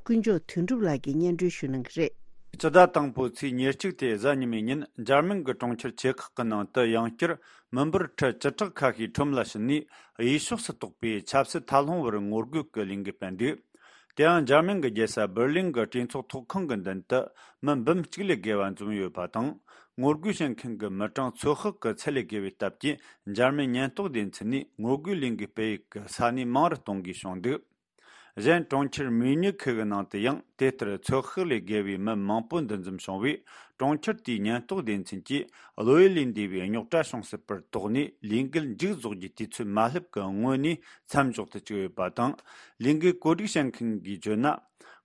ཀུན་མཆོག་དོན་གྲུབ་ལགས་ཀྱིས་སྙན་སྒྲོན་ཞུ་གནང་གི་རེད། སྤྱི་ཟླ་དང་པོའི་ཚེས་ཉེར་གཅིག་སྟེ་གཟའ་ཉི་མའི་ཉིན་འཇར་མན་གྱི་གྲོང་ཁྱེར་ཆེ་ཁག་གི་ནང་དུ་ཡང་བསྐྱར་མི་འབོར་ཁྲི་བཅུ་ཕྲག་ཁ་ཤས་ཁྲོམ་ལ་ཕྱིན་ནས་གཡས་ཕྱོགས་སུ་གཏོགས་པའི་ཆབ་སྲིད་མཐའ་ལྷུང་བར་ངོ་རྒོལ་གྱི་ལས་འགུལ་སྤེལ་འདུག་དེ་ཡང་འཇར་མན་གྱི་རྒྱལ་ས་འབར་ལིན་གྱི་གྲོས་ཚོགས་ཚོགས་ཁང་གི་མདུན་དུ་མི་འབུམ་གཅིག་ལས་བརྒལ་བ་འཛོམས་ཡོད་པ་དང་། ངོ་རྒོལ་བྱེད་མཁན་གྱི་མི་གྲངས་ཚོད་དཔག་གི་ཚད་ལས་བརྒལ་བའི་སྟབས་ཀྱིས་འཇར་མན་ཉེན་རྟོག་སྡེ་ཚན་ནས་ངོ་རྒོལ་ལས་འགུལ་སྤེལ་ཡུལ་གྱི་ས་གནས་མང་རུ་གཏོང་དགོས་བྱུང་འདུག་གཞན་གྲོང་ཁྱེར་མིའུ་ནིག་ཁི་གི་ནང་དུ་ཡང་དེ་ལྟར་ཚོད་དཔག་ལས་བརྒལ་བའི་མི་མང་པོ་འདུ་འཛོམས་བྱུང་བས། གྲོང་ཁྱེར་དེའི་ཉེན་རྟོག་སྡེ་ཚན་གྱིས་གློ་བུར་ལས་འདས་པའི་རྙོག་དྲ་བྱུང་སྲིད་པར་དོགས་ནས་ལས་འགུལ་མཇུག་རྫོགས་རྒྱུའི་དུས་ཚོད་མ་སླེབས་ཀྱི་སྔོན་ནས་མཚམས་འཇོག་ཏུ་བཅུག་ཡོད་པ་དང་། ལས་འགུལ་བཀོད་སྒྲིག་བྱེད་མཁན་གྱིས་བརྗོད་ན།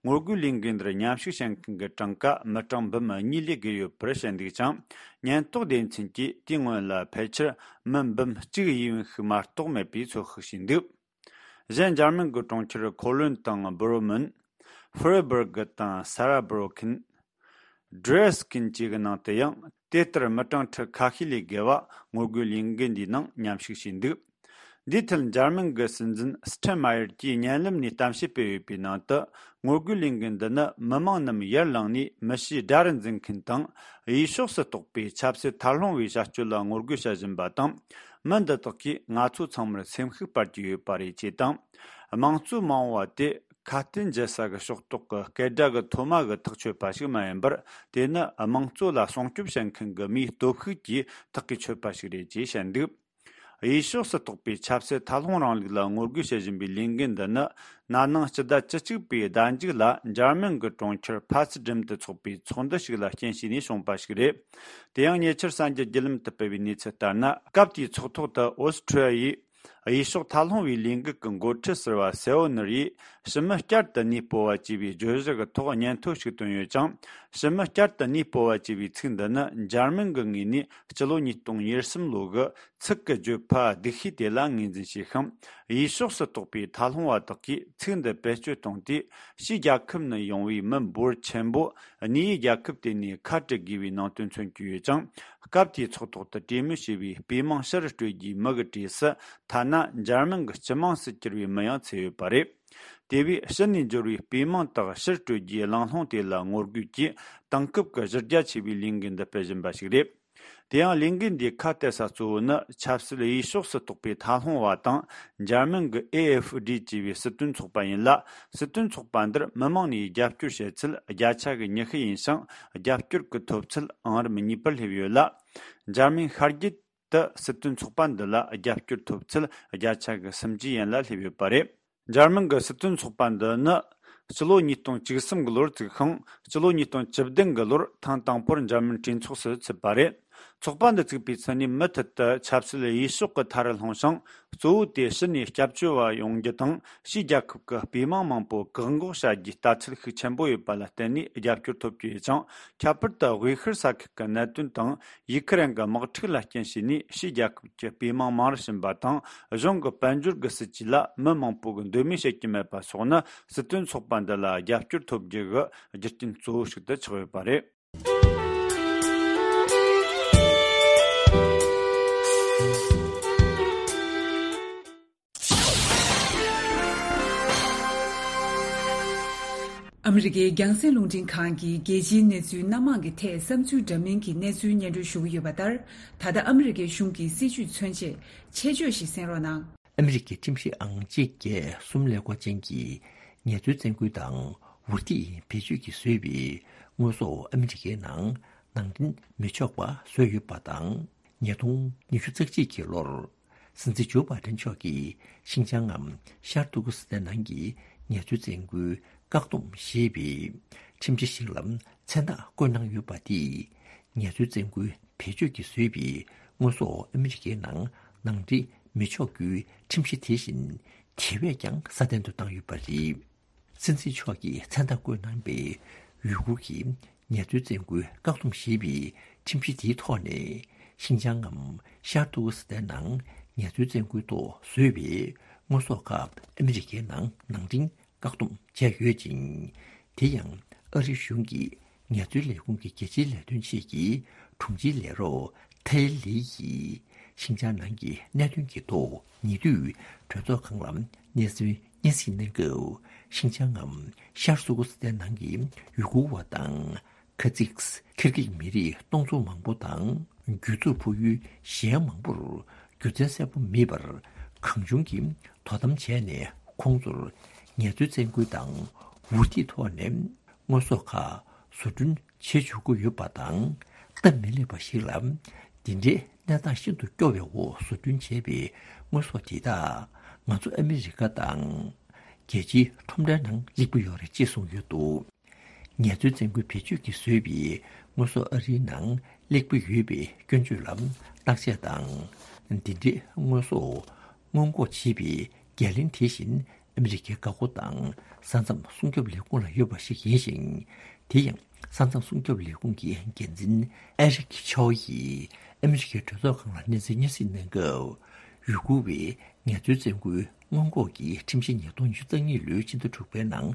ངོ་རྒོལ་ལས་འགུལ་འདིར་མཉམ་ཞུགས་བྱེད་མཁན་གྱི་གྲངས་ཀ་མི་གྲངས་འབུམ་གཉིས་ལས་བརྒལ་ཡོད་པར་བཤད་འདུག་ཅིང་། ཉེན་རྟོག་སྡེ་ཚན་གྱིས་དེའི་སྔོན་ལ་ཕལ་ཆེར་མི་འབུམ་གཅིག་ཡས་པ་ཞིག་མ་གཏོགས་མེད་པའི་ཚོད་དཔག་བྱས་འདུག་གཞན་འཇར་མན་གྱི་གྲོང་ཁྱེར་ཁོ་ལོན་དང་བྷོ་རོ་མན། ཧྥེ་རི་སྦུར་གི་དང་སཱ་ར་བྷ་རོ་ཁན། ཌི་རེ་སི་ཀིན་བཅས་ཀྱི་ནང་དུ་ཡང་དེ་ལྟར་མི་གྲངས་ཁྲི་ཁ་ཤས་ལས་བརྒལ་བ་ངོ་རྒོལ་ལས་འགུལ་འདིའི་ནང་མཉམ་ཞུགས་བྱས་འདུག་འདིའི་ཐད་འཇར་མན་གྱི་སྲིད་འཛིན་སི་ཁྲེན་མ་ཡར་གྱིས་བརྙན་ལམ་ནས་གཏམ་བཤད་སྤེལ་ཡོད་པའི་ནང་དུ། ངོ་རྒོལ་ལས་འགུལ་འདི་ནི་མི་མང་རྣམས་ཡར་ལངས་ནས་མི་གཤིས་དགྲ་རུ་འཛིན་མཁན་དང་། གཡས་ཕྱོགས་སུ་གཏོགས་པའི་ཆབ་སྲིད་མཐའ་ལྷུང་བའི་བྱ་སྤྱོད་ལ་ངོ་རྒོལ་བྱེད་བཞིན་པ་དང་། མི་འདི་དག་གིས་ང་ཚོ་ཚང་མར་སེམས་ཤུགས་སྤར་གྱི་ཡོད་པ་རེད་ཅེས་དང་། དམངས་གཙོ་མ་འོངས་པ་དེ་ཁ་གཏད་འཇལ་ས་གི་ཕྱོགས་གཏོགས་ཀྱི་སྐད་སྒྲ་གི་མཐོ་དམའ་གི་ཐག་ཆོད་པ་ཞིག་མ་ཡིན་པར། དེ་ནི་དམངས་གཙོ་ལ་སྲུང་སྐྱོབ་བྱེད་མཁན་གྱི་མིའི་སྟོབས་ཤུགས་ཀྱིས་ཐག་གིས་ཆོད་པ་ཞིག་རེད་ཅེས་བཤད་འདུག་གཡས་ཕྱོགས་སུ་གཏོགས་པའི་ཆབ་སྲིད་མཐའ་ལྷུང་རིང་ལུགས་ལ་ངོ་རྒོལ་བྱེད་བཞིན་པའི་ལས་འགུལ་འདི་ནི། ན་ནིང་སྤྱི་ཟླ་བཅུ་གཅིག་པའི་ཟླ་མཇུག་ལ་འཇར་མན་གྱི་གྲོང་ཁྱེར་ཕ་སི་ཌིམ་དུ་འཚོགས་པའི་ཚོགས་འདུ་ཞིག་ལ་རྐྱེན་བྱས་ནས་བྱུང་བ་ཞིག་རེད། དེ་ཡང་ཉེ་ཆར་གསར་འགྱུར་བརྒྱུད་ལམ་དུ་སྤེལ་བའི་གནས་ཚུལ་ལྟར་ན། སྐབས་དེའི་ཚོགས་ཐོག་ཏུ་ཨོ་སི་ཁྲུ་ཡ་ཡི་གཡས་ཕྱོགས་མཐའ་ལྷུང་བའི་ལས་འགུལ་གྱི་འགོ་ཁྲིད་ཟུར་པ་སེ་ཨོ་ནུར་ཡིས། ཕྱི་མི་བསྐྱར་དུ་གནས་སྤོ་བ་ཅེས་པའི་བརྗོད་གཞི་གི་ཐོག་སྙན་ཐོ་ཞིག་བཏོན་ཡོད་ཅིང་། ཕྱི་མི་བསྐྱར་དུ་གནས་སྤོ་བ་ཅེས་པའི་ཚིག་འདི་ནི་འཇར་མན་གྱི་ངོས་ནས་སྤྱི་ལོ་ཉིས་སྟོང་ཉེར་གསུམ་ལོ་གི་ཚིག་གི་བརྗོད་པ་སྡུག་ཤོས་དེ་ལ་ངོས་འཛིན་བྱས་ཤིང་། གཡས་ཕྱོགས་སུ་གཏོགས་པའི་མཐའ་ལྷུང་བ་དག་གིས་ཚིག་འདི་བེད་སྤྱོད་བཏང་སྟེ། ཕྱིའི་རྒྱལ་ཁབ་ནས་ཡོང་བའི་མི་འབོར་ཆེན་པོ་གནས་ཡུལ་རྒྱལ་ཁབ་དེ་ནས་ཁ་བྲལ་དགོས་པའི་ནང་དོན་མཚོན་གྱི་ཡོད་ཅིང་། སྐབས་དེའི་ཚོགས་ཐོག་ཏུ་གྲོས་མོལ་བྱས་པའི་དཔེ་མང་ཕྱིར་སྤྲོད་རྒྱུའི་མི་གི་གྲས་སུ། ཐ་ན་འཇར་མན་གྱི་སྤྱི་དམངས་སུ་གྱུར་པའི་མི་ཡང་ཚུད་ཡོད་པ་རེད། དེ་བས་ཕྱི་ནས་འབྱོར་བའི་དཔེ་མང་དག་ཕྱིར་སྤྲོད་རྒྱུའི་གླེང་སློང་དེ་ལ་ངོ་རྒོལ་གྱིས་དེང་སྐབས་ཀྱི་གཞི་རྒྱ་ཆེ་བའི་ལས་འགུལ་འདི་སྤེལ་བཞིན་པ་ཞིག་རེད། དེ་ཡང་ལས་འགུལ་འདིའི་ཁ་གཏད་ས་གཙོ་བོ་ནི་ཆབ་སྲིད་གཡས་ཕྱོགས་སུ་གཏོགས་པའི་མཐའ་ལྷུང་བ་དང་། འཇར་མན་གྱི་ཨེ་ཨེཕ་ཌི་ཅེས་པའི་སྲིད་དོན་ཚོགས་པ་ཡིན་ལ། སྲིད་དོན་ཚོགས་པ་འདིར་མི་མང་ནས་རྒྱབ་སྐྱོར་བྱེད་ཚུལ་བརྒྱ་ཆ་གི་ཉི་ཤུ་ཡིན་ཞིང་། རྒྱབ་སྐྱོར་གྱི་ཐོབ་ཚད་ཨང་རིམ་གཉིས་པར་སླེབས་ཡོད་ལ། འཇར་མན་ཤར་རྒྱུད་དུ་སྲིད་དོན་ཚོགས་པ་འདི་ལ་རྒྱབ་སྐྱོར་ཐོབ་ཚད་བརྒྱ་ཆ་གི་སུམ་ཅུ་ཡན་ལ་སླེབས་ཡོད་པ་རེད། འཇར་མན་གྱི་སྲིད་དོན་ཚོགས་པ་འདི་ནི་ སྤྱི་ལོ་ཉིས་སྟོང་བཅུ་གསུམ་གྱི་ལོར་བཙུགས་ཤིང་། སྤྱི་ལོ་ཉིས་སྟོང་བཅུ་བདུན་གྱི་ལོར་ཐེངས་དང་པོར་འཇར་མན་གྲོས་ཚོགས་སུ་ཚུད་པ་རེད། ཚོགས་པ་འདི་བཙུགས་པའི་ཚུན་ནས་མུ་མཐུད་དུ་ཆབ་སྲིད་གཡས་ཕྱོགས་ཀྱི་མཐའ་རུ་ལྷུང་ཞིང་། གཙོ་བོ་དེ་ཕྱི་ནས་སྐྱབས་བཅོལ་བ་ཡོང་རྒྱུ་དང་། ཕྱིའི་རྒྱལ་ཁབ་ཀྱི་དཔེ་མང་མང་པོ་བཀག་འགོག་བྱ་རྒྱུའི་ལྟ་ཚུལ་ཤུགས་ཆེན་པོ་ཡོད་པ་ལ་བརྟེན་ནས་རྒྱབ་སྐྱོར་ཐོབ་རྒྱུ་ཡོད་ཅིང་། ཁྱད་པར་དུ་དབུས་ཤར་ས་ཁུལ་གྱི་གནད་དོན་དང་། ཡུ་ཁུ་རེན་གྱི་དམག་འཁྲུག་ལ་རྐྱེན་བྱས་ནས་ཕྱིའི་རྒྱལ་ཁབ་ཀྱི་དཔེ་མང་མང་རུ་ཕྱིན་པ་དང་། གཞུང་གི་དཔལ་འབྱོར་གྱི་སྲིད་ཇུས་ལ་མི་མང་པོ་གིས་འདོད་མོས་བྱེད་ཀྱི་མེད་པ་སོགས་ནི། སྲིད་དོན་ཚོགས་པ་འདི་ལ་རྒྱབ་སྐྱོར་ཐོབ་རྒྱུ་གི་རྒྱུ་རྐྱེན་གཙོ་བོ་ཞིག་ཏུ་ཆགས་ཡོད་པ་རེད། ཨ་མི་རི་ཀའི་རྒྱང་སྲིང་རླུང་འཕྲིན་ཁང་གིས་རྒྱལ་སྤྱིའི་གནས་ཚུལ་སྣ་མང་གི་ཐད་བསམ་ཚུལ་འདྲ་མིན་གྱི་གནས་ཚུལ་སྙན་སྒྲོན་ཞུ་གི་ཡོད་པ་ལྟར། ད་ལྟ་ཨ་མི་རི་ཀའི་གཞུང་གི་སྲིད་བྱུས་མཚོན་ཆེད་ཆེད་བརྗོད་ཞིག་གསན་རོགས་གནང་། ཨ་མི་རི་ཀའི་ཁྲིམས་ཞིབ་ཨང་གཅིག་བརྒྱད་གསུམ་ཀླད་ཀོར་ཅན་གྱིས་ངལ་རྩོལ་བཙན་སྐུལ་དང་འུར་ཐིག་བེད་སྤྱོད་ཀྱིས་བཟོས་པའི་དངོས་ཟོག་ཨ་མི་རི་ཀའི་ནང་ནང་འདྲེན་མི་ཆོག་པ་བཟོས་ཡོད་པ་དང་། ཉིས་སྟོང་ཉི་ཤུ་རྩ་གཅིག་གི་ལོར་སྲིད་འཛིན་ཇོ་བྷའི་ཌེན་མཆོག་གིས་ཤིན་ཅང་ངམ་ཤར་ཏུར་ཀི་སི་ཐན་ནང་གི་ངལ་རྩོལ་བཙན་སྐུལ་བཀག་སྡོམ་ཞེས་པའི་ཁྲིམས་གཞི་ཞིག་ལ་མཚན་རྟགས་བཀོད་གནང་ཡོད་པ་དེས། ངལ་རྩོལ་བཙན་སྐུལ་བེད་སྤྱོད་ཀྱིས་བཟོས་པའི་དངོས་ཟོག་ཨ་མི་རི་ཀའི་ནང་ནང་འདྲེན་མི་ཆོག་རྒྱུའི་ཁྲིམས་གཞི་དེ་བཞིན་དེ་བས་ཀྱང་སྲ་བརྟན་དུ་བཏང་ཡོད་པ་རེད། སྲིད་འཛིན་མཆོག་གིས་མཚན་རྟགས་བཀོད་གནང་པའི་ཡུ་གུར་གྱི་ངལ་རྩོལ་བཙན་སྐུལ་བཀག་སྡོམ་ཞེས་པའི་ཁྲིམས་གཞི་དེའི་ཐོག་ནས། ཤིན་ཅང་ངམ་ཤར་ཏུར་ཀི་སི་ཐན་ནང་ངལ་རྩོལ་བཙན་སྐུལ་ཐོག་བཟོས་པའི་དངོས་ཟོག་ཁག་ཨ་མི་རི་ཀའི་ནང་ནང་འདྲེན་བཀག་སྡོམ་བྱས་ཡོད་ཅིང་། དེ་ཡང་ཨ་རིའི་གཞུང་གི་ངལ་རྩོལ་ལས་ཁུངས་ཀྱི་རྒྱལ་སྤྱིའི་ལས་དོན་ཆེད་ཀྱི་དྲུང་ཆེའི་ལས་རོགས་ཐའེ་ལི་ཡིས་ཤིན་ཅང་ནང་གི་གནད་དོན་གྱི་ཐོག་ཉེ་དུས་གྲོས་ཚོགས་ཁང་ལ་གནས་ཚུལ་སྙན་སེང་གནང་སྐབས། ཤིན་ཅང་ངམ་ཤར་ཏུར་ཀི་སི་ཐན་ནང་གི་ཡུ་གུར་བ་དང་། ཁ་ཛིག་ཁིར་གིག་མི་རིགས་སྟོང་ཚོ་མང་པོ་དང་། རྒྱུད་ཚོགས་ཕུ་ཡུལ་གཞན་མང་པོར་རྒྱུ་མཚན་གསལ་པོ་མེད་པར་གང་བྱུང་གིས་དོ་དམ་བྱས་ནས། ཁོང་ཚོར་ངལ་རྩོལ་བཙན་སྐུལ་དང་འུར་ཐིག་ཐོག་ནས་དངོས་ཟོག་ཁག་བཟོ་སྐྲུན་བྱེད་འཇུག་གི་ཡོད་པ་དང་། སྟབས་མི་ལེགས་པ་ཞིག་ལ། འདི་འདྲའི་གནས་སྟངས་ཤིན་ཏུ་སྐྱོ་བའི་འོག་བཟོ་སྐྲུན་བྱས་པའི་དངོས་ཟོག་དེ་དག་ང་ཚོ་ཨ་མི་རི་ཀ་དང་རྒྱལ་སྤྱིའི་ཁྲོམ་རའི་ནང་སླེབས་ཀྱི་ཡོད་རེད་ཅེས་གསུངས་ཡོད་འདུག་ངལ་རྩོལ་བཙན་སྐུལ་བེད་སྤྱོད་ཀྱིས་བཟོས་པའི་དངོས་ཟོག་ཨ་རིའི་ནང་སླེབས་ཀྱི་ཡོད་པའི་སྐྱོན་བརྗོད་ལ་བརྟག་དཔྱད་དང་། འདི་འདྲའི་དངོས་ཟོག་སྔོན་འགོག་བྱེད་པའི་འགན་ལེན་དེ་བཞིན་ཨ་མི་རི་ཀའི་འགག་སྒོ་དང་ས་མཚམས་སྲུང་སྐྱོབ་ལས་ཁུངས་ལ་ཡོད་པ་ཞིག་ཡིན་ཞིང་། དེ་ཡང་ས་མཚམས་སྲུང་སྐྱོབ་ལས་ཁུངས་ཀྱི་འགན་འཛིན་ཨེ་རིག་ཆའོ་ཡིས་ཨ་མི་རི་ཀའི་གྲོས་ཚོགས་ཁང་ལ་གནས་ཚུལ་སྙན་སེང་གནང་སྐབས། ཡུ་གུར་བའི་ངལ་རྩོལ་བཙན་སྐུལ་སྔོན་འགོག་གི་ཁྲིམས་གཞི་ཉིས་སྟོང་ཉི་ཤུ་རྩ་གཉིས་ལོའི་ཕྱི་ཟླ་དྲུག་པའི་ནང་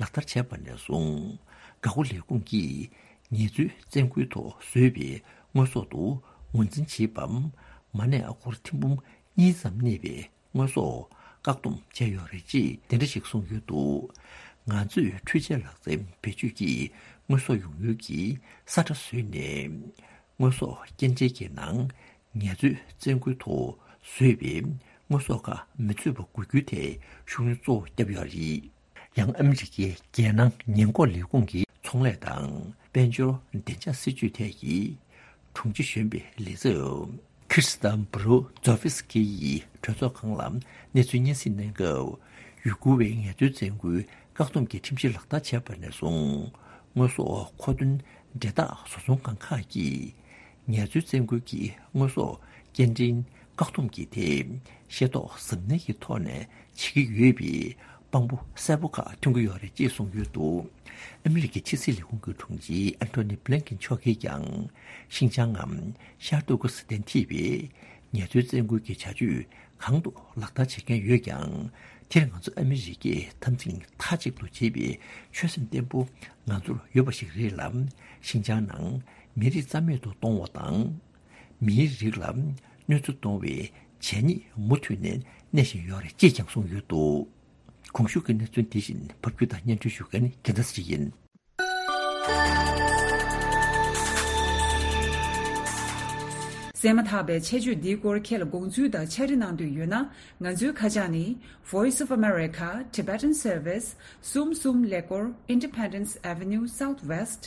ལག་བསྟར་བྱས་པ་ནས་བཟུང་། འགག་སྒོ་ལས་ཁུངས་ཀྱིས་ངལ་རྩོལ་བཙན་སྐུལ་ཐོག་བཟོས་པའི་དངོས་ཟོག་ཏུ་ངོས་འཛིན་བྱེད་པའམ། མ་གནས་ཨ་སྒོར་ཐེར་འབུམ་གཉིས་ཙམ་གནས་པའི་དངོས་ཟོག་བཀག་སྡོམ་བྱས་ཡོད་རེད་ཅེས་དེ་འདྲ་ཞིག་གསུངས་ཡོད་འདུག་ང་ཚོས་འཕྲུལ་ཆས་ལག་རྩལ་བེད་སྤྱོད་ཀྱིས་དངོས་ཟོག་ཡོང་ཡུལ་གྱི་ས་ཁྲ་བཟོས་ནས། དངོས་ཟོག་སྐྱེལ་འདྲེན་གྱི་ནང་ངལ་རྩོལ་བཙན་སྐུལ་ཐོག་བཟོས་པའི་དངོས་ཟོག་ཁག་མི་ཚུད་པ་དགོས་རྒྱུ་ཐད་ཤུགས་སྣོན་གཙོ་བོ་བརྒྱབ་ཡོད་རེད། ཡང་ཨ་མི་རི་ཀའི་རྒྱལ་ནང་ཉེན་འགོག་ལས་ཁུངས་ཀྱི་ཚོང་ལས་དང་དཔལ་འབྱོར་བདེ་འཇགས་སྲིད་ཇུས་ཐད་ཀྱི་དྲུང་ཆེ་གཞོན་པའི་ལས་ཚབ་ཁིར་སི་ཏན་བྷུ་རུ་ཛོ་ཕི་སི་ཀི་ཡིས་གྲོས་ཚོགས་ཁང་ལ་གནས་ཚུལ་སྙན་སེང་གནང་སྐབས། ཡུ་གུར་བའི་ངལ་རྩོལ་བཙན་སྐུལ་བཀག་སྡོམ་གྱི་ཁྲིམས་གཞི་ལག་བསྟར་བྱས་པ་ནས་བཟུང་། དངོས་ཟོག་མཁོ་འདོན་འབྲེལ་ཐག་བཟོ་ཚོང་ཁང་ཁག་གིས་ངལ་རྩོལ་བཙན་སྐུལ་གྱི་དངོས་ཟོག་སྐྱེལ་འདྲེན་བཀག་སྡོམ་གྱི་ཐད་ཤེས་རྟོགས་གཟབ་ནན་གྱི་ཐོག་ནས་བྱེད་ཀྱི་ཡོད་པའི་དཔང་པོ་གསལ་པོ་ཁག་ཐོན་གྱི་ཡོད་རེད་ཅེས་གསུངས་ཡོད་འདུག་ཨ་མི་རི་ཀའི་ཕྱི་སྲིད་ལས་ཁུངས་ཀྱི་དྲུང་ཆེ་ཨན་ཐོ་ནི་བྷི་ལན་ཀིན་མཆོག་གིས་ཀྱང་ཤིན་ཅང་ངམ་ཤར་ཏུར་ཀི་སི་ཐན་ཐེ་བའི་ངལ་རྩོལ་བཙན་སྐུལ་གྱི་བྱ་སྤྱོད་གང་དུ་ལག་བསྟར་བྱེད་མཁན་ཡོད་ཀྱང་། དེར་ང་ཚོ་ཨ་མི་རི་ཀས་འཐབ་འཛིང་མཐའ་གཅིག་ཏུ་བྱེད་པའི་ཆོད་སེམས་བརྟན་པོ་ང་ཚོར་ཡོད་པ་ཞིག་རེད་ལ། ཤིན་ཅང་ནང་མི་རིགས་རྩ་མེད་དུ་གཏོང་བ་དང་། མིའི་རིགས་ལ་གནོད་འཚེ་གཏོང་བའི་བྱས་ཉེས་མུ་མཐུད་ནས་གནས་བཞིན་ཡོད་རེད་ཅེས་ཀྱང་གསུངས་ཡོད་འདུག་གོང་ཞུས་ཀྱི་གནས་ཚུལ་འདི་བཞིན་ཕབ་སྒྱུར་དང་སྙན་སྒྲོན་ཞུ་མཁན་རྒྱལ་མཚན་ཡིན། བཙལ་མ་ཐག་པའི་ཆེད་བརྗོད་འདིའི་སྐོར་ཁྱེད་ལ་དགོངས་ཚུལ་དང་ཕྱག་བྲིས་གནང་འདོད་ཡོད་ན། ང་ཚོའི་ཁ་བྱང་ནི། Voice of America, Tibetan Service, གསུམ་གསུམ་ཀླད་ཀོར། Independence Avenue Southwest,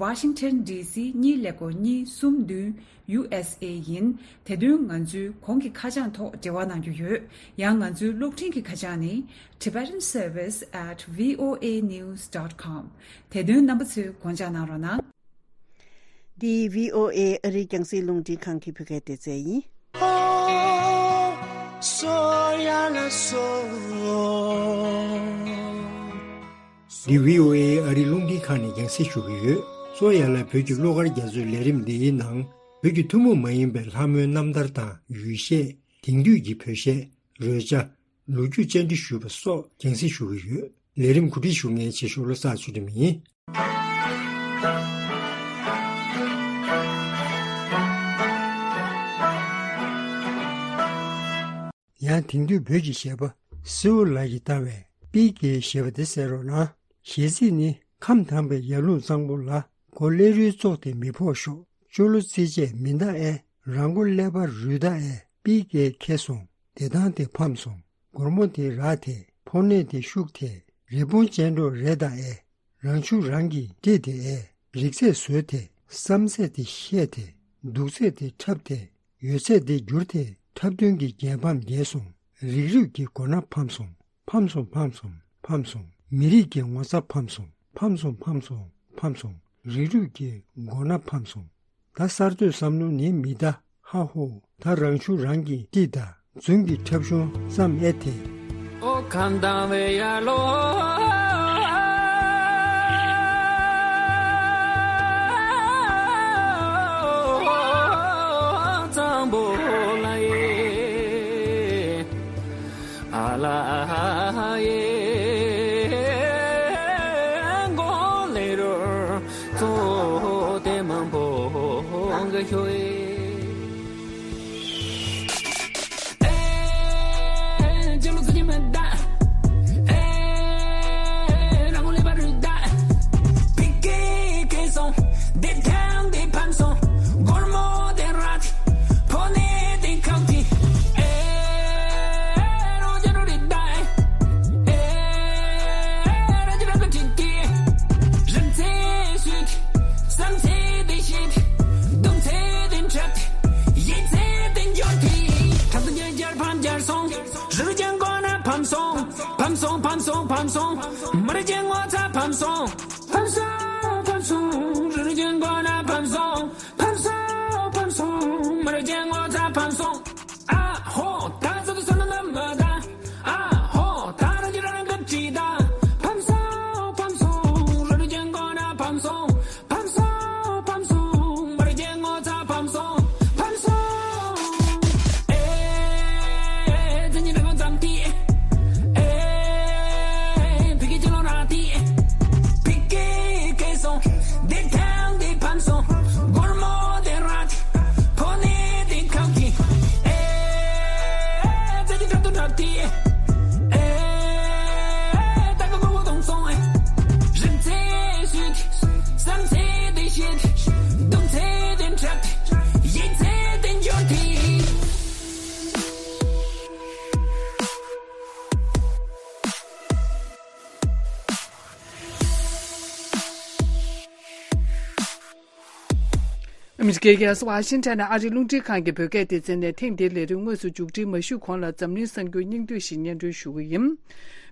Washington D C གཉིས་ཀླད་ཀོར་གཉིས་གསུམ་བདུན། U S A ཡིན། དེ་དོན་ང་ཚོའི་གོང་གི་ཁ་བྱང་ཐོག་འབྲེལ་བ་གནང་རྒྱུ་ཡོད། ཡང་ང་ཚོའི་གློག་འཕྲིན་གྱི་ཁ་བྱང་ནི། Tibetan Service at V O A news dot com། དེ་དོན་རྣམ་པ་ཚོས་དགོངས་འཇགས་གནང་རོགས་གནང་། འདི་V O A ཨ་རིའི་རྒྱང་སྲིང་རླུང་འཕྲིན་ཁང་གི་བོད་སྐད་སྡེ་ཚན་ཡིན། འདི་V O A ཨ་རིའི་རླུང་འཕྲིན་ཁང་ནས་རྒྱང་སྲིང་ཞུ་གི་ཡོད། གཙོ་ཡ་ལ་བོད་ཀྱི་གླུ་གར་རྒྱ་མཚོའི་ལས་རིམ་འདི་ཡི་ནང་། བོད་ཀྱི་ཐུན་མོང་མ་ཡིན་པའི་ལྷ་མོའི་རྣམ་ཐར་དང་ཡུལ་གཞས། དེང་དུས་ཀྱི་བོད་གཞས། རོལ་ཆ། ལོ་རྒྱུས་བཅར་འདྲི་ཞུས་པ་སོགས་རྒྱང་སྲིང་ཞུ་གི་ཡོད། ལས་རིམ་གོ་སྒྲིག་ཞུ་མཁན་ཆེ་ཤོས་བློ་བཟང་ཚུལ་ཁྲིམས་ཡིན། ཡང་དེང་དུས་བོད་ཀྱི་གཞས་པ་སེའུ་ལགས་ཀྱིས་བཏང་བའི་པི་ཀེ་ཞེས་པ་དེ་གསན་རོགས་གནང་། གཞས་ཚིག་ནི། ཁམས་དྭངས་པའི་ཡར་ཀླུང་གཙང་པོ་ལ། མགོ་ཀླད་རུས་བཙོག་དེ་མི་ཕོག་ཤོག་ཅོ་ལོ་རྩིས་བྱས་མི་འདའ་ཨེ། རང་མགོ་ཀླད་པ་རུས་འདའ་ཨེ། པི་ཀེ་ཁེ་སོང་། བདེ་ཐང་དེ་ཕམ་སོང་། སྒོར་མོ་དེ་རག་དེ། ཕོ་ནད་དེ་ཤུགས་དེ། རི་བོང་ཅལ་འདྲོགས་རེད་ད་ཨེ། རང་ཆུ་རང་གིས་དཀྲིས་དེ་ཨེ། རིག་ཚད་བཟོས་དེ། བསམ་ཚད་དེ་ཤེས་དེ། སྡུག་ཚད་དེ་འཁྲབ་དེ། ཡོད་ཚད་དེ་བསྒྱུར་དེ། འཁྲབ་སྟོན་གྱི་རྒྱལ་ཕམ་རྒྱལ་སོང་། རིག་རུས་ཀྱི་མགོ་ན་ཕམ་སོང་། ཕམ་སོང་ཕམ་སོང་ཕམ་སོང་། མི་རིགས་ཀྱི་ངོ་ཚ་ཕམ་སོང་། ཕམ་སོང་ཕམ་སོང་ཕམ་སོང་། རིག་རུས་ཀྱི་མགོ་ན་ཕམ་སོང་། ད་གསར་གཏོད་བསམ་བློ་ནི་མི་གདའ། ཧ་ཧོ། ད་རང་ཆུ་རང་གིས་དཀྲིས་ད། རྫུན་གྱི་འཁྲབ་གཞུང་བརྩམས་ཨེ་དེ། ཨོ་ཁམས་དྭངས་པའི་ཡར་ཀླུང་གཙང་པོ་ལ་ཡེ། ཨ་ལ་ཡེ། མགོ་ཀླད་རུས་བཙོག་དེ་མང་པོ་གི་ཤོ་ཡེ། བསམ་ཚེ་དེ་ཤེས་ཏེ། སྡུག་ཚེ་དེ་འཁྲབ་སྟེ། ཡིད་ཚེ་དེ་འབྱོར་ཏེ། འཁྲབ་སྟོན་རྒྱལ་རྒྱལ་ཕམ་རྒྱལ་སོང་། རི་རྒྱལ་མགོ་ན་ཕམ་སོང་། ཕམ་སོང་ཕམ་སོང་ཕམ་སོང་། མི་རིགས་ཀྱི་ངོ་ཚ་ཕམ་སོང་། ཕམ་སོང་ཕམ་སོང་། རི་རྒྱལ་མགོ་ན་ཕམ་སོང་། ཕམ་སོང་ཕམ་སོང་། མི་རིགས་ཀྱི་ངོ་ཚ་ཕམ་སོང་། ཨ་ཧོ། ད་ཚོད་དུ་སོང་ན་མ་ད། ཨ་ཧོ། ད་རང་གི་རང་གི་བྲིས་ད། ཕམ་སོང་ཕམ་སོང་། རི་རྒྱལ་མགོ་ན་ཕམ་སོང་། ཕམ་སོང་ཕམ་སོང་། མི་རིགས་ཀྱི་ངོ་ཚ་ཕམ་སོང་། ཕམ་སོང་། ཨེ། བཙན་གྱི་འདྲ་མོ་ཙམ་ཏི། ཨེ། ཕི་ཀེ་ཅི་ལོ་ར་ཏི། ཕི་ཀེ་ཁེ་སོང་། དེ་ཐང་དེ་ཕམ་སོང་། སྒོར་མོ་དེ་ར་ཏི། ཕོ་ནི་དེ་ཁང་གི། ཨེ། བཙན་གྱི་འདྲ་དུ་འདྲ་ཏི། ཨེ། ད་ག་གོ་གོ་དོང་སོང་ཨེ། རིག་ཚེ་སུས་ཏི། བསམ་ཚེ་དེ་ཤེས་ཏི། སྡུག་ཚེ་དེ་འཁྲབ་ཏི། ཡིད་ཚེ་དེ་འབྱོར་ཏི། ཨ་མི་རི་ཀའི་རྒྱལ་ས་ཝ་ཤིང་ཊོན་ནས་ཨ་རིའི་རླུང་འཕྲིན་ཁང་གི་བོད་སྐད་སྡེ་ཚན་ནས་ཐེངས་འདིའི་ལས་རིམ་དངོས་སུ་མཇུག་སྒྲིལ་མ་ཞུས་གོང་ལ་འཛམ་གླིང་གསར་འགྱུར་སྙིང་བསྡུས་ཤིག་སྙན་སྒྲོན་ཞུ་གི་ཡིན།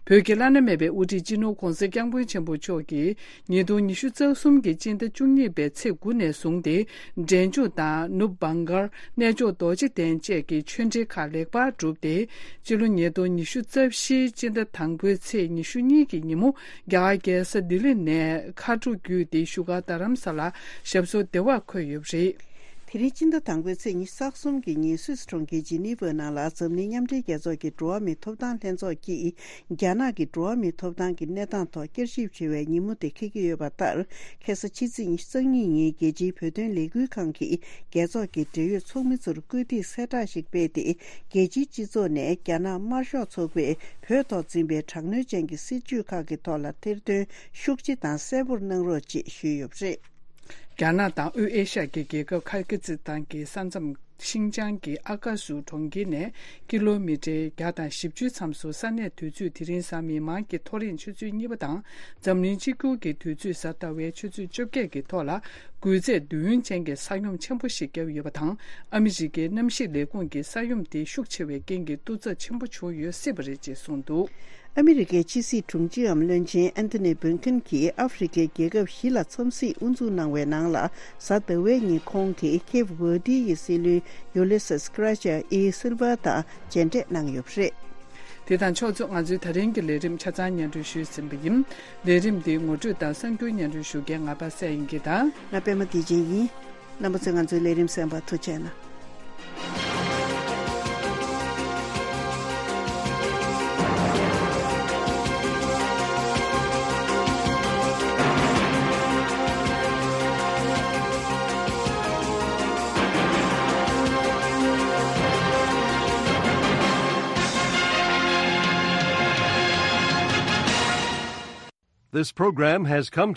བོད་ཀྱི་བླ་ན་མེད་པའི་དབུ་ཁྲིད་སྤྱི་ནོར་༧གོང་ས་༧སྐྱབས་མགོན་ཆེན་པོ་མཆོག་གིས་ཉིས་སྟོང་ཉི་ཤུ་རྩ་གསུམ་གྱི་སྤྱི་ཟླ་བཅུ་གཉིས་པའི་ཚེས་དགུ་ནས་བཟུང་སྟེ། འབྲས་ལྗོངས་དང་ནུབ་བྷང་གལ། གནས་མཆོག་རྡོ་རྗེ་གདན་བཅས་ཀྱི་ཆོས་འབྲེལ་ཁག་ལེགས་པར་གྲུབ་སྟེ། སྤྱི་ལོ་ཉིས་སྟོང་ཉི་ཤུ་རྩ་བཞིའི་སྤྱི་ཟླ་དང་པོའི་ཚེས་ཉི་ཤུ་གཉིས་ཀྱི་ཉིན་མོ། རྒྱ་གར་རྒྱལ་ས་ལྡི་ལི་ནས་མཁའ་འགྲོ་བརྒྱུད་དེ་བཞུགས་སྒར་རྡ་རམ་ས་ལར་ཞབས་སོར་བདེ་བར་འཁོད་ཡོད་པ་རེད། དེ་རིང་སྤྱི་ཟླ་དང་པོའི་ཚེས་ཉི་ཤུ་རྩ་གསུམ་གྱི་ཉིན་སུད་སི་གྲོང་ཁྱེར་ཇི་ནི་ཝ་ནང་ལ་འཛམ་གླིང་མཉམ་འབྲེལ་རྒྱལ་ཚོགས་ཀྱི་འགྲོ་བ་མིའི་ཐོབ་ཐང་ལྷན་ཚོགས་ཀྱིས་རྒྱ་ནག་གི་འགྲོ་བ་མིའི་ཐོབ་ཐང་གི་གནས་སྟངས་ཐོག་བསྐྱར་ཞིབ་བྱེད་པའི་ཉིན་མོ་དེ་འཁེལ་གྱི་ཡོད་པ་ལྟར། ཁ་སང་ཕྱི་ཚེས་ཉི་ཤུ་རྩ་གཉིས་ཉིན་རྒྱལ་སྤྱིའི་བོད་དོན་ལས་འགུལ་ཁང་གིས་རྒྱལ་ཚོགས་ཀྱི་འབྲེལ་ཡོད་ཚོགས་མི་ཚོར་བཀོད་སྒྲིག་གསལ་བསྒྲགས་ཤིག་སྤེལ་ཏེ། རྒྱལ་སྤྱིའི་སྤྱི་ཚོགས་ནས་རྒྱ་ནག་དམར་ཤོག་ཚོགས་པས་བོད་ཐོག་འཛིན་པའི་དྲག་གནོན་ཅན་གྱི་སྲིད་བྱུས་ཁག་གི་ཐོག་ལ་ཐེར་འདོན་ཤུགས་ཆེ་དང་གསལ་པོར་གནང་རོགས་ཅེས་ཞུས་ཡོད་པ་རེད། རྒྱ་ནག་དང་དབུས་ཨེ་ཤ་ཡའི་རྒྱལ་ཁབ་ཁིར་གི་ཛི་སི་ཐན་གྱི་ས་མཚམས་ ཤིང་ཅང་གི་ཨ་ཀ་སུ་གྲོང་ཁྱེར་ནས་ཀི་ལོ་མི་ཊར་བརྒྱ་དང་བཞི་བཅུ་ཙམ་སུ་ས་གནས་དུས་ཚོད་དེ་རིང་གཟའ་མིག་དམར་གྱི་ཐོ་རེངས་ཆུ་ཚོད་གཉིས་པ་དང་། འཛམ་གླིང་གཅིག་གྱུར་གྱི་དུས་ཚོད་གཟའ་ཟླ་བའི་ཆུ་ཚོད་བཅོ་བརྒྱད་ཀྱི་ཐོག་ལ། འགུལ་ཚད་བདུན་ཅན་གྱི་ས་ཡོམ་ཆེན་པོ་ཞིག་བརྒྱབ་ཡོད་པ་དང་། ཨ་མི་རི་ཀའི་གནམ་གཤིས་ལས་ཁུངས་ཀྱིས་ས་ཡོམ་དེ་ཤུགས་ཆེ་བའི་རྐྱེན་གྱིས་གཏོར་ཚབས་ཆེན་པོ་བྱུང་ཡོད་སྲིད་པ་རེད་ཅེས་གསུངས་འདུག། ཨ་མི་རི་ཀའི་ཕྱི་སྲིད་དྲུང་ཆེའམ་བློན་ཆེན་ཨན་ཐོ་ནི་བྷིན་ཁིན་གྱིས་ཨ་ཧྥེ་རི་ཁའི་རྒྱལ་ཁབ་བཞི་ལ་འཚམས་གཟིགས་དབུ་འཛུགས་གནང་བའི་ནང་ལ། གཟའ་ཟླ་བའི་ཉིན་ཁོང་གིས་ཁེབ་ཝར་ཏི་ཡི་སྲིད་བློན་ཡུ་ལི་སིས་ཀྲ་ཅ་ཨི་སིལ་ཝ་དང་མཇལ་འཕྲད་གནང་ཡོད་པ་རེད། དེ་དང་ཕྱོགས་མཚུངས། ང་ཚོའི་ད་རིང་གི་ལས་རིམ་ཆ་ཚང་སྙན་སྒྲོན་ཞུས་ཟིན་པ་ཡིན། ལས་རིམ་འདི་ངོ་སྤྲོད་དང་གསར་འགྱུར་སྙན་སྒྲོན་ཞུ་མཁན་ང་པ་སངས་དབྱངས་སྐྱིད་དང་། ང་པད་མ་བདེ་ཆེན་ཡིན། རྣམ་པ་ཚོས་ང་ཚོའི་ལས་རིམ་གསན་པར་ཐུགས་རྗེ་གནང་། This program has come